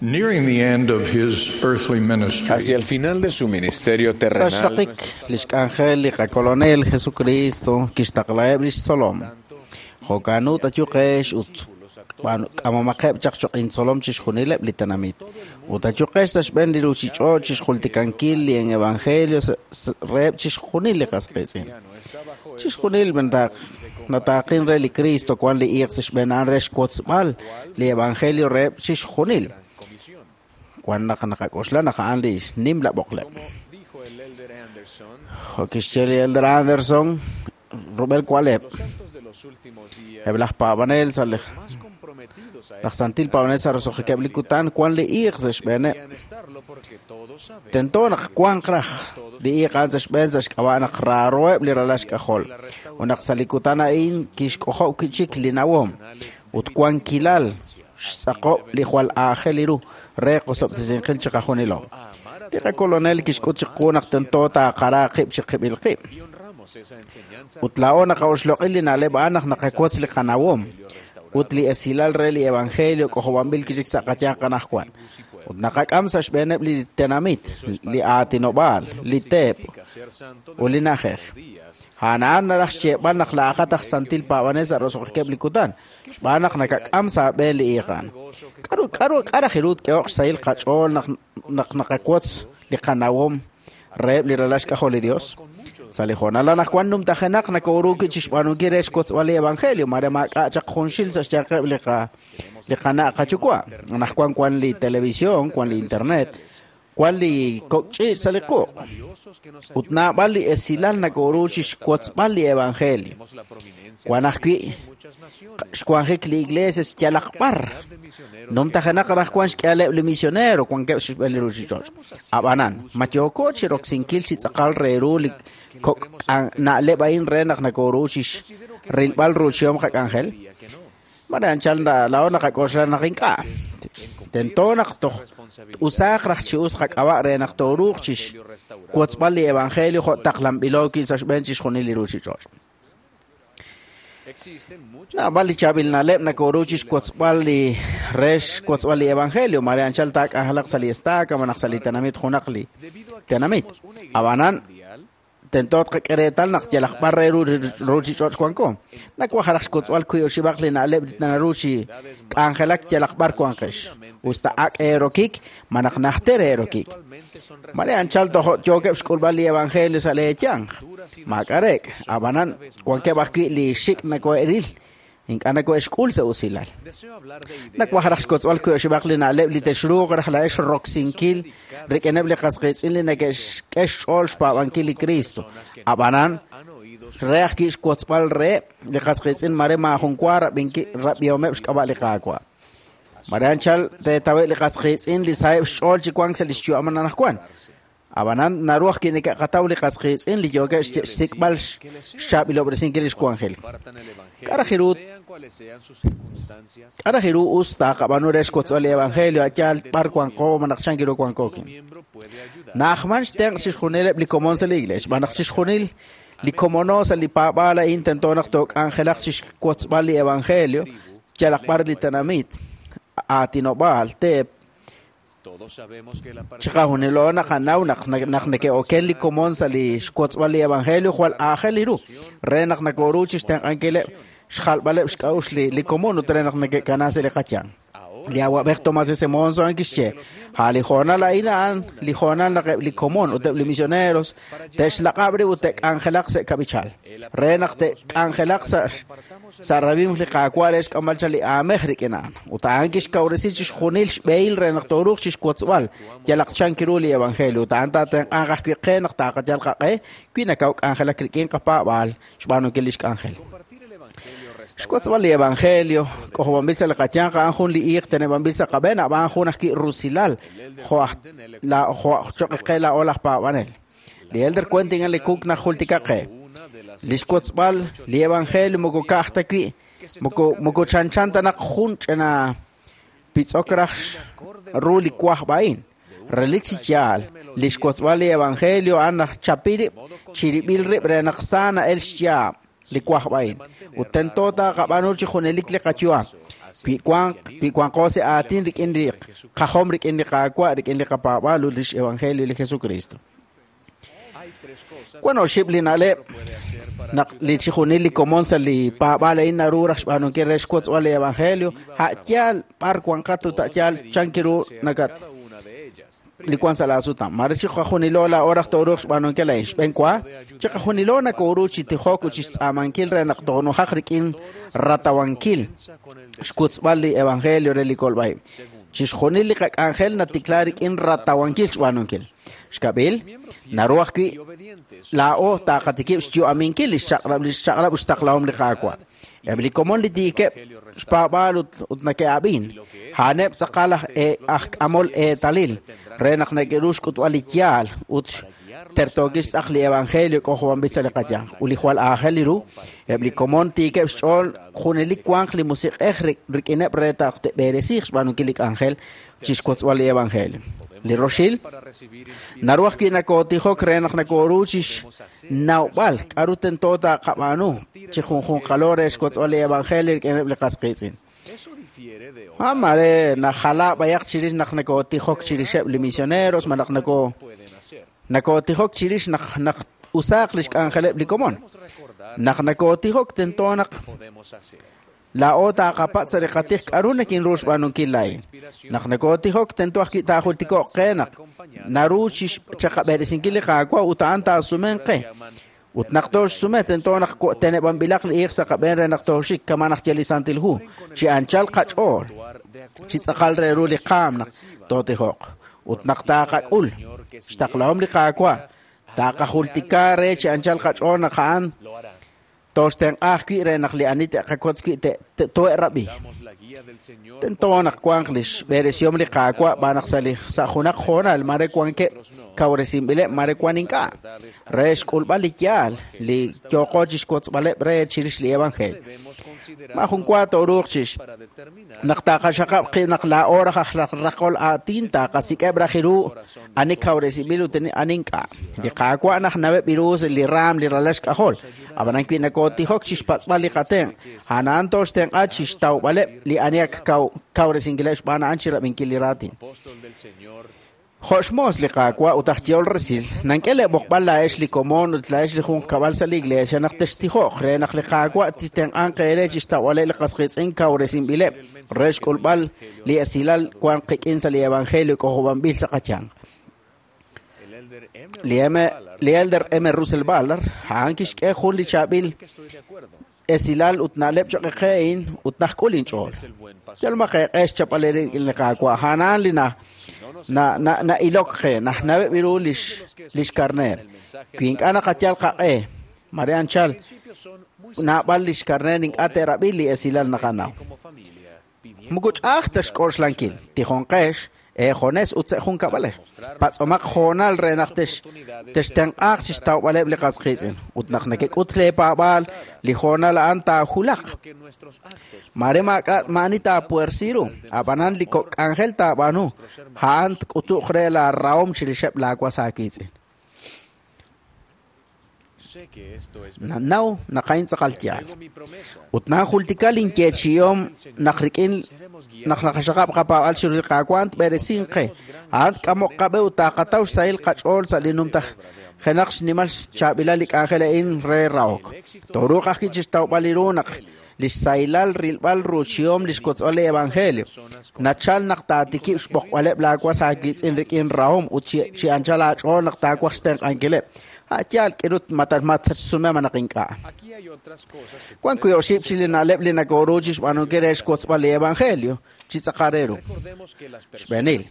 Nearing the end of his earthly ministry, Hacia el final de su ministerio Sa' terrenal, xraqik li xk'anjel li qakolonel Jesucristo kixtaqlaheb' lix tzolom. Jo'kan ut ayuqex ut b'aan- k'amomaqeb' chaq choq' intzolom chixjunileb' li tenamit. Ut ayuqex sa' xb'een li ruchich'och' chixjultikankil li evangelio sa- sa- reheb' chixjunil li qas qiitz'in. Chixjunil b'entaq nataaqin re li Cristo wan li iiq sa' xb'een a'an re xwotzb'al li evangelio reheb' chixjunil. Wan naq naqak'oxla naq a'an li nimla b'oqleb'. dijo el Elder Anderson, Jo' kixye li Elder Anderson, rub'el kualeb'. los santos de los últimos días Eb' laj paab'anel sa' li más comprometidos a laj santil paab'anel sa' roso'jikeb' li kutan wan li iiq sa' xb'eeneb'. deberían estarlo porque todos sabemos Tento naq wanq raj li iiq a'an sa' xb'een sa' xk'ab'a' naq raaroheb' li ralal xk'ajol. Ut naq sa' li kutan a'in kixk'ojob' chik li nawom ut wankilal xtz'aqob' li jwal aajel ru re qosob'tesinqil chiqajunilo. Li qakolonel kixk'ut chiqu naq tento taaqara qib' chiqib'il qib'. y honramos esa enseñanza Ut laa'o naqa'oxloq'il li na'leb' a'an naq naqawotz li qanawom ut li esilal re li evangelio k'ojob'anb'il kichik sa' qayanq anaqwan. Ut naqak'am sa' xb'eeneb' li tenamit, li aatinob'aal, li teep ser santo ut li na'ajej. A'an a'an naraj xyeeb'al naq laa'aqat aj santil paab'anel sa' roso'jikeb' li kutan, xb'aan naq nakak'am sa' b'een li iiqan. K'aru k'aru k'araj iru tk'ehoq xsahil qach'ool naq naq naqawotz li qanawom reheb' li ralal xk'ajol li Dios? Sa' li hoonal anaqwan numtajenaq nakooru wi' chixb'aanunkil re xwotzb'al li evangelio, mare maak'a' chaq junxil sa' xyanqeb' li qa li qana' qayuwa'. Anaqwan wan li televisión, wan li internet, wan li kok' ch'iich' sa' li quq'. Ut naab'al li esilal nakooru chixwotzb'al li evangelio. Wan ajwi' xwanjik li iglesia yalaq b'ar. Numtajenaq anaqwan xk'ehaleb' li misionero wankeb' xb'een li ruchich'och'. Ab'anan, ma yooko chi roksinkil chi tz'aqal re ru li kok' k'an- na'leb' a'in re naq nakooru chixrilb'al ruuchihom qak'anjel? Mare anchal na- laa'o naqak'oxla naq ink'a'. Tento naq toj usaaq raj chi us qak'ab'a' re naq tooruuq chixwotzb'al li evangelio jo' taqlanb'ilo wi' sa' xb'een chixjunil li ruchich'och'. existen muchas Naab'al li chaab'il na'leb' nakooru chixwotzb'al li re xwotzb'al li evangelio, mare anchal taak'anjelaq sa' li estaca malaj sa' li tenamit junaq li tenamit. Ab'anan, tento tqak'e reetal naq yalaq b'ar re ru ruchich'och' wanko. Nawaj raj xwotzb'al wiib' oxib'aq li na'leb' li naru chi k'anjelak yalaq b'ar wanqex. Usta ak' eerokik, malaj najter eerokik. Mare anchal tojo' yookeb' xk'ulb'al li evangelio sa' leeyanq. Maak'arek, ab'anan wankeb' ajwi' li xik' nako'eril, ink'a' nako'exk'ul sa' usilal. Deseo hablar de ideas Nawaj raj xwotzb'al wiib' oxib'aq li na'leb' li texruuq raj laa'ex roksinkil rik'ineb' li qas qiitz'in li neke'xk'e xch'ool xpaab'ankil li Cristo. Ab'anan, han oído re ajwi' xwotzb'al reheb' li qas qiitz'in mare maajun wa rab'inki- rab'ihomeb' xk'ab'a' li Qaawa'. Mare anchal teetawe' li qas qiitz'in li saheb' xch'ool chi wank sa' li xyu'am anaqwan. Ab'anan naru ajwi' neke'qataw li qas qiitz'in li yookeb' xsik'b'al xchaab'ilob'resinkil li xwanjel. K'a' raj ru k'a' raj ru us taaqab'aanu re xkotzb'al li evangelio a' yaal b'ar wanko malaj chan ru wankokin. Na'ajman xtenq' chixjunileb' li komon sa' li iglees xb'aan naq chixjunil li komono sa' li paab'aal a'in tento naq took'anjelaq chixkotzb'al li evangelio yalaq b'ar li tenamit aatinob'aal teep. Chiqajunilo naqanaw naq naq neke'oken li komon sa' li xkotzb'al li evangelio jwal aajel ru re naq nakoru chixtenq'ankileb' xjalb'aleb' xk'a'uxl li li komon ut re naq neke'kana sa' li qayanq. Li awab'ej Tomás S. Monson a'an kixye a' li hoonal a'in a'an li hoonal naq eb' li komon ut eb' li misioneros te'xlaq'ab' rib' ut te'k'anjelaq sa' kab'ichal re naq te'k'anjelaq sa' sa' rab'im li Qaawa' re xk'amb'al chaq li aamej rik'in a'an. Ut a'an kixkawresi chixjunil xb'ehil re naq tooruuq chixwotzb'al yalaq chan ru li evangelio. Ut a'an taatenq'anq ajwi' qe naq taaqayal qaq'e wi nakaw k'anjelak rik'in qapaab'aal xb'aanunkil li xk'anjel. Xkotzb'al li evangelio k'ojob'anb'il sa' li qayanq a'an jun li iiq teneb'anb'il sa' qab'een ab'an jun ajwi' rusilal jo' aj la jo' choq' qe laa'o laj paab'anel. Li elder Quentin L. Cook najultika qe li xkotzb'al li evangelio moko ka'aj ta wi' moko moko chanchan ta naq jun ch'ina pitz'ok raj ru li wajb' a'in. Relik chi yaal li xkotzb'al li evangelio a'an naq chapi rib' chirib'il rib' re naq sa na'el xyaab' li wajb' a'in. Ut tento taaqab'aanu chi junelik li qayu'am. Wi wanq wi wanqo sa' aatin rik'in li qajom rik'in li Qaawa' rik'in li qapaab'aal ut lix evangelio li Jesucristo. Wan oxib' li na'leb' naq li chixjunil li komon sa' li paab'aal a'in naru raj xb'aanunkil re xkotzb'al li evangelio a' yaal b'ar wanqat ut a' yaal chan ru nakat li wan sa' laasutam. Mare chiqajunilo laa'o raj tooruuq xb'aanunkil a'in. Xb'een wa, chiqajunilo nakoru chi tijok ut chixtz'aamankil re naq toonujaq rik'in ratawankil xkutzb'al li evangelio re li kolb'a'ib'. Chixjunil li qak'anjel natikla rik'in ratawankil xb'aanunkil. Xkab'il, naru ajwi' laa'o taaqatikib' xyu'aminkil li xchaq'rab' li xchaq'rab' ut xtaqlahom li Qaawa'. Eb' li komon li tiikeb' xpaab'aal ut ut neke'ab'in, a'aneb' tz'aqal aj e aj k'amol eetalil re naq neke'ru xk'utb'al li yaal ut tertookil xtz'aq li evangelio k'ojob'anb'il sa' li qayanq. Ut li jwal aajel ru, eb' li komon tiikeb' xch'ool junelik wanq li musiq'ej rik'ineb' re taq te'b'eresiiq xb'aanunkil li k'anjel chixkotzb'al li evangelio. Li roxil, naru ajwi' nakootijok re naq nakoru chixnawb'al k'a'ru tento taaqab'aanu chi junjunqalo re xkotzb'al li evangelio rik'ineb' li qas qiitz'in. Ah, mare najala b'ayaq chirix naq nakootijok chirixeb' li misioneros malaj nako nakootijok chirix naq naq usaaq li xk'anjeleb' li komon. Naq nakootijok tento naq laa'o taaqapatz' sa' li qatij k'a'ru nakinru xb'aanunkil laa'in. Naq nakootijok tento ajwi' taajultiko'q qe naq naru chixchaqab'eresinkil li Qaawa' ut a'an taasumen qe. Ut naq tooxsume tento naq teneb'anb'ilaq li iiq sa' qab'een re naq tooxik kama naq ye li Santil Hu chi anchal qach'ool chi tz'aqal re ru li qaam naq tootijoq. Ut naq taaqak'ul xtaqlahom li Qaawa' taaqajultika re chi anchal qach'ool naq a'an tooxtenq'a ajwi' re naq li ani te'qakotz wi' to'erab'i. Tento naq wanq li xb'eresihom li Qaawa' b'aan naq sa' li sa' junaq hoonal mare wankeb' kawresinb'ileb' mare wan ink'a' re xk'ulb'al li yaal li yooqo chixkotzb'aleb' re chirix li evangelio. Maajun wa tooruuq chix naq taaqaxaqab' qib' naq laa'o raj aj raqol aatin taaqasik'eb' raj ru ani kawresinb'il ut ani ink'a'. Li Qaawa' naq naweb' ru li raam li ralal xk'ajol. Ab'anan wi nakootijoq chixpatz'b'al li qatenq', a'an tooxtenq'a chixtawb'aleb' li ani ak kawresinkileb' xb'aan a'an chirab'inkil li raatin. Jo' xmoos li Qaawa' ut aj yehol resil, nank'e le'b'oqb'al laa'ex li komon ut laa'ex li junqkab'al sa' li iglesia naq textijoq re naq li Qaawa' titenq'anq eere chixtawb'aleb' li qas qiitz'in kawresinb'ileb' re xk'ulb'al li esilal wan qik'in sa' li evangelio k'ojob'anb'il sa' qayanq. Li M. Li elder M. Russell Ballard a'an kixk'e jun li chaab'il esilal ut na'leb' choq' qe'in ut najk'ul inch'ool. Yal maqeq'e xchap'al li Qaawa' a'an li na na na na'ilok qe najnaweb' ru lix lix karneer. Wi ink'a' naqayal qaq'e mare anchal naab'al lix karneer ink'a' te'rab'i li esilal naqanaw. Moko ch'a'aj ta xk'oxlankil tijonqex Eejones ut sa' junkab'alej. Patz'omaq hoonal re naq tex textenq'aaq chixtawb'aleb' li qas qiitz'in ut naq nekek'ut leepaab'aal li hoonal a'an taajulaq. Mare maak'a' maani taapuersi ru, ab'anan li kok' k'anjel taab'aanu, a'an tk'utuq re laarahom chirixeb' laawas aawiitz'in. Nanaw naq a'in tz'aqal yaal. Ut nanjultika linyeechi'om naq rik'in naq naqaxaqab' qapaab'al chiru li Qaawa' tb'eresinq qe. A'an tk'amoq qab'e ut taaqataw xsahil qach'ool sa' li numtaj jenaq xnimal xchaab'ilal li k'anjel a'in re rahok. Tooruuq ajwi' chixtawb'al li ru naq li xsahilal rilb'al ruuchihom li xkotz'b'al li evangelio. Nachal naq taatikib' xb'oqb'aleb' laawas aawiitz'in rik'in rahom ut chi chi anchal aach'ool naq taawaj xtenq'ankileb'. A'yaal k'irut matatsume manaq ink'a'. Wan wi' oxib' chi li na'leb' li nakooru chixb'aanunkil re xkotz'b'al li evangelio chi tz'aqal re ru. Xb'eenil,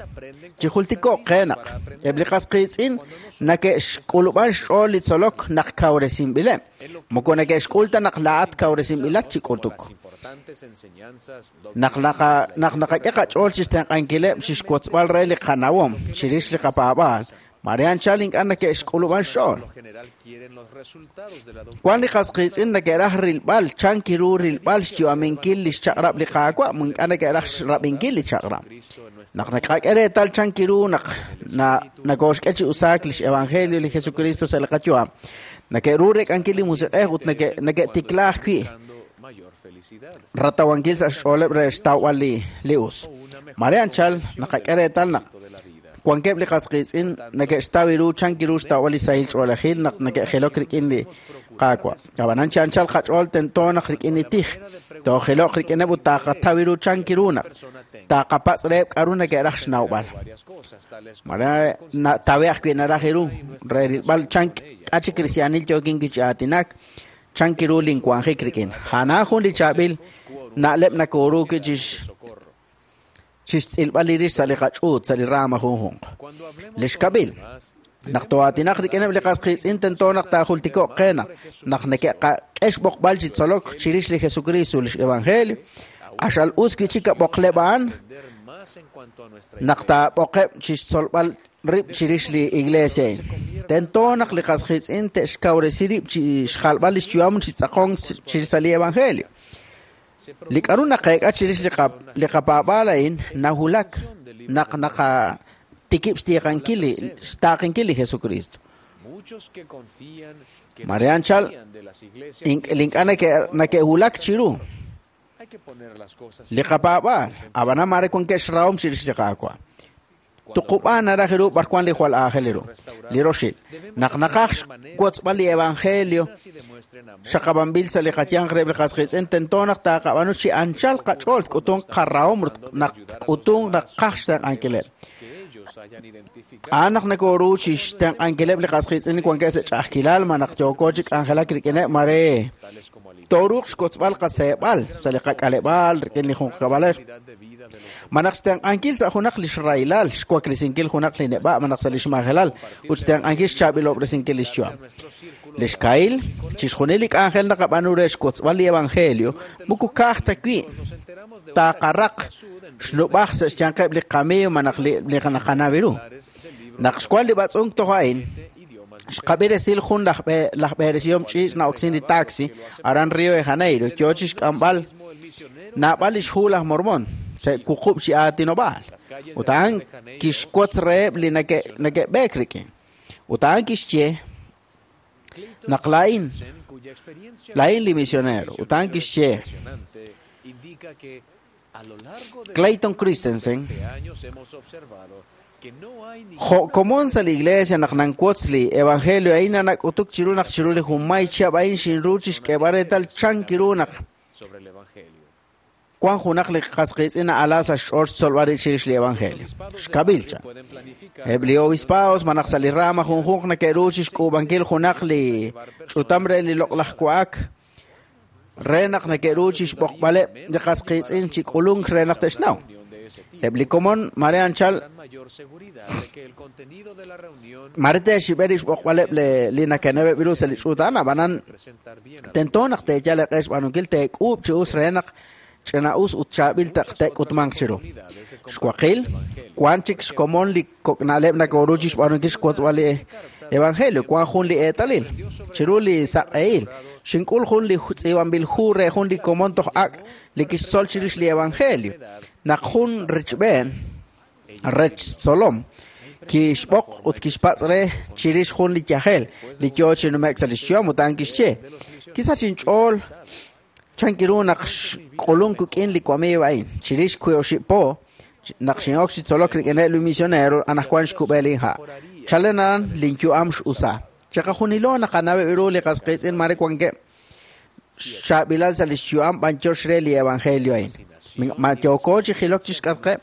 chijultiko'q qe naq eb' li qas qiitz'in nake'xk'ulub'an xch'ool li tzolok naq kawresinb'ileb', moko nake'xk'ul ta naq laa'at kawresinb'ilat chi k'utuk. Naq naqa naq naqak'e qach'ool chixtenq'ankileb' chixkotz'b'al re li qanawom chirix li qapaab'aal, mare anchal ink'a' nake'xk'ulub'an xch'ool. Wan li qas qiitz'in nake'raj rilb'al chan kiru rilb'al xyu'aminkil li xchaq'rab' li Qaawa', ink'a' nake'raj xrab'inkil li chaq'rab'. Naq naqak'e reetal chan kiru naq nakooxk'e chi usaak lix evangelio li Jesucristo sa' li qayu'am, nake'ru rek'ankil li musiq'ej ut nake'tikla ajwi' ratawankil sa' xch'ooleb' re xtawb'al li li us. Mare anchal naqak'e reetal naq wankeb' li qas qiitz'in nake'xtaw ru chan kiru xtawb'al li sahil ch'oolejil naq nake'jilok rik'in li Qaawa'. Ab'anan chi anchal qach'ool tento naq rik'in li tij, toojiloq rik'ineb' ut taaqataw ru chan kiru naq taaqapatz' reheb' k'aru nake'raj xnawb'al. Mare tawe ajwi' naraj ru re rilb'al chan k'a chi kristiaanil yookin chi aatinak chan kiru linwanjik rik'in. Jana jun li chaab'il na'leb' nakooru wi' chix chixtz'ilb'al li rix sa' li qach'uut sa' li rama junjunq. Li xkab'il, naq too'aatinaq rik'ineb' li qas qiitz'in tento naq taajultiko'q qe naq naq neke'qak'e xb'oqb'al chi tzolok chirix li Jesucristo lix evangelio, q'axal us wi' chik ab'oqleb' a'an naq taab'oqeb' chixtzolb'al rib' chirix li iglesia a'in. Tento naq li qas qiitz'in te'xkawresi rib' chi xjalb'al lix yu'am chi tz'aqonk chirix sa' li evangelio. Li k'aru naqeek'a chirix li li qapaab'aal a'in nahulak naq naqatikib' xtiiqankil li xtaaqinkil li Jesucristo. Mare anchal li ink'a' nake'hulak chiru li qapaab'aal, ab'anan mare wankeb' xrahom chirix li Qaawa'. Tuqub'aan naraj ru b'ar wan li jwal aajel ru. Li roxil, naq naqaj xwotzb'al li evangelio xaqab'anb'il sa' li qayanq reheb' li qas qiitz'in tento naq taaqab'aanu chi anchal qach'ool tk'utunq qarahom naq tk'utunq naq qaj xtenq'ankileb'. A'an naq nakooru chi xtenq'ankileb' li qas qiitz'in li wankeb' sa' ch'a'ajkilal ma naq yooko chi k'anjelak rik'ineb' mare tooruuq xkotzb'al qaseeb'al sa' li qak'aleb'aal rik'in li junqkab'alej. Ma naq xtenq'ankil sa' junaq li xraylal, xwaklisinkil junaq li neb'a' ma naq sa' li xmajelal ut xtenq'ankil xchaab'ilob'resinkil li xyu'am. Li xkahil, chixjunil li k'anjel naqab'aanu re xkotzb'al li evangelio, moko ka'aj ta wi' taaqaraq xnub'aj sa' xyanqeb' li qamiiw ma naq li naqanaw ru. Naq xwan li b'atz'unk toj a'in, xqab'i resil jun laj laj b'eresihom ch'iich' na'oksin li taxi aran Rio de Janeiro yo chi xk'amb'al naab'al li xhu laj Mormon sa' wuqub' chi aatinob'aal. Ut a'an kixwotz reheb' li nake'b'eek rik'in. Ut a'an kixye naq laa'in laa'in li misionero. Ut a'an kixye Clayton Christensen Jo' komon sa' li iglesia naq nanwotz li evangelio a'in nanak'utuk chiru naq chiru li junmay chihab' a'in xinru chixk'eeb'al reetal chan kiru naq wan junaq li qas qiitz'in na'ala sa' xch'ool xtzolb'al rib' chirix li evangelio. Xkab'il cha. Eb' li obispaos ma naq sa' li rama junjunq nake'ru chixk'uub'ankil junaq li ch'utam re li loq'laj wa'ak re naq nake'ru chixb'oqb'aleb' li qas qiitz'in chi k'ulunk re naq te'xnaw. Eb' li komon mare anchal mare te'xib'e rib' xb'oqb'aleb' li nakeneb'eb' ru sa' li ch'uut a'an, ab'anan tento naq teeyal eq'e xb'aanunkil teek'uub' chi us re naq ch'ina'us ut chaab'il te'k'utmanq chiru. Xwaqil, wan chik xkomon li kok'na'leb' nakoru chi xb'aanunkil xwotzb'al li evangelio, wan jun li eetalil. Chiru li saq'ehil, xink'ul jun li tz'iib'anb'il hu re jun li komon toj ak' li kixtzol chirix li evangelio. Naq jun richb'een rech tzolom, kixb'oq ut kixpatz' re chirix jun li yajel li yoo chi nume'k sa' li xyu'am ut a'an kixye. Kisach inch'ool chankiru naq xk'ulunk kuk'in li wamiiw a'in. Chirix wiib' oxib' po, naq xin'ok chi tzolok rik'ineb' li misionero anaqwan xkub'e linha'. Chalen aran linyu'am x'usa. Chiqajunilo naqanaweb' ru li qas qiitz'in mare wankeb' xchaab'ilal sa' li xyu'am b'anyox re li evangelio a'in. Ma yooko chi jilok chi xk'atqeb',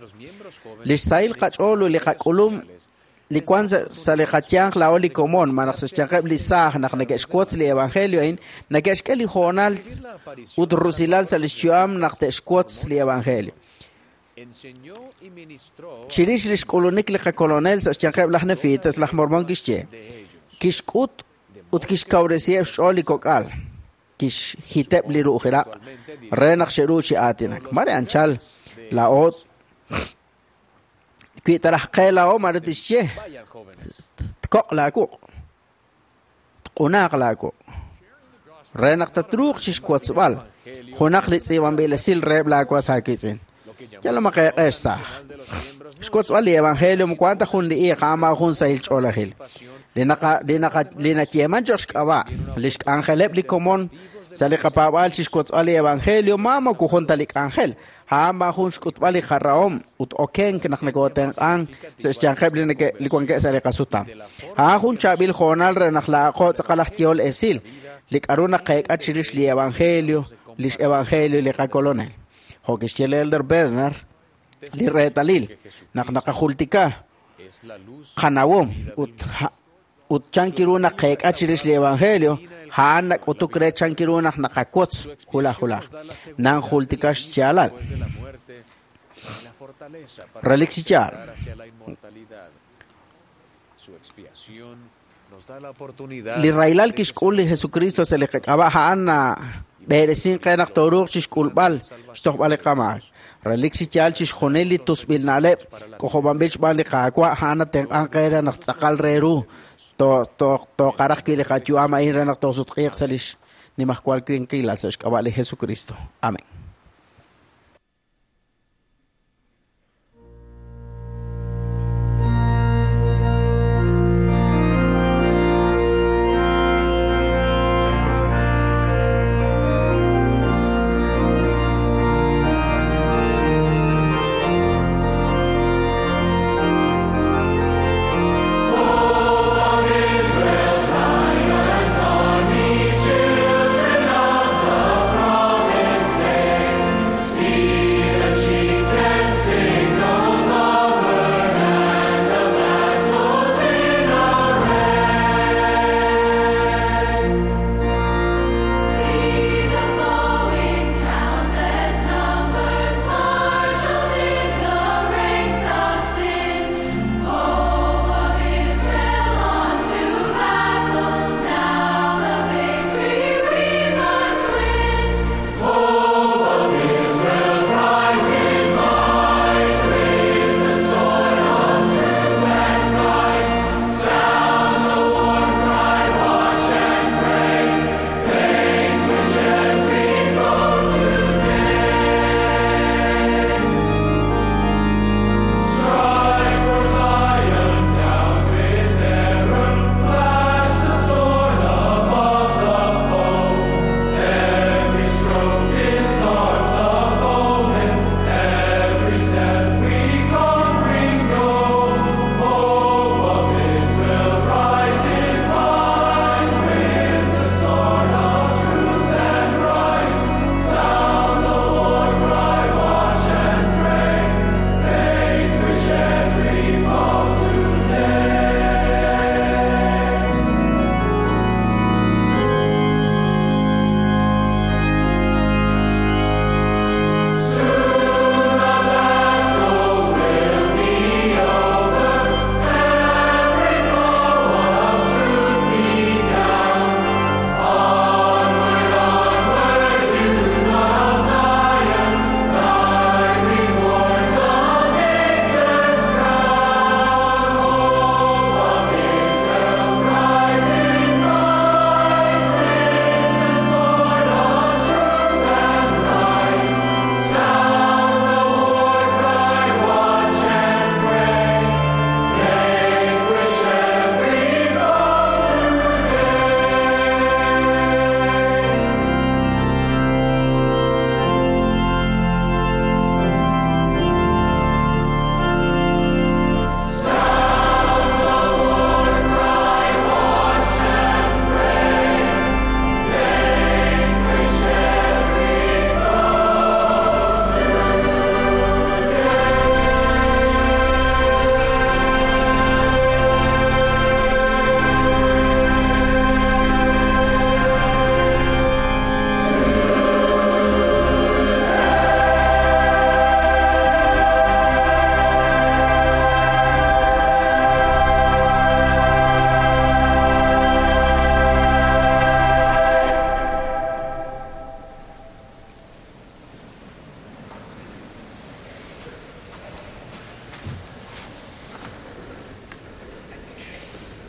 li xsahil qach'ool ut li qak'ulum li wan sa' li qayanq laa'o li komon malaj sa' xyanqeb' li saaj naq neke'xwotz li evangelio a'in, neke'xk'e li hoonal ut rusilal sa' li xyu'am naq te'xwotz li evangelio. Chirix li xk'ulunik li qakolonel sa' xyanqeb' laj Nefitas, laj Mormon kixye, kixk'ut ut kixkawresiheb' xch'ool li kok'al, kixjiteb' li ru'ujiraq' re naq xe'ru chi aatinak. Mare anchal laa'o wi taraj qe laa'o mare tixye, tkoq' laawuq', tq'unaaq laawuq'. Re naq tatruuq chixwotzb'al junaq li tz'iib'anb'il esil reheb' laawas aawiitz'in. Yal maqeeq'ex saaj. Xwotzb'al li evangelio moko ta jun li iiq a'an jun sahil ch'oolejil. Li naqa li naqa li nayeeman cho'q xk'ab'a' li xk'anjeleb' li komon sa' li qapaab'aal chixwotzb'al li evangelio ma moko jun ta li k'anjel. A'an b'an jun xk'utb'al li qarahom ut okenk naq nakootenq'an sa' xyanqeb' li neke li wankeb' sa' li qasutam. A'an jun chaab'il hoonal re naq laa'aqo tz'aqal aj yehol esil li k'aru naqeek'a chirix li evangelio, lix evangelio li qakolonel. Jo' kixye li Elder Bednar, li reetalil naq naqajultika qanawom ut ut chankiru naq qeek'a chirix li evangelio, a'an nak'utuk re chankiru naq naqawotz hulaj hulaj. Nan jultika xyaalal. Relik chi yaal. Li rahilal kixk'ul li Jesucristo sa' li qak'ab'a' a'an b'eresin qe naq tooruuq chixk'ulb'al xtojb'al li qamaak. Relik chi yaal chixjunil li tusb'il na'leb' k'ojob'anb'il xb'aan li Qaawa' a'an natenq'an qe re naq tz'aqal re ru tooqaraj wi' li qayu'am a'in re naq toosutq'iiq sa' lix nimajwal winqilal sa' xk'ab'a' li Jesucristo. Amén. Children of the promised day.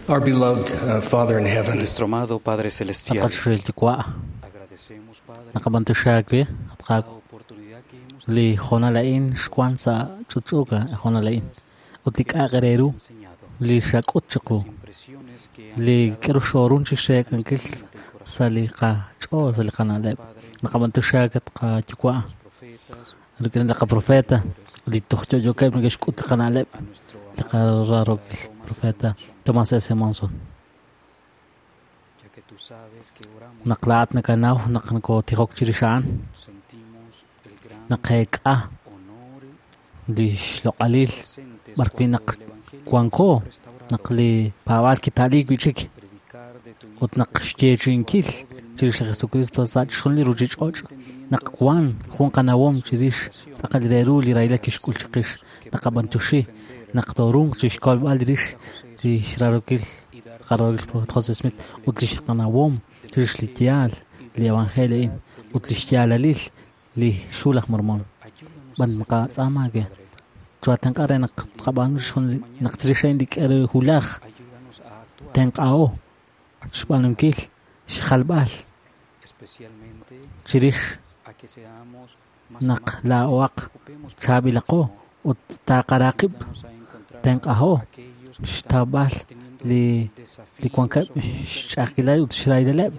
Our beloved uh, Father in heaven, Nuestro amado Padre Celestial, Naqachuxil yuwa' naqab'antuxaak atqaak li jonal a'in xwan sa' ch'uch'uka jonal a'in ut li k'a'aq re ru li xak'ut chiqu li k'aru xorun chi xeek'ankil sa' li qach'ool sa' li qana'leb' naqab'antuxaak atqayuwa' rik'in li qaprofeta li toj yo'yookeb' neke'xk'ut li qana'leb' li qararokil profeta Thomas S. Monson naq laa'at nakanaw naq nakotijok chirix a'an naqeek'a li xloq'alil b'arwi' naq wanko naq li paab'aal kita'liik wi'chik ut naq xyeechi'inkil chirix li Jesucristo sa' chixjunil li ruchich'och' naq wan jun qanawom chirix tz'aqal re ru li rahilal kixk'ul chiqix naqab'antuxi naq torunq chixkolb'al rix li xrarokil qararokil profeta José Smith ut li xqanawom chirix li yaal li evangelio a'in ut li xyaalalil li xhu laj Mormon b'an naqatz'aamaak chuatenq'a re naq tqab'aanu chixjunil naq chirix a'in li k'aru hulaj tenq'aho xb'aanunkil xjalb'al chirix naq laa'oaq chaab'ilaqo ut taqaraqib' tenq'aho xtawb'al li li wankeb' xch'a'ajkilal ut xrahileb'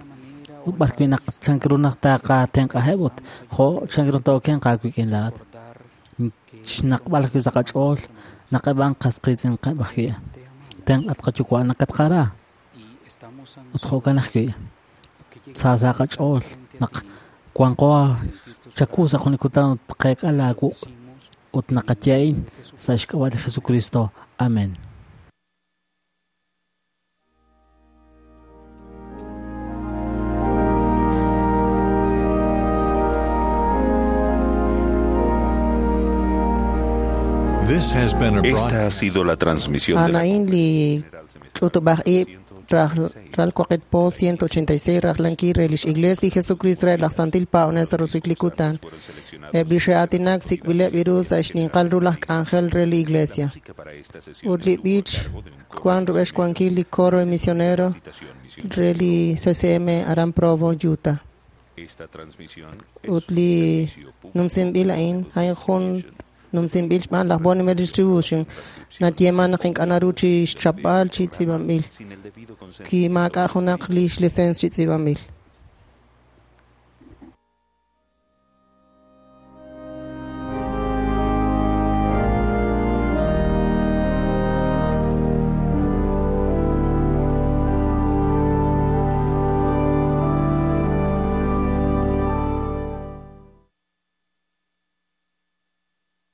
ut b'arwi' naq chan ru naq taqatenq'aheb' ut jo' chan ru tookenq aawik'in laa'at xnaqb'al ajwi' sa' qach'ool naq eb' a'an qas qiitz'inqeb' ajwi' tenq'at qayuwa' nakatqara ut jo'kan ajwi' sa sa' qach'ool naq wanqo chaku sa' jun li kutan ut qeek'a laawuq' ut naqaye a'in sa' xk'ab'a' li Jesucristo. Amén. This has been a Esta ha sido la transmisión de la A'an li ch'utub'aj ib' ral waqit po ciento ochenta y seis rajlankil re lix Iglesia li Jesucristo re laj Santil Paab'anel sa' roso'jik li kutan. Eb' li xe'aatinak sik'b'ileb' ru sa' xninqal ru laj k'anjel re li Iglesia. Ut li b'ich wan rub'el xwankil li coro misionero re li C C M aran Provo, Utah. Esta transmisión Ut li numsinb'il a'in a'in jun numsinb'il xb'aan laj Bonnie Distribution nayeeman naq ink'a' naru chi xchapb'al chi tz'iib'anb'il kimaak'a' junaq li xlicencia chi tz'iib'anb'il.